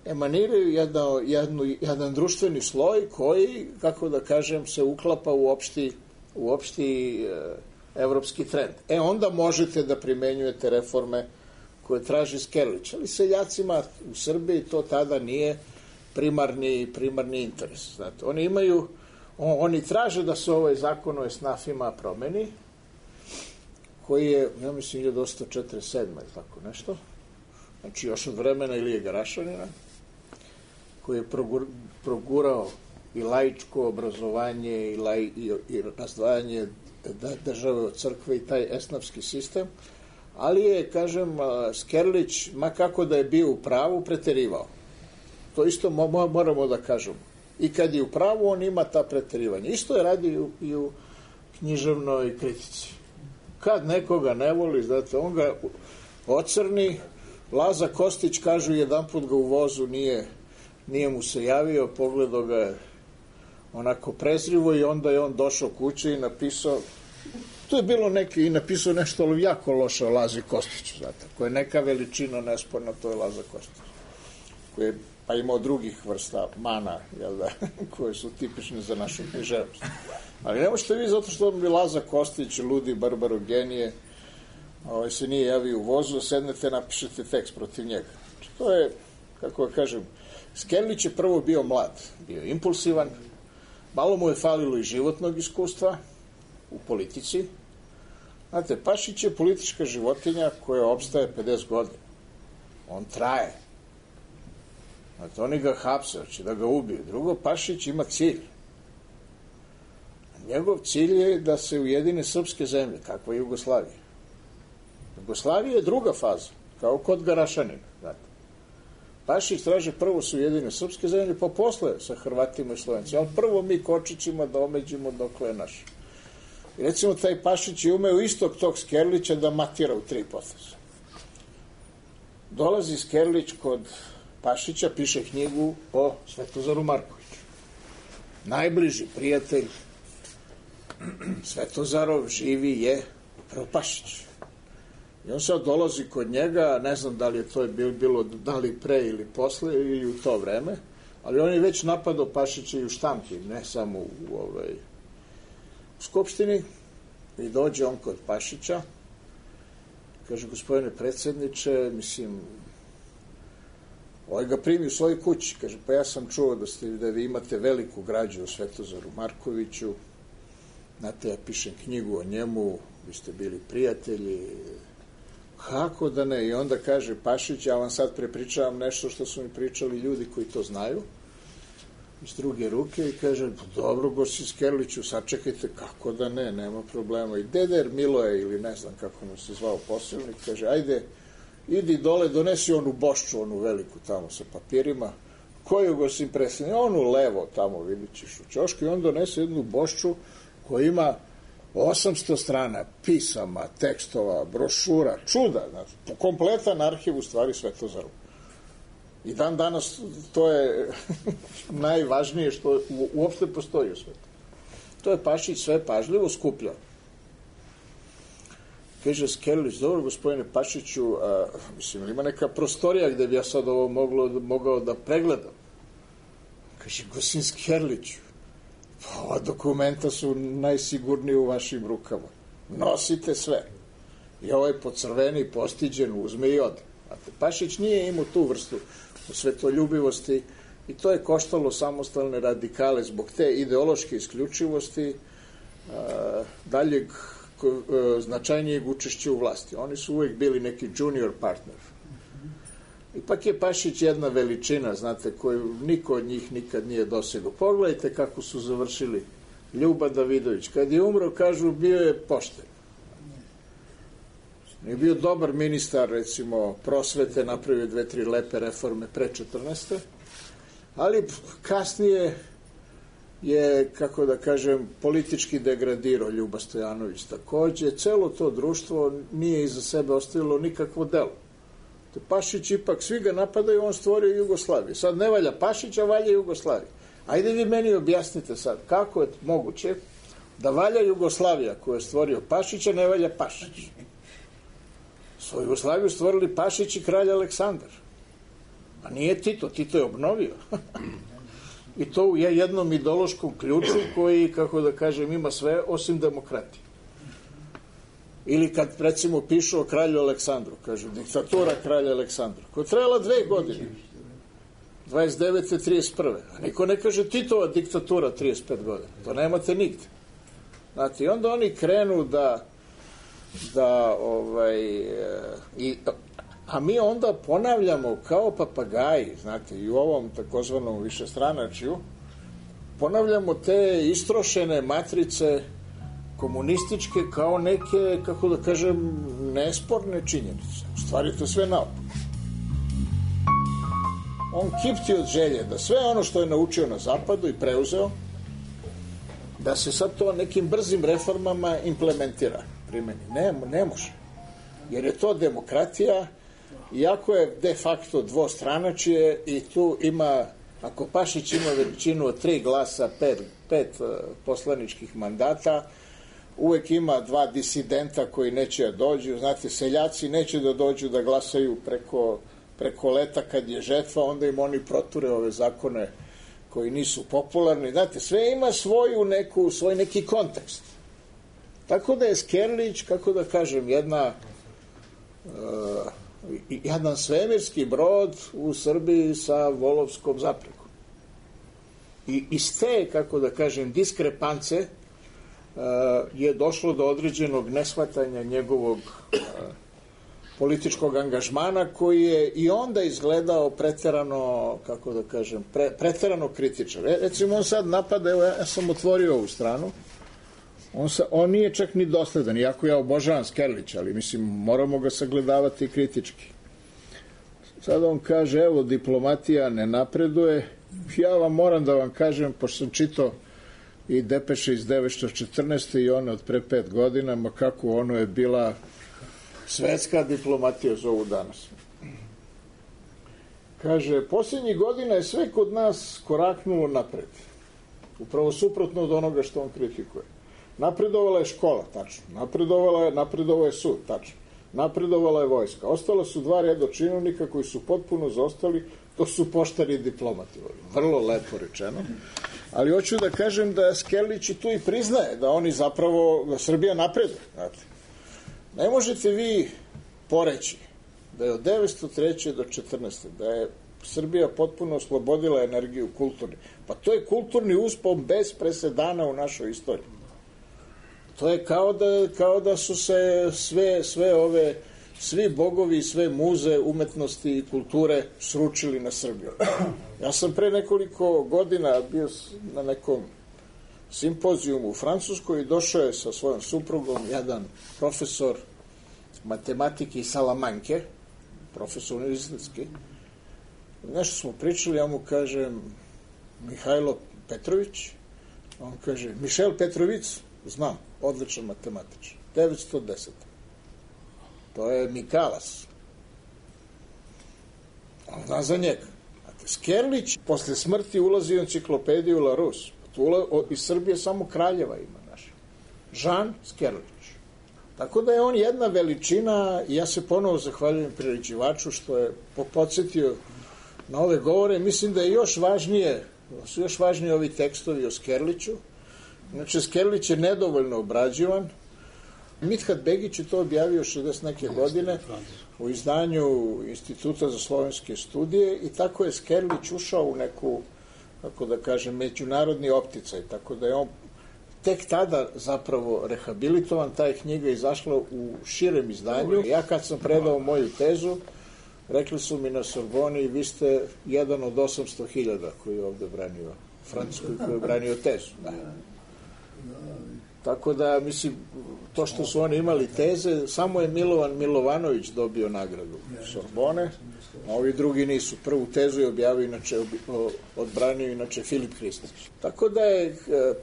emaniraju jedno, jednu, jedan društveni sloj koji, kako da kažem, se uklapa u opšti, u opšti e, evropski trend. E, onda možete da primenjujete reforme koje traži Skerlić. Ali seljacima u Srbiji to tada nije primarni, primarni interes. Znate, oni imaju, on, oni traže da se ovaj zakon o esnafima promeni, koji je, ja mislim, hiljadu osamsto četrdeset sedme ili tako nešto, znači još od vremena Ilije Garašanina, koji je progur, progurao i laičko obrazovanje i, laj, i, i razdvajanje države od crkve i taj esnafski sistem, ali je, kažem, Skerlić, ma kako da je bio u pravu, preterivao. To isto mo, moramo da kažemo. I kad je u pravu, on ima ta preterivanja. Isto je radi i u, i u književnoj kritici. Kad nekoga ne voli, znate, on ga ocrni. Laza Kostić, kažu, jedan put ga u vozu nije, nije mu se javio, pogledao ga je onako prezrivo i onda je on došao kuće i napisao, to je bilo neki, i napisao nešto jako loše o Lazi Kostiću, znate, koja je neka veličina nesporna, to je Laza Kostić, koji je pa imao drugih vrsta mana, jel da, koje su tipične za našu književnost. Ali ne možete vi, zato što bi Laza Kostić, ludi barbarogenije, ovaj, se nije javio u vozu, sednete, napišete tekst protiv njega. Znači, to je, kako kažem, Skerlić je prvo bio mlad, bio impulsivan, malo mu je falilo i životnog iskustva u politici. Znate, Pašić je politička životinja koja opstaje pedeset godina. On traje. Znate, oni ga hapse, hoće da ga ubiju. Drugo, Pašić ima cilj. Njegov cilj je da se ujedine srpske zemlje, kakva je Jugoslavija. Jugoslavija je druga faza, kao kod Garašanina. Znate. Pašić traže prvo su ujedine srpske zemlje, pa posle sa Hrvatima i Slovencima. Ali prvo mi Kočićima da omeđimo dokle je naš. I recimo, taj Pašić je umeo istog tog Skerlića da matira u tri poteza. Dolazi Skerlić kod Pašića, piše knjigu o Svetozaru Markoviću. Najbliži prijatelj Svetozarov živi je upravo Pašić. I on sad dolazi kod njega, ne znam da li je to bilo, da li pre ili posle ili u to vreme, ali on je već napadao Pašića i u štampi, ne samo u, ovaj, u Skupštini. I dođe on kod Pašića, kaže, gospodine predsjedniče, mislim, ovaj ga primi u svojoj kući, kaže, pa ja sam čuo da, ste, da vi imate veliku građu o Svetozaru Markoviću, znate, ja pišem knjigu o njemu, vi ste bili prijatelji, kako da ne? I onda kaže Pašić, ja vam sad prepričavam nešto što su mi pričali ljudi koji to znaju, iz druge ruke, i kaže, dobro, gosti Skerliću, sačekajte, kako da ne, nema problema. I Deder Miloje, ili ne znam kako mu se zvao posilnik, kaže, ajde, idi dole, donesi onu bošču, onu veliku tamo sa papirima, koju gosti presljeni, onu levo tamo, vidit ćeš u ćošku, i on donese jednu bošču koja ima osamsto strana pisama, tekstova, brošura, čuda, znači, kompletan arhiv u stvari Svetozaru. I dan danas to je najvažnije što uopšte postoji u svetu. To je Pašić sve pažljivo skupljao. Kaže Skerlić, dobro, gospodine Pašiću, a, mislim, ima neka prostorija gde bi ja sad ovo moglo, mogao da pregledam. Kaže, gospodin Skerliću, pa ova dokumenta su najsigurniji u vašim rukama. Nosite sve. I ovaj pocrveni, postiđen, uzme i ode. Pašić nije imao tu vrstu svetoljubivosti i to je koštalo samostalne radikale zbog te ideološke isključivosti a, daljeg ko, a, značajnijeg učešća u vlasti. Oni su uvek bili neki junior partner. Ipak je Pašić jedna veličina, znate, koju niko od njih nikad nije dosegao. Pogledajte kako su završili Ljuba Davidović. Kad je umro, kažu, bio je pošten. Je bio dobar ministar, recimo, prosvete, napravio dve, tri lepe reforme pre četrnaeste. Ali kasnije je, kako da kažem, politički degradirao Ljuba Stojanović takođe. Celo to društvo nije iza sebe ostavilo nikakvo delo. Te Pašić ipak, svi ga napadaju, on stvorio Jugoslaviju. Sad ne valja Pašić, a valja Jugoslavija. Ajde vi meni objasnite sad, kako je moguće da valja Jugoslavija koju je stvorio Pašić, a ne valja Pašić? Svoju Jugoslaviju stvorili Pašić i kralj Aleksandar. A nije Tito, Tito je obnovio. I to u jednom ideološkom ključu koji, kako da kažem, ima sve osim demokratije. Ili kad, recimo, pišu o kralju Aleksandru, kažu, diktatura kralja Aleksandra, koja je trajala dve godine, dvadeset devete trideset prve A niko ne kaže Titova diktatura trideset pet godina. To nemate nigde. Znate, i onda oni krenu da da ovaj i, a mi onda ponavljamo kao papagaji, znate, i u ovom takozvanom višestranačju ponavljamo te istrošene matrice komunističke kao neke, kako da kažem, nesporne činjenice. U stvari to sve naopako. On kipti od želje da sve ono što je naučio na zapadu i preuzeo, da se sad to nekim brzim reformama implementira, primeni. Ne, ne može. Jer je to demokratija, iako je de facto dvostranačije i tu ima, ako Pašić ima veličinu od tri glasa, pet, pet poslaničkih mandata, uvek ima dva disidenta koji neće da dođu. Znate, seljaci neće da dođu da glasaju preko, preko leta kad je žetva, onda im oni proture ove zakone koji nisu popularni. Znate, sve ima svoju neku, svoj neki kontekst. Tako da je Skerlić, kako da kažem, jedna uh, jedan svemirski brod u Srbiji sa volovskom zaprekom. I iz te, kako da kažem, diskrepance uh, je došlo do određenog neshvatanja njegovog uh, političkog angažmana koji je i onda izgledao preterano, kako da kažem, pre, preterano kritičan. Recimo on sad napada, evo ja sam otvorio ovu stranu, On, sa, on nije čak ni dosledan, iako ja obožavam Skerlića, ali mislim, moramo ga sagledavati kritički. Sad on kaže, evo, diplomatija ne napreduje. Ja vam moram da vam kažem, pošto sam čitao i depeše iz devetsto četrnaeste i one od pre pet godina, ma kako ono je bila svetska diplomatija zovu danas. Kaže, posljednjih godina je sve kod nas koraknulo napred. Upravo suprotno od onoga što on kritikuje. Napredovala je škola, tačno. Napredovala je, napredovao je sud, tačno. Napredovala je vojska. Ostala su dva reda činovnika koji su potpuno zaostali, to su poštari i diplomati. Vrlo lepo rečeno. Ali hoću da kažem da Skerlić i tu i priznaje da oni zapravo, da Srbija napreduje. Znate. Ne možete vi poreći da je od devetsto treće do četrnaeste da je Srbija potpuno oslobodila energiju kulturni. Pa to je kulturni uspon bez presedana u našoj istoriji. To je kao da, kao da su se sve, sve ove, svi bogovi, sve muze umetnosti i kulture sručili na Srbiju. Ja sam pre nekoliko godina bio na nekom simpozijumu u Francuskoj i došao je sa svojom suprugom jedan profesor matematike iz Salamanke, profesor univerzitetski. Nešto smo pričali, ja mu kažem Mihajlo Petrović, on kaže Mišel Petrović, znam, odličan matematičar, devetsto deset. To je Mikalas. On zna za njega. Skerlić posle smrti ulazi u enciklopediju Larousse. Iz Srbije samo kraljeva ima naša. Žan Skerlić. Tako da je on jedna veličina i ja se ponovo zahvaljujem priređivaču što je podsjetio na ove govore. Mislim da je još važnije, su još važniji ovi tekstovi o Skerliću. Znači, Skerlić je nedovoljno obrađivan. Mithat Begić je to objavio šezdeset neke godine u izdanju Instituta za slovenske studije i tako je Skerlić ušao u neku, kako da kažem, međunarodni opticaj, tako da je on tek tada zapravo rehabilitovan, ta je knjiga izašla u širem izdanju. Ja kad sam predao moju tezu, rekli su mi na Sorboni, vi ste jedan od osamsto hiljada koji je ovde branio Francuskoj, koji je branio tezu. Da. Tako da, mislim, to što su oni imali teze, samo je Milovan Milovanović dobio nagradu Sorbone, a ovi drugi nisu. Prvu tezu je objavio, inače, odbranio inače Filip Hristić. Tako da je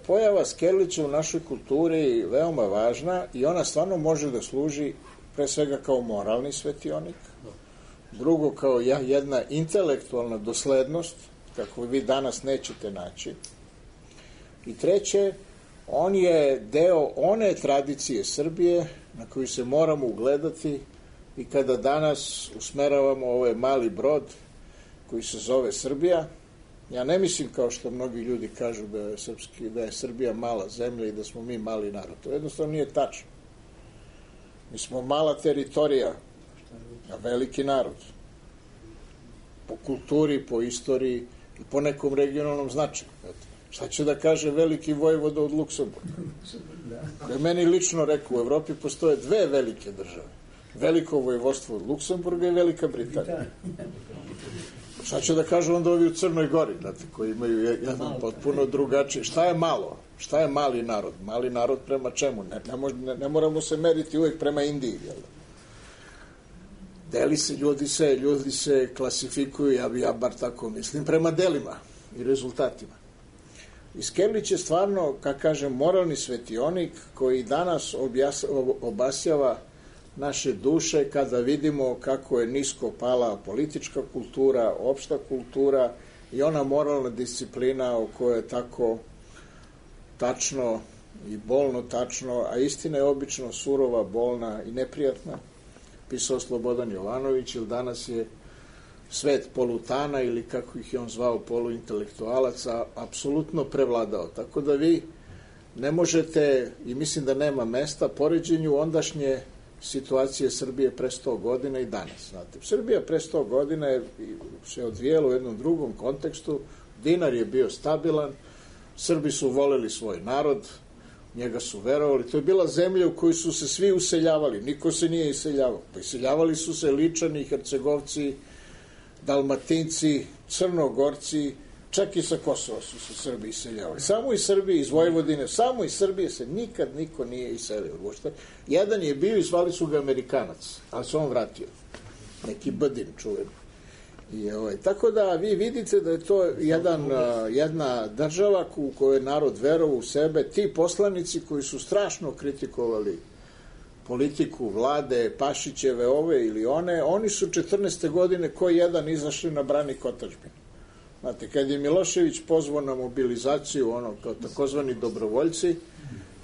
pojava Skerlića u našoj kulturi veoma važna i ona stvarno može da služi pre svega kao moralni svetionik, drugo kao jedna intelektualna doslednost, kako vi danas nećete naći, i treće, on je deo one tradicije Srbije na koju se moramo ugledati i kada danas usmeravamo ovaj mali brod koji se zove Srbija. Ja ne mislim kao što mnogi ljudi kažu da je, srpski, da je Srbija mala zemlja i da smo mi mali narod. To jednostavno nije tačno. Mi smo mala teritorija, a veliki narod. Po kulturi, po istoriji i po nekom regionalnom značaju. Šta će da kaže veliki vojvoda od Luksemburga? Koji je meni lično rekao, u Evropi postoje dve velike države. Veliko vojvodstvo od Luksemburga i Velika Britanija. Šta će da kažu onda ovi u Crnoj Gori, znate, koji imaju jedan potpuno drugačiji. Šta je malo? Šta je mali narod? Mali narod prema čemu? Ne, ne, mož, ne, ne moramo se meriti uvijek prema Indiji, jel? Deli se, ljudi se, ljudi se klasifikuju, ja, ja bar tako mislim, prema delima i rezultatima. I Skerlić je stvarno, kako kažem, moralni svetionik koji danas objas, obasjava naše duše kada vidimo kako je nisko pala politička kultura, opšta kultura i ona moralna disciplina o kojoj je tako tačno i bolno tačno, a istina je obično surova, bolna i neprijatna, pisao Slobodan Jovanović, ili danas je svet polutana ili kako ih je on zvao poluintelektualaca, apsolutno prevladao. Tako da vi ne možete, i mislim da nema mesta, poređenju ondašnje situacije Srbije pre sto godina i danas. Znate, Srbija pre sto godina je se odvijela u jednom drugom kontekstu, dinar je bio stabilan, Srbi su voleli svoj narod, njega su verovali, to je bila zemlja u kojoj su se svi useljavali, niko se nije iseljavao. Pa iseljavali su se Ličani, Hercegovci, Dalmatinci, Crnogorci, Čak i sa Kosova su se Srbi iseljavali. Samo iz Srbije, iz Vojvodine, samo iz Srbije se nikad niko nije iselio. Uopšte. Jedan je bio i zvali su ga Amerikanac, ali se on vratio. Neki Badin čuven. I, ovaj, tako da vi vidite da je to jedan, jedna država u kojoj je narod verovao u sebe. Ti poslanici koji su strašno kritikovali politiku vlade, Pašićeve, ove ili one, oni su četrnaeste godine koji jedan izašli na branik otadžbine. Znate, kad je Milošević pozvao na mobilizaciju, ono, kao takozvani dobrovoljci,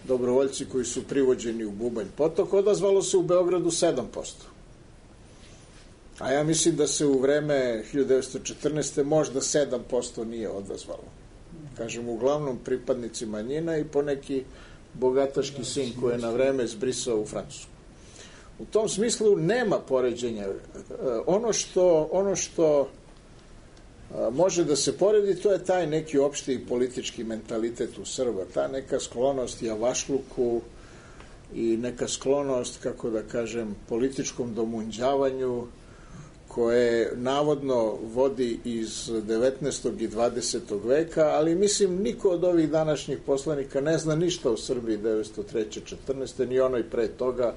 dobrovoljci koji su privođeni u Bubanj potok, odazvalo se u Beogradu sedam posto. A ja mislim da se u vreme hiljadu devetsto četrnaeste možda sedam posto nije odazvalo. Kažem, uglavnom pripadnici manjina i poneki bogataški sin koji je na vreme zbrisao u Francusku. U tom smislu nema poređenja. Ono što, ono što može da se poredi, to je taj neki opšti politički mentalitet u Srba, ta neka sklonost javašluku i neka sklonost, kako da kažem, političkom domunđavanju, koje navodno vodi iz devetnaestog i dvadesetog veka, ali mislim niko od ovih današnjih poslanika ne zna ništa o Srbiji devetsto treće četrnaeste ni onoj pre toga.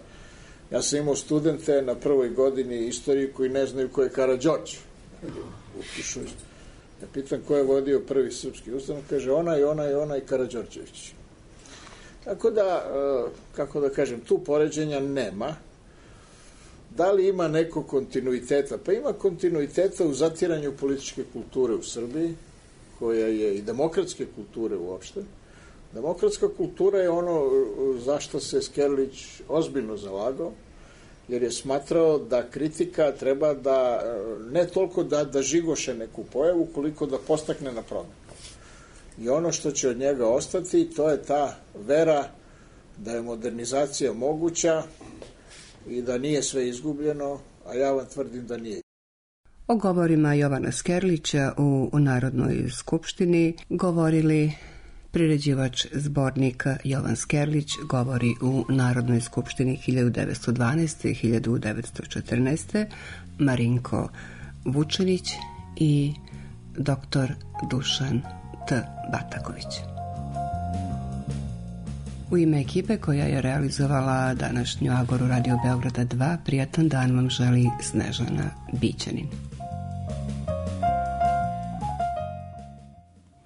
Ja sam imao studente na prvoj godini istoriji koji ne znaju ko je Karađorđe. Upišu. Ja pitam ko je vodio prvi srpski ustanak, kaže onaj, onaj, onaj Karađorđević. Tako da, kako da kažem, tu poređenja nema. Da li ima neko kontinuiteta? Pa ima kontinuiteta u zatiranju političke kulture u Srbiji, koja je i demokratske kulture uopšte. Demokratska kultura je ono zašto se Skerlić ozbiljno zalagao, jer je smatrao da kritika treba da, ne toliko da, da žigoše neku pojavu, koliko da postakne na promenu. I ono što će od njega ostati, to je ta vera da je modernizacija moguća i da nije sve izgubljeno, a ja vam tvrdim da nije. O govorima Jovana Skerlića u, u Narodnoj skupštini govorili priređivač zbornika Jovan Skerlić, govori u Narodnoj skupštini hiljadu devetsto dvanaeste. i hiljadu devetsto četrnaeste. Marinko Vučanić i doktor Dušan T. Bataković. U ime ekipe koja je realizovala današnju Agoru Radio Beograda dva, prijatan dan vam želi Snežana Bićanin.